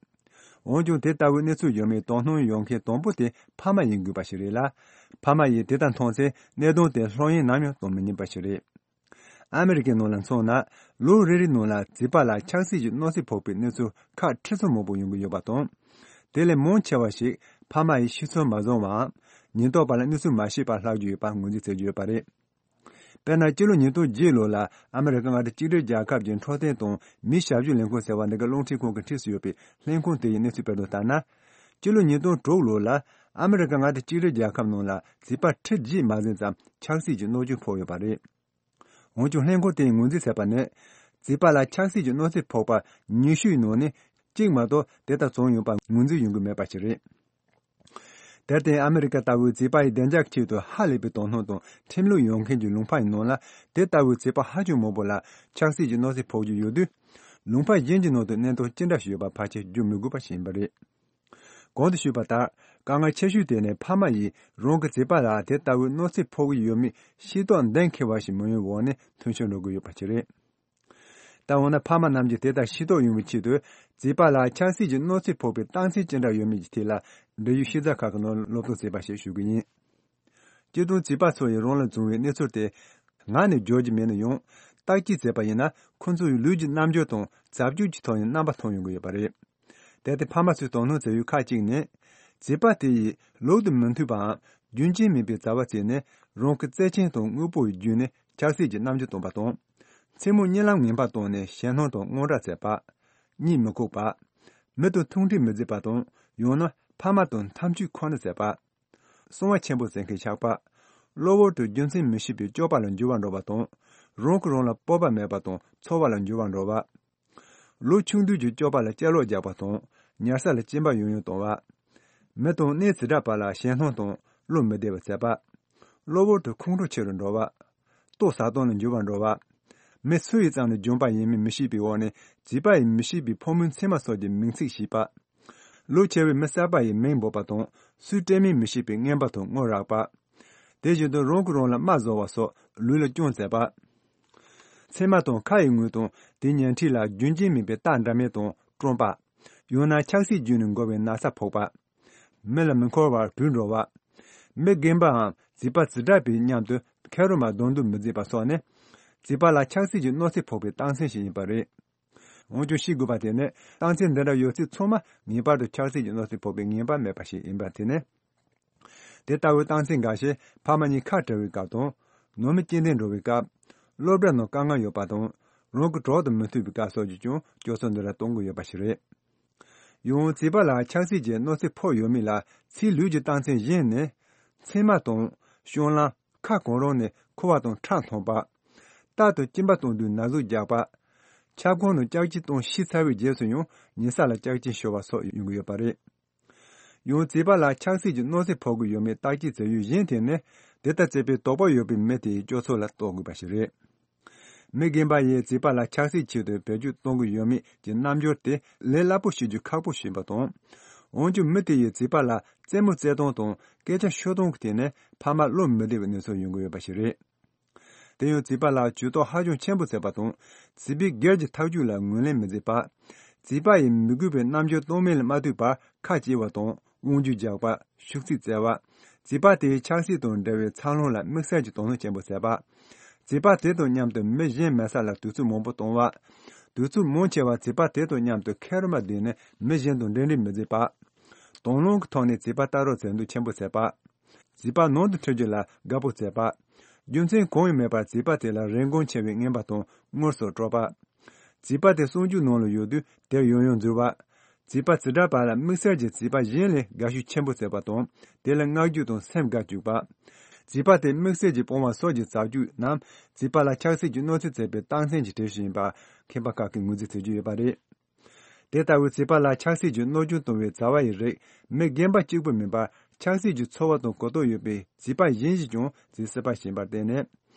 འོན་ཀྱང་དེ་ལྟ་བུའི་གནས་ཚུལ་ཡོད་མེད་དོ་སྣང་ཡོང་མཁན་དང་པོ་དེ་ཕ་མ་ཡིན་དགོས་པ་ཞིག་རེད་ལ། ཕ་མ་ཡིས་དེ་ལྟར་མཐོང་ཚེ་གནད་དོན་དེ་ལྷོད་གཡེང་ནམ་ཡང་གཏོང་མི་ཉན་པ་ཞིག་རེད། ཨ་མི་རི་ཀའི་ནང་ལ་མཚོན་ན། ལོ་རེ་རེའི་ནང་ལ་བྱིས་པ་ལ་ཆགས་སྲེད་ཀྱི་གནོད་འཚེ་ཕོག་པའི་གནས་ཚུལ་ཁག་ཁྲི་ཚོ་མང་པོ་ཡོང་གི་ཡོད་པ་དང་། དེ་ལས་མང་ཆེ་བ་ཞིག་ཕ་མ་ཡིས་ཤེས་ཚོད་མ་བཟུང་བའམ། ཉེན་རྟོག་པ་ལ་གནས་ཚུལ་མ་ཤེས་པར་ལྷག་རྒྱུ་ཡོད་པ་ངོས་འཛིན་བྱེད་རྒྱུ་ཡོད་པ་རེད། དཔེར་ན། སྤྱི་ལོ་ཉིས་སྟོང་བརྒྱད་ལོ་ལ་ཨ་མི་རི་ཀ་མངའ་སྡེ་གཅིག་སྒྲིལ་རྒྱལ་ཁབ་ཀྱི་འཕྲོད་བསྟེན་དང་མི་ཞབས་ཞུ་ལས་ཁུངས་ཟེར་བ་འདི་ག་རླུང་འཕྲིན་ཁང་གིས་འཁྲིས་སུ་ཡོད་པའི་ལྷན་ཁང་དེ་ཡི་གནས་ཚུལ་སྤེལ་དོན་ལྟར་ན། སྤྱི་ལོ་ཉིས་སྟོང་དྲུག་ལོ་ལ་ཨ་མི་རི་ཀ་མངའ་སྡེ་གཅིག་སྒྲིལ་རྒྱལ་ཁབ་ནང་ལ་བྱིས་པ་ཁྲི་བརྒྱད་མ་ཟིན་ཙམ་ཆགས་སྲིད་ཀྱི་གནོད་སྐྱོན་ཕོག་ཡོད་པ་རེད། འོན་ཀྱང་། ལྷན་ཁང་དེས་ངོས་འཛིན་བྱས་པ་ནི། བྱིས་པ་ལ་ཆགས་སྲིད་ཀྱི་གནོད་འཚེ་ཕོག་པ་ཉི་ཤུའི་ནང་ནས་གཅིག་མ་གཏོགས་དེ་ལྟར་བྱུང་ཡོད་པ་ངོས་འཛིན་ཡོང་གི་མེད་པ་ཞིག་རེད། དེར་བརྟེན། ཨ་མི་རི་ཀ་ལྟ་བུའི་བྱིས་པ་ཡི་བདེ་འཇགས་ཆེད་དུ་ཧ་ལས་པའི་དོ་སྣང་དང་ཁྲིམས་ལུགས་ཡོད་མཁན་གྱི་ལུང་པ་ཡི་ནང་ལ། དེ་ལྟ་བུའི་བྱིས་པ་ཧ་ཅང་མང་པོ་ལ་ཆགས་སྲིད་ཀྱི་གནོད་འཚེ་ཕོག་རྒྱུ་ཡོད་དུས། ལུང་པ་གཞན་གྱི་ནང་དུ་གནས་སྟངས་ཅི་འདྲ་ཞིག་ཡོད་པ་ཕལ་ཆེར་བརྗོད་མི་དགོས་པ་ཞིག་ཡིན་པ་རེད། གོང་དུ་ཞུས་པ་ལྟར། དཀའ་ངལ་ཆེ་ཤོས་དེ་ནི་ཕ་མ་ཡིས་རང་གི་བྱིས་པ་ལ་དེ་ལྟ་བུའི་གནོད་འཚེ་ཕོག་གི་ཡོད་མེད་ཤེས་རྟོགས་གཏན་འཁེལ་བ་ཞིག་མི་ཡོང་བའི་འོག་ནས་མཐུན་འཁྱོངས་འགྲོ་དགོས་ཡོད་པ་ཞིག་རེད། ད་འོ་ན། ཕ་མ་རྣམས་ཀྱིས་དེ་ལྟར་ཤེས་རྟོགས་ཡོང་བའི་ཆེད་དུ། བྱིས་པ་ལ་ཆགས་སྲིད་ཀྱི་གནོད་འཚེ་ཕོག་པའི་རྟགས་མཚན་ཅི་འདྲ་ཡོད་མེད་ཀྱི་ཐད་ལ། འབྲེལ་ཡོད་ཤེས་བྱ་ཁག་གི་ནང་སློབ་སྟོན་བྱས་པ་ཞིག་ཞུ་གི་ཡིན། སྤྱིར་བཏང་། བྱིས་པ་ཚོ་ཡིས་རང་ལ་བྱུང་བའི་གནས་ཚུལ་དེ་ངག་ནས་བརྗོད་ཀྱི་མེད་ན་ཡང་། བརྟག་དཔྱད་བྱས་པ་ཡིན་ན། ཁོ་ཚོ་ཡི་ལུས་ཀྱི་རྣམ་འགྱུར་དང་བྱ་སྤྱོད་ཀྱི་ཐོག་ནས་རྣམ་པ་མཐོང་ཡོང་གི་ཡོད་པ་རེད། དེར་བརྟེན། ཕ་མ་ཚོས་དོ་སྣང་བྱ་ཡུལ་ཁག་ཅིག་ནི། བྱིས་པ་དེ་ཡིས་ལུགས་དང་མི་མཐུན་པའམ་རྒྱུན་ཆད་མེད་པའི་བྱ་བ་བྱས་ནས། རང་གི་བརྩེ་ཆེན་དང་དངོས་པོ་ཡི་བརྒྱུད་ནས་ཆགས་སྲིད་ཀྱི་རྣམ་འགྱུར་སྟོན་པ་དང་། མཚན་མོ་གཉིད་ལམ་ངན་པ་བཏང་ནས་ཞེད་སྣང་དང་དངངས་སྐྲག་བྱེད་པ། གཉིད་མི་ཁུག་པ། མི་དང་ཐུག་འཕྲད་མི་བྱེད་པ་དང་། ཡང་ན་ཕ་མ་དང་འཐབ་ཇུས་ཁོ་ན་བྱེད་པ། གསང་བ་ཆེན་པོ་ཟེར་མཁན་ཆགས་པ། གློ་བུར་དུ་རྒྱུ་མཚན་མི་ཤེས་པའི་སྐྱོ་པ་ལ་འགྱུར་བ་འགྲོ་བ་དང་། རང་གིས་རང་ལ་སྤོབས་པ་མེད་པ་དང་ཚོར་བ་ལ་འགྱུར་བ་འགྲོ་བ། ལོ་ཆུང་དུས་ཀྱི་སྐྱོ་པ་ལ་གཅེར་ལོག་རྒྱག་པ་དང་། ཉལ་ས་ལ་སྐྱེན་པ་ཡང་ཡང་གཏོང་བ། མི་དང་གནས་འཛིན་གྲྭ་བར་ལ་ཞེད་སྣང་དང་བློ་མི་བདེ་བ་བྱེད་པ། གློ་བུར་དུ་ཁོང་ཁྲོ་ཆེ་རུ་འགྲོ་བ། ལྟོ་ཟ་སྟངས་ལ་འགྱུར་བ་འགྲོ་བ། མི་སུ་ཡིས་བརྩམས་ནས་བྱུང་བ་ཡིན་མིན་མི་ཤེས་པའི་འོག་ནས། བྱིས་པ་ཡིས་མི་ཤེས་པའི་ཕོ་མོའི་མཚན་མ་སོགས་ཀྱི་མིང་ཚིག་ཤེས་པ། ལོ་ཆེ་བའི་མི་གསར་པ་ཡིས་མིང་འབོད་པ་དང་། སུའི་སྤྲད་མིན་མི་ཤེས་པའི་རྔན་པ་དང་དངུལ་རག་པ། དེ་བཞིན་དུ་རང་གིས་རང་ལ་རྨ་བཟོ་བ་སོགས་ལུས་ལ་སྐྱོན་བྱེད་པ། མཚན་མ་དང་ཁ་ཡི་ངོས་དང་དེའི་ཉེ་འཁྲིས་ལ་རྒྱུན་ཆད་མེད་པའི་རྟགས་འདྲ་མིན་དང་བཀྲོངས་པ། ཡང་ན་ཆགས་སྲིད་བརྒྱུད་ནས་འགོ་བའི་ན་ཚ་ཕོག་པ། མི་ལ་མི་འཁོར་བར་གྲོས་འགྲོ་བ། མི་རྒན་པའམ་བྱིས་པ་བྱེ་བྲག་པའི་མཉམ་དུ་ཁེར་རོ་མ་གདོང་གཏུག་མི་བྱེད་པ་སོགས་ནི། བྱིས་པ་ལ་ཆགས་སྲིད་ཀྱི་གནོད་འཚེ་ཕོག་པའི་རྟགས་མཚན་ཞིག་ཡིན་པ་རེད། འོན་ཀྱང་ཤེས་དགོས་པ་དེ་ནི། རྟགས་མཚན་འདི་འདྲ་ཡོད་ཚད་ཚང་མ་ངེས་པར་དུ་ཆགས་སྲིད་ཀྱི་གནོད་འཚེ་ཕོག་པའི་ངེས་པ་མེད་པ་ཞིག་ཡིན་པ་དེ་ནི། དེ་ལྟ་བུའི་རྟགས་མཚན་འགའ་ཞིག་ཕ་མ་གཉིས་ཁ་བྲལ་བའི་སྐབས་དང་། ནང་མི་སྐྱེ་ལྡན་འགྲོ་བའི་སྐབས། སློབ་གྲྭ་ནང་དཀའ་ངལ་ཡོད་པ་དང་། རང་གི་གྲོགས་དང་མི་མཐུན་པའི་སྐབས་སོགས་ཀྱིས་ཀྱང་སྤྱོད་ཚུལ་འདི་འདྲ་སྟོན་གྱི་ཡོད་པ་ཞིག་རེད། ཡང་། བྱིས་པ་ལ་ཆགས་སྲིད་ཀྱི་གནོད་འཚེ་ཕོག་ཡོད་མེད་ལ་ཕྱིའི་ལུས་ཀྱི་རྟགས་མཚན་གཞན་ནི། མཚན་མ་དང་། བཤང་ལམ། ཁ་གང་རུང་ནས་ཁུ་བ་དང་ཁྲག་འཐུང་བ། རྟ་དང་གཅིན་པ་གཏོང་དུས་ན་ཟུག་རྒྱག་པ། ཁྱབ་ཁོངས་ནང་ལྕགས་ཀྱི་གཏོང་ཤི་ཚར་བའི་རྗེས་སུ་ཡང་ཉེ་ས་ལ་ལྕགས་ཀྱི་ཤོར་བ་སོགས་ཡོང་གི་ཡོད་པ་རེད། ཡང་། བྱིས་པ་ལ་ཆགས་སྲིད་ཀྱི་གནོད་འཚེ་ཕོག་གི་ཡོད་མེད་བརྟག་དཔྱད་བྱ་ཡུལ་གཞན་དེ་ནི། དེ་ལྟར་བྱེད་པའི་དོགས་པ་ཡོད་པའི་མི་དེའི་སྤྱོད་ཚུལ་ལ་རྟོག་དགོས་པ་ཞིག་རེད། མི་རྒན་པ་ཡིས་བྱིས་པ་ལ་ཆགས་སྲིད་ཆེད་དུ་བེད་སྤྱོད་གཏོང་གི་ཡོད་མེད་ཀྱི་རྣམ་འགྱུར་དེ་ལས་སླ་པོ་ཤེས་རྒྱུ་ཁག་པོ་ཞིག་ཡིན་པ་དང་། འོན་ཀྱང་། མི་དེ་ཡིས་བྱིས་པ་ལ་རྩེད་མོ་རྩེ་སྟངས་དང་སྐད་ཆ་ཤོད་སྟངས་ཀྱི་ཐད་ནས་ཕ་མ་བློ་མི་བདེ་བའི་གནས་ཚུལ་ཡོང་གི་ཡོད་པ་ཞིག་རེད། དེ་ཡང་། བྱིས་པ་ལ་ཇུས་གཏོགས་ཧ་ཅང་ཆེན་པོ་བྱེད་པ་དང་། བྱིས་པའི་སྒེར་གྱི་ཐག་གཅོད་ལ་ངོས་ལེན་མི་བྱེད་པ། བྱིས་པ་ཡིས་མི་དགོས་པའི་རྣམ་འགྱུར་སྟོན་མིན་ལ་མ་ལྟོས་པར་ཁ་གཅིག་པ་དང་། དབང་སྒྱུར་རྒྱག་པ། ཤུགས་རྩིས་བཙལ་བ། བྱིས་པ་དེའི་ཆགས་སྲིད་དང་འབྲེལ་བའི་འཚར་ལོངས་ལ་དམིགས་བསལ་གྱི་དོ་སྣང་ཆེན་པོ་བྱེད་པ། བྱིས་པ་དེ་དང་མཉམ་དུ་མི་གཞན་མེད་ས་ལ་དུས་ཚོད་མང་པོ་གཏོང་བ། དུས་ཚོད་མང་ཆེ་བ་བྱིས་པ་དེ་དང་མཉམ་དུ་ཁེར་རོ་མ་བསྡད་ནས་མི་གཞན་དང་འབྲེལ་འདྲིས་མི་བྱེད་པ། དང་བླངས་ཀྱི་ཐོག་ནས་བྱིས་པ་ལྟ་རྟོག་བྱེད་འདོད་ཆེན་པོ་བྱེད་པ། བྱིས་པ་ནང་དུ་འཁྲིད་རྒྱུ་ལ་དགའ་པོ་བྱེད་པ། རྒྱུ་མཚན་གང་ཡང་མེད་པར་བྱིས་པ་དེ་ལ་རིན་གོང་ཆེ་བའི་རྔན་པ་དང་དངུལ་སོགས་སྤྲོད་པ། བྱིས་པ་དེ་གསོ་རྒྱུ་ནང་ལ་ཡོད་དུས་དེར་ཡང་ཡང་འཛུལ་བ། བྱིས་པ་བྱེ་བྲག་པ་ལ་དམིགས་བསལ་གྱིས་བྱིས་པ་གཞན་ལས་དགའ་ཤུགས་ཆེན་པོ་བྱེད་པ་དང་། དེ་ལ་བསྔགས་བརྗོད་དང་སེམས་དགའ་བཅུག་པ། བྱིས་པ་དེ་དམིགས་བསལ་གྱིས་སྤོང་བ་སོགས་ཀྱི་བྱ་སྤྱོད་རྣམས་བྱིས་པ་ལ་ཆགས་སྲིད་ཀྱི་གནོད་འཚེ་བྱེད་པའི་རྟགས་མཚན་གྱི་གྲས་ཤིག་ཡིན་པ་མཁས་པ་ཁག་གིས་ངོས་འཛིན་བྱེད་ཀྱི་ཡོད་པ་རེད། དེ་ལྟ་བུའི་བྱིས་པ་ལ་ཆགས་སྲིད་ཀྱི་གནོད་སྐྱོན་གཏོང་བའི་བྱ་བ་ཡི་རིགས་མི་རྒན་པ་གཅིག་པུ་མིན་པར། ཆགས་སྲིད་ཀྱི་ཚོར་བ་དང་གོ་རྟོགས་ཡོད་པའི་བྱིས་པ་གཞན་ཞིག་ཀྱང་བྱེད་སྲིད་པ་ཞིག་ཡིན་པར་བརྟེན་ནས།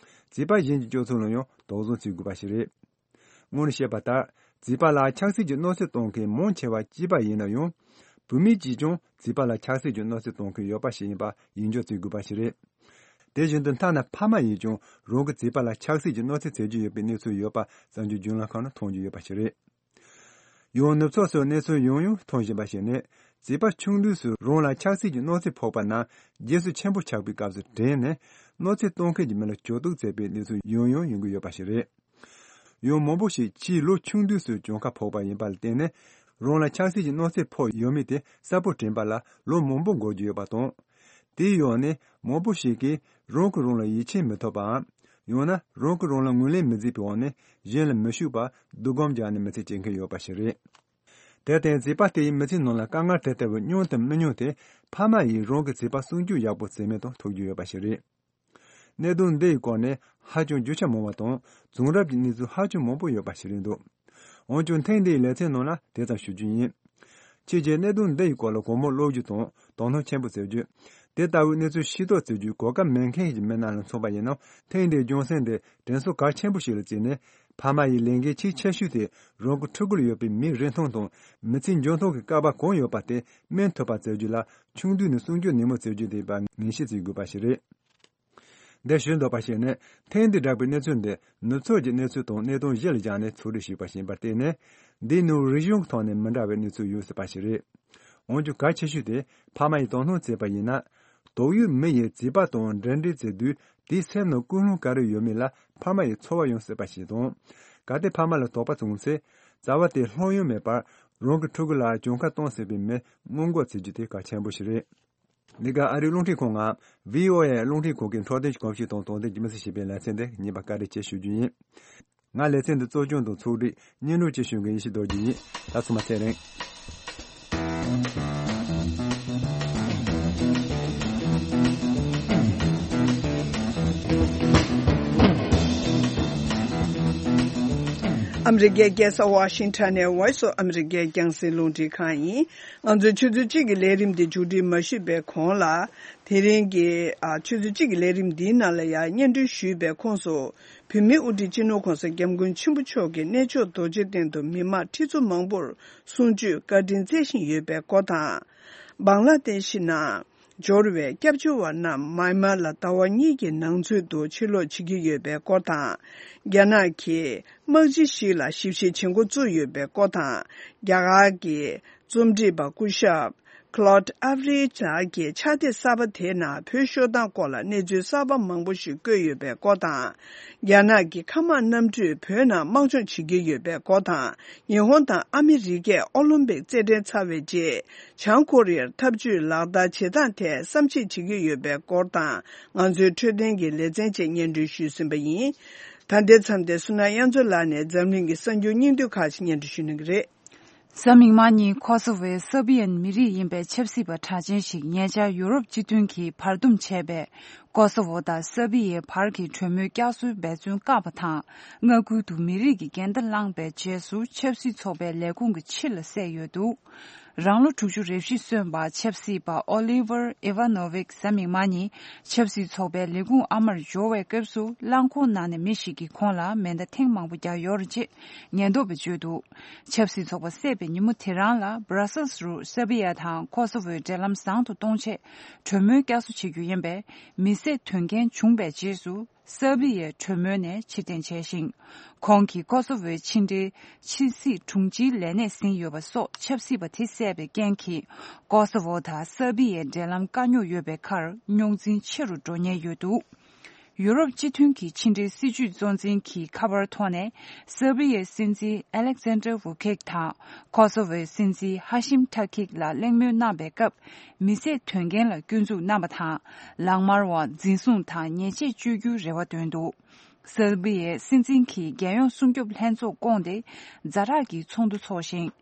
བྱིས་པ་གཞན་གྱི་སྤྱོད་ཚུལ་ལ་ཡང་དོགས་ཟོན་བྱེད་དགོས་པ་ཞིག་རེད། སྔོན་བཤད་པ་ལྟར། བྱིས་པ་ལ་ཆགས་སྲིད་ཀྱི་གནོད་འཚེ་གཏོང་མཁན་མང་ཆེ་བ་སྐྱེས་པ་ཡིན་ན་ཡང་། བུད་མེད་ཀྱིས་ཀྱང་བྱིས་པ་ལ་ཆགས་སྲིད་ཀྱི་གནོད་འཚེ་གཏོང་མཁན་ཡོད་པ་ཞིག་ཡིན་པ་ཡིད་འཇོག་བྱེད་དགོས་པ་ཞིག་རེད། དེ་བཞིན་དུ། ཐ་ན་ཕ་མ་ཡིས་ཀྱང་རང་གི་བྱིས་པ་ལ་ཆགས་སྲིད་ཀྱི་གནོད་འཚེ་བྱེད་ཀྱི་ཡོད་པའི་གནས་ཚུལ་ཡོད་པ་གསར་འགྱུར་བརྒྱུད་ལམ་ཁག་ནང་མཐོང་རྒྱུ་ཡོད་པ་ཞིག་རེད། ཡང་ནུབ་ཕྱོགས་སུ་གནས་ཚུལ་ཡང་ཡང་མཐོང་བཞིན་པ་ཞིག་ནི། བྱིས་པ་ཆུང་དུས་སུ་རང་ལ་ཆགས་སྲིད་ཀྱི་གནོད་འཚེ་ཕོག་པ་རྣམས་རྗེས་སུ་ཆེན་པོ་ཆགས་པའི་སྐབས་སུ་དྲན་ནས། གནོད་འཚེ་གཏོང་མཁན་གྱི་མི་ལ་གྱོང་གཏུག་མཛད་པའི་གནས་ཚུལ་ཡང་ཡང་ཡོང་གི་ཡོད་པ་ཞིག་རེད། ཡང་མང་པོ་ཞིག་ཕྱིའི་ལོ་ཆུང་དུས་སུ་གྱོང་ཁ་ཕོག་པ་ཡིན་པ་ལ་བརྟེན་ནས། རང་ལ་ཆགས་སྲིད་ཀྱི་གནོད་འཚེ་ཕོག་ཡོད་མེད་དེ་གསལ་པོ་དྲན་པ་ལ་ལོ་མང་པོ་འགོར་རྒྱུ་ཡོད་པ་དང་། དེའི་འོག་ནས་མང་པོ་ཞིག་གིས་རང་གིས་རང་ལ་ཡིད་ཆེས་མི་ཐུབ་པའམ། ཡང་ན་རང་གིས་རང་ལ་ངོས་ལེན་མི་མཛད་པའི་འོག་ནས་གཞན་ལ་མི་ཞུགས་པར་སྡུག་སྒོམ་རྒྱག་ནས་མི་ཚེ་སྐྱེལ་མཁན་ཡོད་པ་ཞིག་རེད། དེར་བརྟེན་བྱིས་པ་དེ་ཡིས་མི་ཚེའི་ནང་ལ་དཀའ་ངལ་དེ་ལྟ་བུ་མྱོང་དང་མི་མྱོང་དེ་ཕ་མ་ཡིས་རང་གི་བྱིས་པ་སྲུང་སྐྱོབ་ཡག་པོ་བྱས་མིན་དང་ཐུག་རྒྱུ་ཡོད་པ་ཞིག་རེད། གནད་དོན་འདི་ཡི་སྐོར་ནས་ཧ་ཅང་རྒྱུ་ཆ་མང་བ་དང་བྱུང་རབས་ཀྱི་གནས་ཚུལ་ཧ་ཅང་མང་པོ་ཡོད་པ་ཞིག་རེད་འདུག་འོན་ཀྱང་ཐེངས་འདིའི་ལེ་ཚན་ནང་ལ་དེ་ཙམ་ཞུ་རྒྱུ་ཡིན། ཕྱི་རྒྱལ་གནད་དོན་འདི་ཡི་སྐོར་ལ་གོང་མར་ཀློག་རྒྱུ་དང་དོ་སྣང་ཆེན་པོ་བྱེད་རྒྱུ། དེ་ལྟ་བུའི་གནས་ཚུལ་ཤེས་རྟོགས་བྱེད་རྒྱུའི་གོ་སྐབས་མེད་མཁན་གྱི་མི་རྣམས་ལ་མཚོན་པ་ཡིན་ན། ཐེངས་འདིའི་རྒྱུ་མཚན་དེ་དྲན་གསོ་གལ་ཆེན་པོ་ཞིག་ལ་བརྩིས་ནས། ཕ་མ་ཡི་ལས་འགན་གལ་ཆེ་ཤོས་དེ་རང་གི་ཕྲུ་གུར་ཡོད་པའི་མིའི་རིན་ཐང་དང་མི་ཚེའི་འཇོན་ཐང་གི་བསྐལ་པ་གང་ཡོད་པ་དེ་སྨིན་ཐུབ་པ་བྱེད་རྒྱུ་ལ་ཆུང་དུས་ནས་སྲུང་སྐྱོབ་ནན་མོ་བྱེད་རྒྱུ་དེ་ཡིན་པ་ངེས་ཤེས་བྱེད་དགོས་པ་ཞིག་རེད། འདིར་ཞུ་འདོད་པ་ཞིག་ནི། ཐེངས་འདི་བསྒྲགས་པའི་གནས་ཚུལ་འདི་ནུབ་ཕྱོགས་ཀྱི་གནས་ཚུལ་དང་གནད་དོན་གཞི་ལ་བཞག་ནས་ཕྱོགས་སྒྲིག་ཞུས་པ་ཞིག་ཡིན་པར་བརྟེན་ནས། འདིའི་ནང་རིག་གཞུང་གི་ཐོག་ནས་མི་འདྲ་བའི་གནས་ཚུལ་ཡོད་སྲིད་པ་ཞིག་རེད། འོན་ཀྱང་གལ་ཆེ་ཤོས་དེ་ཕ་མ་ཡིས་དོ་སྣང་བྱས་པ་ཡིན་ན། དོགས་ཡོད་མི་ཡིས་བྱིས་པ་དང་འབྲེལ་འདྲིས་བྱེད་དུས་དེའི་སེམས་ནང་ཀུན་སློང་ག་རེ་ཡོད་མེད་ལ་ཕ་མ་ཡིས་ཚོར་བ་ཡོང་སྲིད་པ་ཞིག་དང་། གལ་ཏེ་ཕ་མ་ལ་དོགས་པ་བྱུང་ཚེ། བྱ་བ་དེ་ལྷོད་ཡངས་མེད་པར་རང་གི་ཕྲུ་གུ་ལ་གྱོང་ཁ་གཏོང་སྲིད་པའི་མི་སྔོན་འགོག་བྱེད་རྒྱུ་དེ་གལ་ཆེན་པོ་ཞིག་རེད། འདི་ག་ཨ་རིའི་རླུང་འཕྲིན་ཁང་ང་བྷི་ཨོ་ཨེ་རླུང་འཕྲིན་ཁང་གི་འཕྲོད་བསྟེན་གྱི་གོམས་གཤིས་དང་དོ་དམ་གྱི་མི་སེར་ཞེས་པའི་ལེ་ཚན་འདི་ངེས་པར་བཀའ་འདྲི་ཞུ་རྒྱུ་ཡིན། ང་ལེ་ཚན་འདི་གཙོ་སྐྱོང་དང་ཕྱོགས་སྒྲིག་སྙན་སྒྲོན་བཅས་ཞུ་མཁན་ཡེ་ཤེས་རྡོ་རྗེ་ཡིན། ད་ཚང་མ་ཚེ་རིང་། ཨ་མི་རི་ཀའི་རྒྱལ་ས་ཝ་ཤིང་ཊོན་ནས་Voice of America་རྒྱང་སྲིང་རླུང་འཕྲིན་ཁང་ཡིན། ང་ཚོའི་ཆུ་ཚོད་གཅིག་གི་ལས་རིམ་འདི་མཇུག་སྒྲིལ་མ་ཞུས་པའི་གོང་ལ། དེ་རིང་གི་ཨ་ཆུ་ཚོད་གཅིག་གི་ལས་རིམ་འདིའི་ནང་ལ་ཡང་སྙན་སྒྲོན་ཞུས་པའི་ཁོངས་སུ། བོད་མིའི་དབུ་ཁྲིད་སྤྱི་ནོར་༸གོང་ས་༸སྐྱབས་མགོན་ཆེན་པོ་མཆོག་གིས་གནས་མཆོག་རྡོ་རྗེ་གདན་དུ་མི་མང་ཁྲི་ཚོ་མང་པོར་གསུང་ཆོས་བཀའ་དྲིན་སྩལ་བཞིན་ཡོད་པའི་སྐོར་དང་། བང་ལ་དེ་ཤི་ནང་འབྱོར་བའི་སྐྱབས་བཅོལ་བ་རྣམས་མཱི་མཱར་ལ་ཟླ་བ་གཉིས་ཀྱི་ནང་ཚུད་དུ་ཕྱིར་ལོག་བྱེད་ཀྱི་ཡོད་པའི་སྐོར་དང་། རྒྱ་ནག་གིས་དམག་སྤྱི་ཞིག་ལ་ཞིབ་བཤེར་བྱེད་འགོ་བཙུགས་ཡོད་པའི་སྐོར་དང་། རྒྱ་གར་གྱི་རྩོམ་སྒྲིག་པ་སྐུ་ཞབས་Claude Avery་ལགས་ཀྱིས་ཕྱག་དེབ་གསར་པ་དེའི་ནང་བོད་ཤོག་ཐང་སྐོར་ལ་གནས་ཚུལ་གསར་པ་མང་པོ་ཞིག་བཀོད་ཡོད་པའི་སྐོར་དང་། རྒྱ་ནག་གི་མཁའ་དམག་གནམ་གྲུས་བོད་ནང་དམག་སྦྱོང་བྱེད་ཀྱི་ཡོད་པའི་སྐོར་དང་། ཉི་ཧོང་དང་ཨ་མི་རི་ཀས་ཨོ་ལིམ་པིག་རྩེད་འགྲན་ཚར་བའི་རྗེས། བྱང་ཀོ་རི་ཡར་འཐབ་ཇུས་ལག་བསྟར་བྱེད་སྟངས་ཐད་བསམ་གཞིག་བྱེད་ཀྱི་ཡོད་པའི་སྐོར་དང་། ང་ཚོའི་འཕྲོད་བསྟེན་གྱི་ལེ་ཚན་བཅས་སྙན་སྒྲོན་ཞུས་ཟིན་པ་ཡིན། ད་ལྟའི་མཚམས་དེར་བསོད་ནམས་དབྱངས་མཚོ་ལགས་ནས་འཛམ་གླིང་གི་གསར་འགྱུར་སྙིང་བསྡུས་ཁག་ཅིག་སྙན་སྒྲོན་ཞུ་གནང་གི་རེད། གཟའ་མིག་དམར་ཉིན་ཁོ་སོ་ཝོའི་སར་བི་ཡན་མི་རིགས་ཡིན་པའི་ཆབ་སྲིད་པ་གྲགས་ཅན་ཞིག་ཉེ་ཆར་ཡུ་རོབ་སྤྱི་མཐུན་གྱིས་བར་འདུམ་བྱས་པའི་ཁོ་སོ་ཝོ་དང་སར་བི་ཡའི་བར་གྱི་གྲོས་མོལ་བསྐྱར་གསོའི་འབད་བརྩོན་བཀག་པ་དང་། མངའ་ཁུལ་དུ་མི་རིགས་ཀྱི་འགལ་ཟླ་བསླངས་པའི་རྗེས་སུ་ཆབ་སྲིད་ཚོགས་པའི་ལས་ཁུངས་ཀྱི་ཕྱི་ལ་བསད་ཡོད་འདུག་རང་ལོ་དྲུག་ཅུ་རེ་བཞི་སོན་པ་ཆབ་སྲིད་པ་ཨོ་ལི་ཝར་ཨི་ཝ་ནོ་ཝིག་གཟའ་མིག་དམར་ཉིན་ཆབ་སྲིད་ཚོགས་པའི་ལས་ཁུངས་ཨ་མར་འབྱོར་བའི་སྐབས་སུ་རླངས་འཁོར་ནང་ནས་མི་ཞིག་གིས་ཁོང་ལ་མེ་མདའ་ཐེངས་མང་པོ་བརྒྱབ་ཡོད་རེད་ཅེས་ཉེན་རྟོག་པས་བརྗོད་འདུག་ཆབ་སྲིད་ཚོགས་པ་བསད་པའི་ཉིན་མོ་དེ་རང་ལ་Brussels་རུ་སར་བི་ཡ་དང་ཁོ་སོ་ཝོའི་འབྲེལ་ལམ་བཟང་དུ་གཏོང་ཆེད་གྲོས་མོལ་བསྐྱར་གསོ་བྱེད་རྒྱུ་ཡིན་པས། མི་བསད་དོན་རྐྱེན་བྱུང་བའི་རྗེས་སུ་སར་བི་ཡས་གྲོས་མོལ་ནས་ཕྱིར་འཐེན་བྱས་ཤིང་། ཁོང་གིས་ཁོ་སོ་ཝོའི་ཕྱི་འབྲེལ་ཕྱི་སྲིད་དྲུང་ཆེའི་ལས་གནས་ཟིན་ཡོད་པ་སོགས་ཆབ་སྲིད་པ་དེ་བསད་པའི་རྐྱེན་གྱིས་ཁོ་སོ་ཝོ་དང་སར་བི་ཡའི་འབྲེལ་ལམ་དཀའ་རྙོག་ཡོད་པའི་ཁར་རྙོག་འཛིང་ཆེ་རུ་འགྲོ་ཉེན་ཡོད་འདུག་ཡུ་རོབ་སྤྱི་མཐུན་གྱི་ཕྱི་འབྲེལ་སྲིད་ཇུས་གཙོ་འཛིན་གྱིས་ཁ་པར་ཐོག་ནས་སར་བི་ཡའི་སྲིད་འཛིན་ཨ་ལེག་ཟན་ཌར་ཝུ་ཁེག་དང་ཁོ་སོ་ཝོའི་སྲིད་འཛིན་ཧ་ཤིམ་ཐ་ཁིག་ལ་གླེང་མོལ་གནང་པའི་སྐབས། མི་བསད་དོན་རྐྱེན་ལ་སྐྱོན་འཛུགས་གནང་པ་དང་། ལག་དམར་བ་འཛིན་བཟུང་དང་ཉེས་ཆད་གཅོད་རྒྱུའི་རེ་བ་བཏོན་འདུག་སར་བི་ཡའི་སྲིད་འཛིན་གྱིས་རྒྱལ་ཡོངས་སྲུང་སྐྱོབ་ལྷན་ཚོགས་བསྐོངས་ཏེ་ཛ་དྲག་གི་ཚོགས་འདུ་འཚོགས་ཤིང་།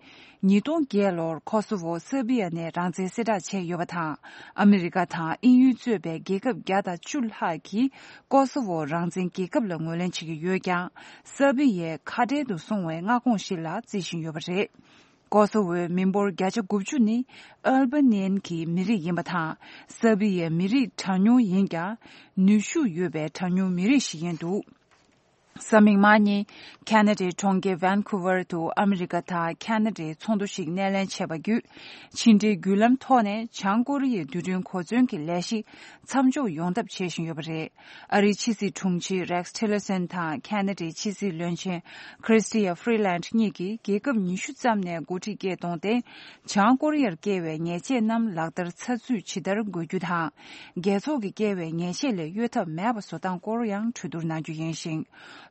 ཉིས་སྟོང་བརྒྱད་ལོར་ཁོ་སོ་ཝོ་སར་བི་ཡ་ནས་རང་བཙན་གསལ་བསྒྲགས་བྱས་ཡོད་པ་དང་། ཨ་མི་རི་ཀ་དང་དབྱིན་ཡུལ་གཙོས་པའི་རྒྱལ་ཁབ་བརྒྱ་དང་བཅུ་ལྷག་གིས་ཁོ་སོ་ཝོ་རང་བཙན་རྒྱལ་ཁབ་ལ་ངོས་ལེན་བྱེད་ཀྱི་ཡོད་ཀྱང་། སར་བི་ཡའི་ཁ་བྲལ་དུ་སོང་བའི་མངའ་ཁོངས་ཤིག་ལ་བརྩི་བཞིན་ཡོད་པ་རེད། ཀོ་སོ་ཝོའི་མི་འབོར་བརྒྱ་ཆ་དགུ་བཅུ་ནི་ཨལ་བ་ནི་ཡན་གྱི་མི་རིགས་ཡིན་པ་དང་། སར་བི་ཡའི་མི་རིགས་གྲངས་ཉུང་ཡིན་ཀྱང་། ནུས་ཤུགས་ཡོད་པའི་གྲངས་ཉུང་མི་རིགས་ཤིག་ཡིན་འདུག་གཟའ་མིག་དམར་ཉིན། ཁ་ན་ཌའི་གྲོང་ཁྱེར་ཝན་ཁུ་ཝར་དུ་ཨ་མི་རི་ཀ་དང་ཁ་ན་ཌའི་ཚོགས་འདུ་ཞིག་སྣེ་ལེན་བྱས་པ་བརྒྱུད། ཕྱི་འབྲེལ་བརྒྱུད་ལམ་ཐོག་ནས་བྱང་ཀོ་རི་ཡའི་རྡུལ་ཕྲན་གོ་མཚོན་གྱི་ལས་གཞི་མཚམས་འཇོག་ཡོང་ཐབས་བྱེད་བཞིན་ཡོད་པ་རེད། ཨ་རིའི་ཕྱི་སྲིད་དྲུང་ཆེ་Rex Tillerson་དང་ཁ་ན་ཌའི་ཕྱི་སྲིད་བློན་ཆེན་Chrystia Freeland་གཉིས་ཀྱིས་རྒྱལ་ཁབ་ཉི་ཤུ་ཙམ་ནས་འགོ་ཁྲིད་སྐད་གཏོང་སྟེ། བྱང་ཀོ་རི་ཡར་བཀལ་བའི་ཉེས་ཆད་རྣམས་ལག་བསྟར་ཚགས་ཚུད་ཇི་ལྟར་དགོས་རྒྱུ་དང་། རྒྱལ་ཚོགས་ཀྱིས་བཀལ་བའི་ཉེས་ཆད་ལས་གཡོལ་ཐབས་མེད་པ་བཟོ་སྟངས་སྐོར་ཡང་གྲོས་བསྡུར་གནང་རྒྱུ་ཡིན་ཞིང་།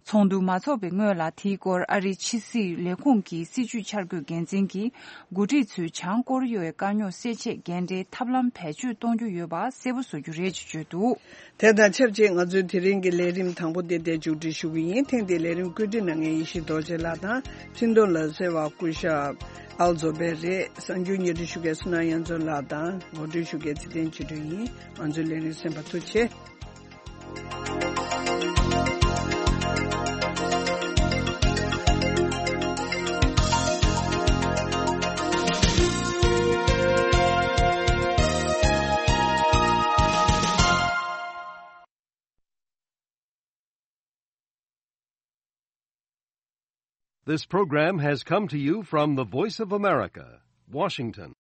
ཚོགས་འདུ་མ་འཚོགས་པའི་སྔོན་ལ་དེའི་སྐོར་ཨ་རིའི་ཕྱི་སྲིད་ལས་ཁུངས་ཀྱི་སྲིད་བྱུས་འཆར་འགོད་འགན་འཛིན་གྱིས་འགོ་ཁྲིད་ཚོས་བྱང་ཀོ་རི་ཡའི་དཀའ་རྙོག་སེལ་ཆེད་འགན་འཁྲིའི་ཐབས་ལམ་བེད་སྤྱོད་གཏོང་རྒྱུ་ཡོད་པ་གསལ་པོ་བཟོ་རྒྱུ་རེད་ཅེས་བརྗོད་འདུག། དེ་དང་ཆབས་ཅིག་ང་ཚོའི་དེ་རིང་གི་ལས་རིམ་དང་པོ་དེ་འདིར་མཇུག་སྒྲིལ་ཞུ་གི་ཡིན། ཐེངས་འདིའི་ལས་རིམ་བཀོད་སྒྲིག་གནང་མཁན་ཡེ་ཤེས་རྡོ་རྗེ་ལགས་དང་འཕྲིན་གཏོང་ལ་གསལ་བ་སྐུ་ཞབས་ཨལ་ཛོ་བེ་རེད། གསར་འགྱུར་སྙན་སྒྲོན་ཞུ་མཁན་བསོད་ནམས་དབྱངས་ཚོགས་ལགས་དང་ངོ་སྤྲོད་ཞུ་མཁན་ཚེ་བརྟན་ཆོས་སྒྲོན་ཡིན། ང་ཚོའི་ལས་རིམ་གསན་པར་ཐུགས་རྗེ་ཆེ། This program has come to you from the Voice of America, Washington.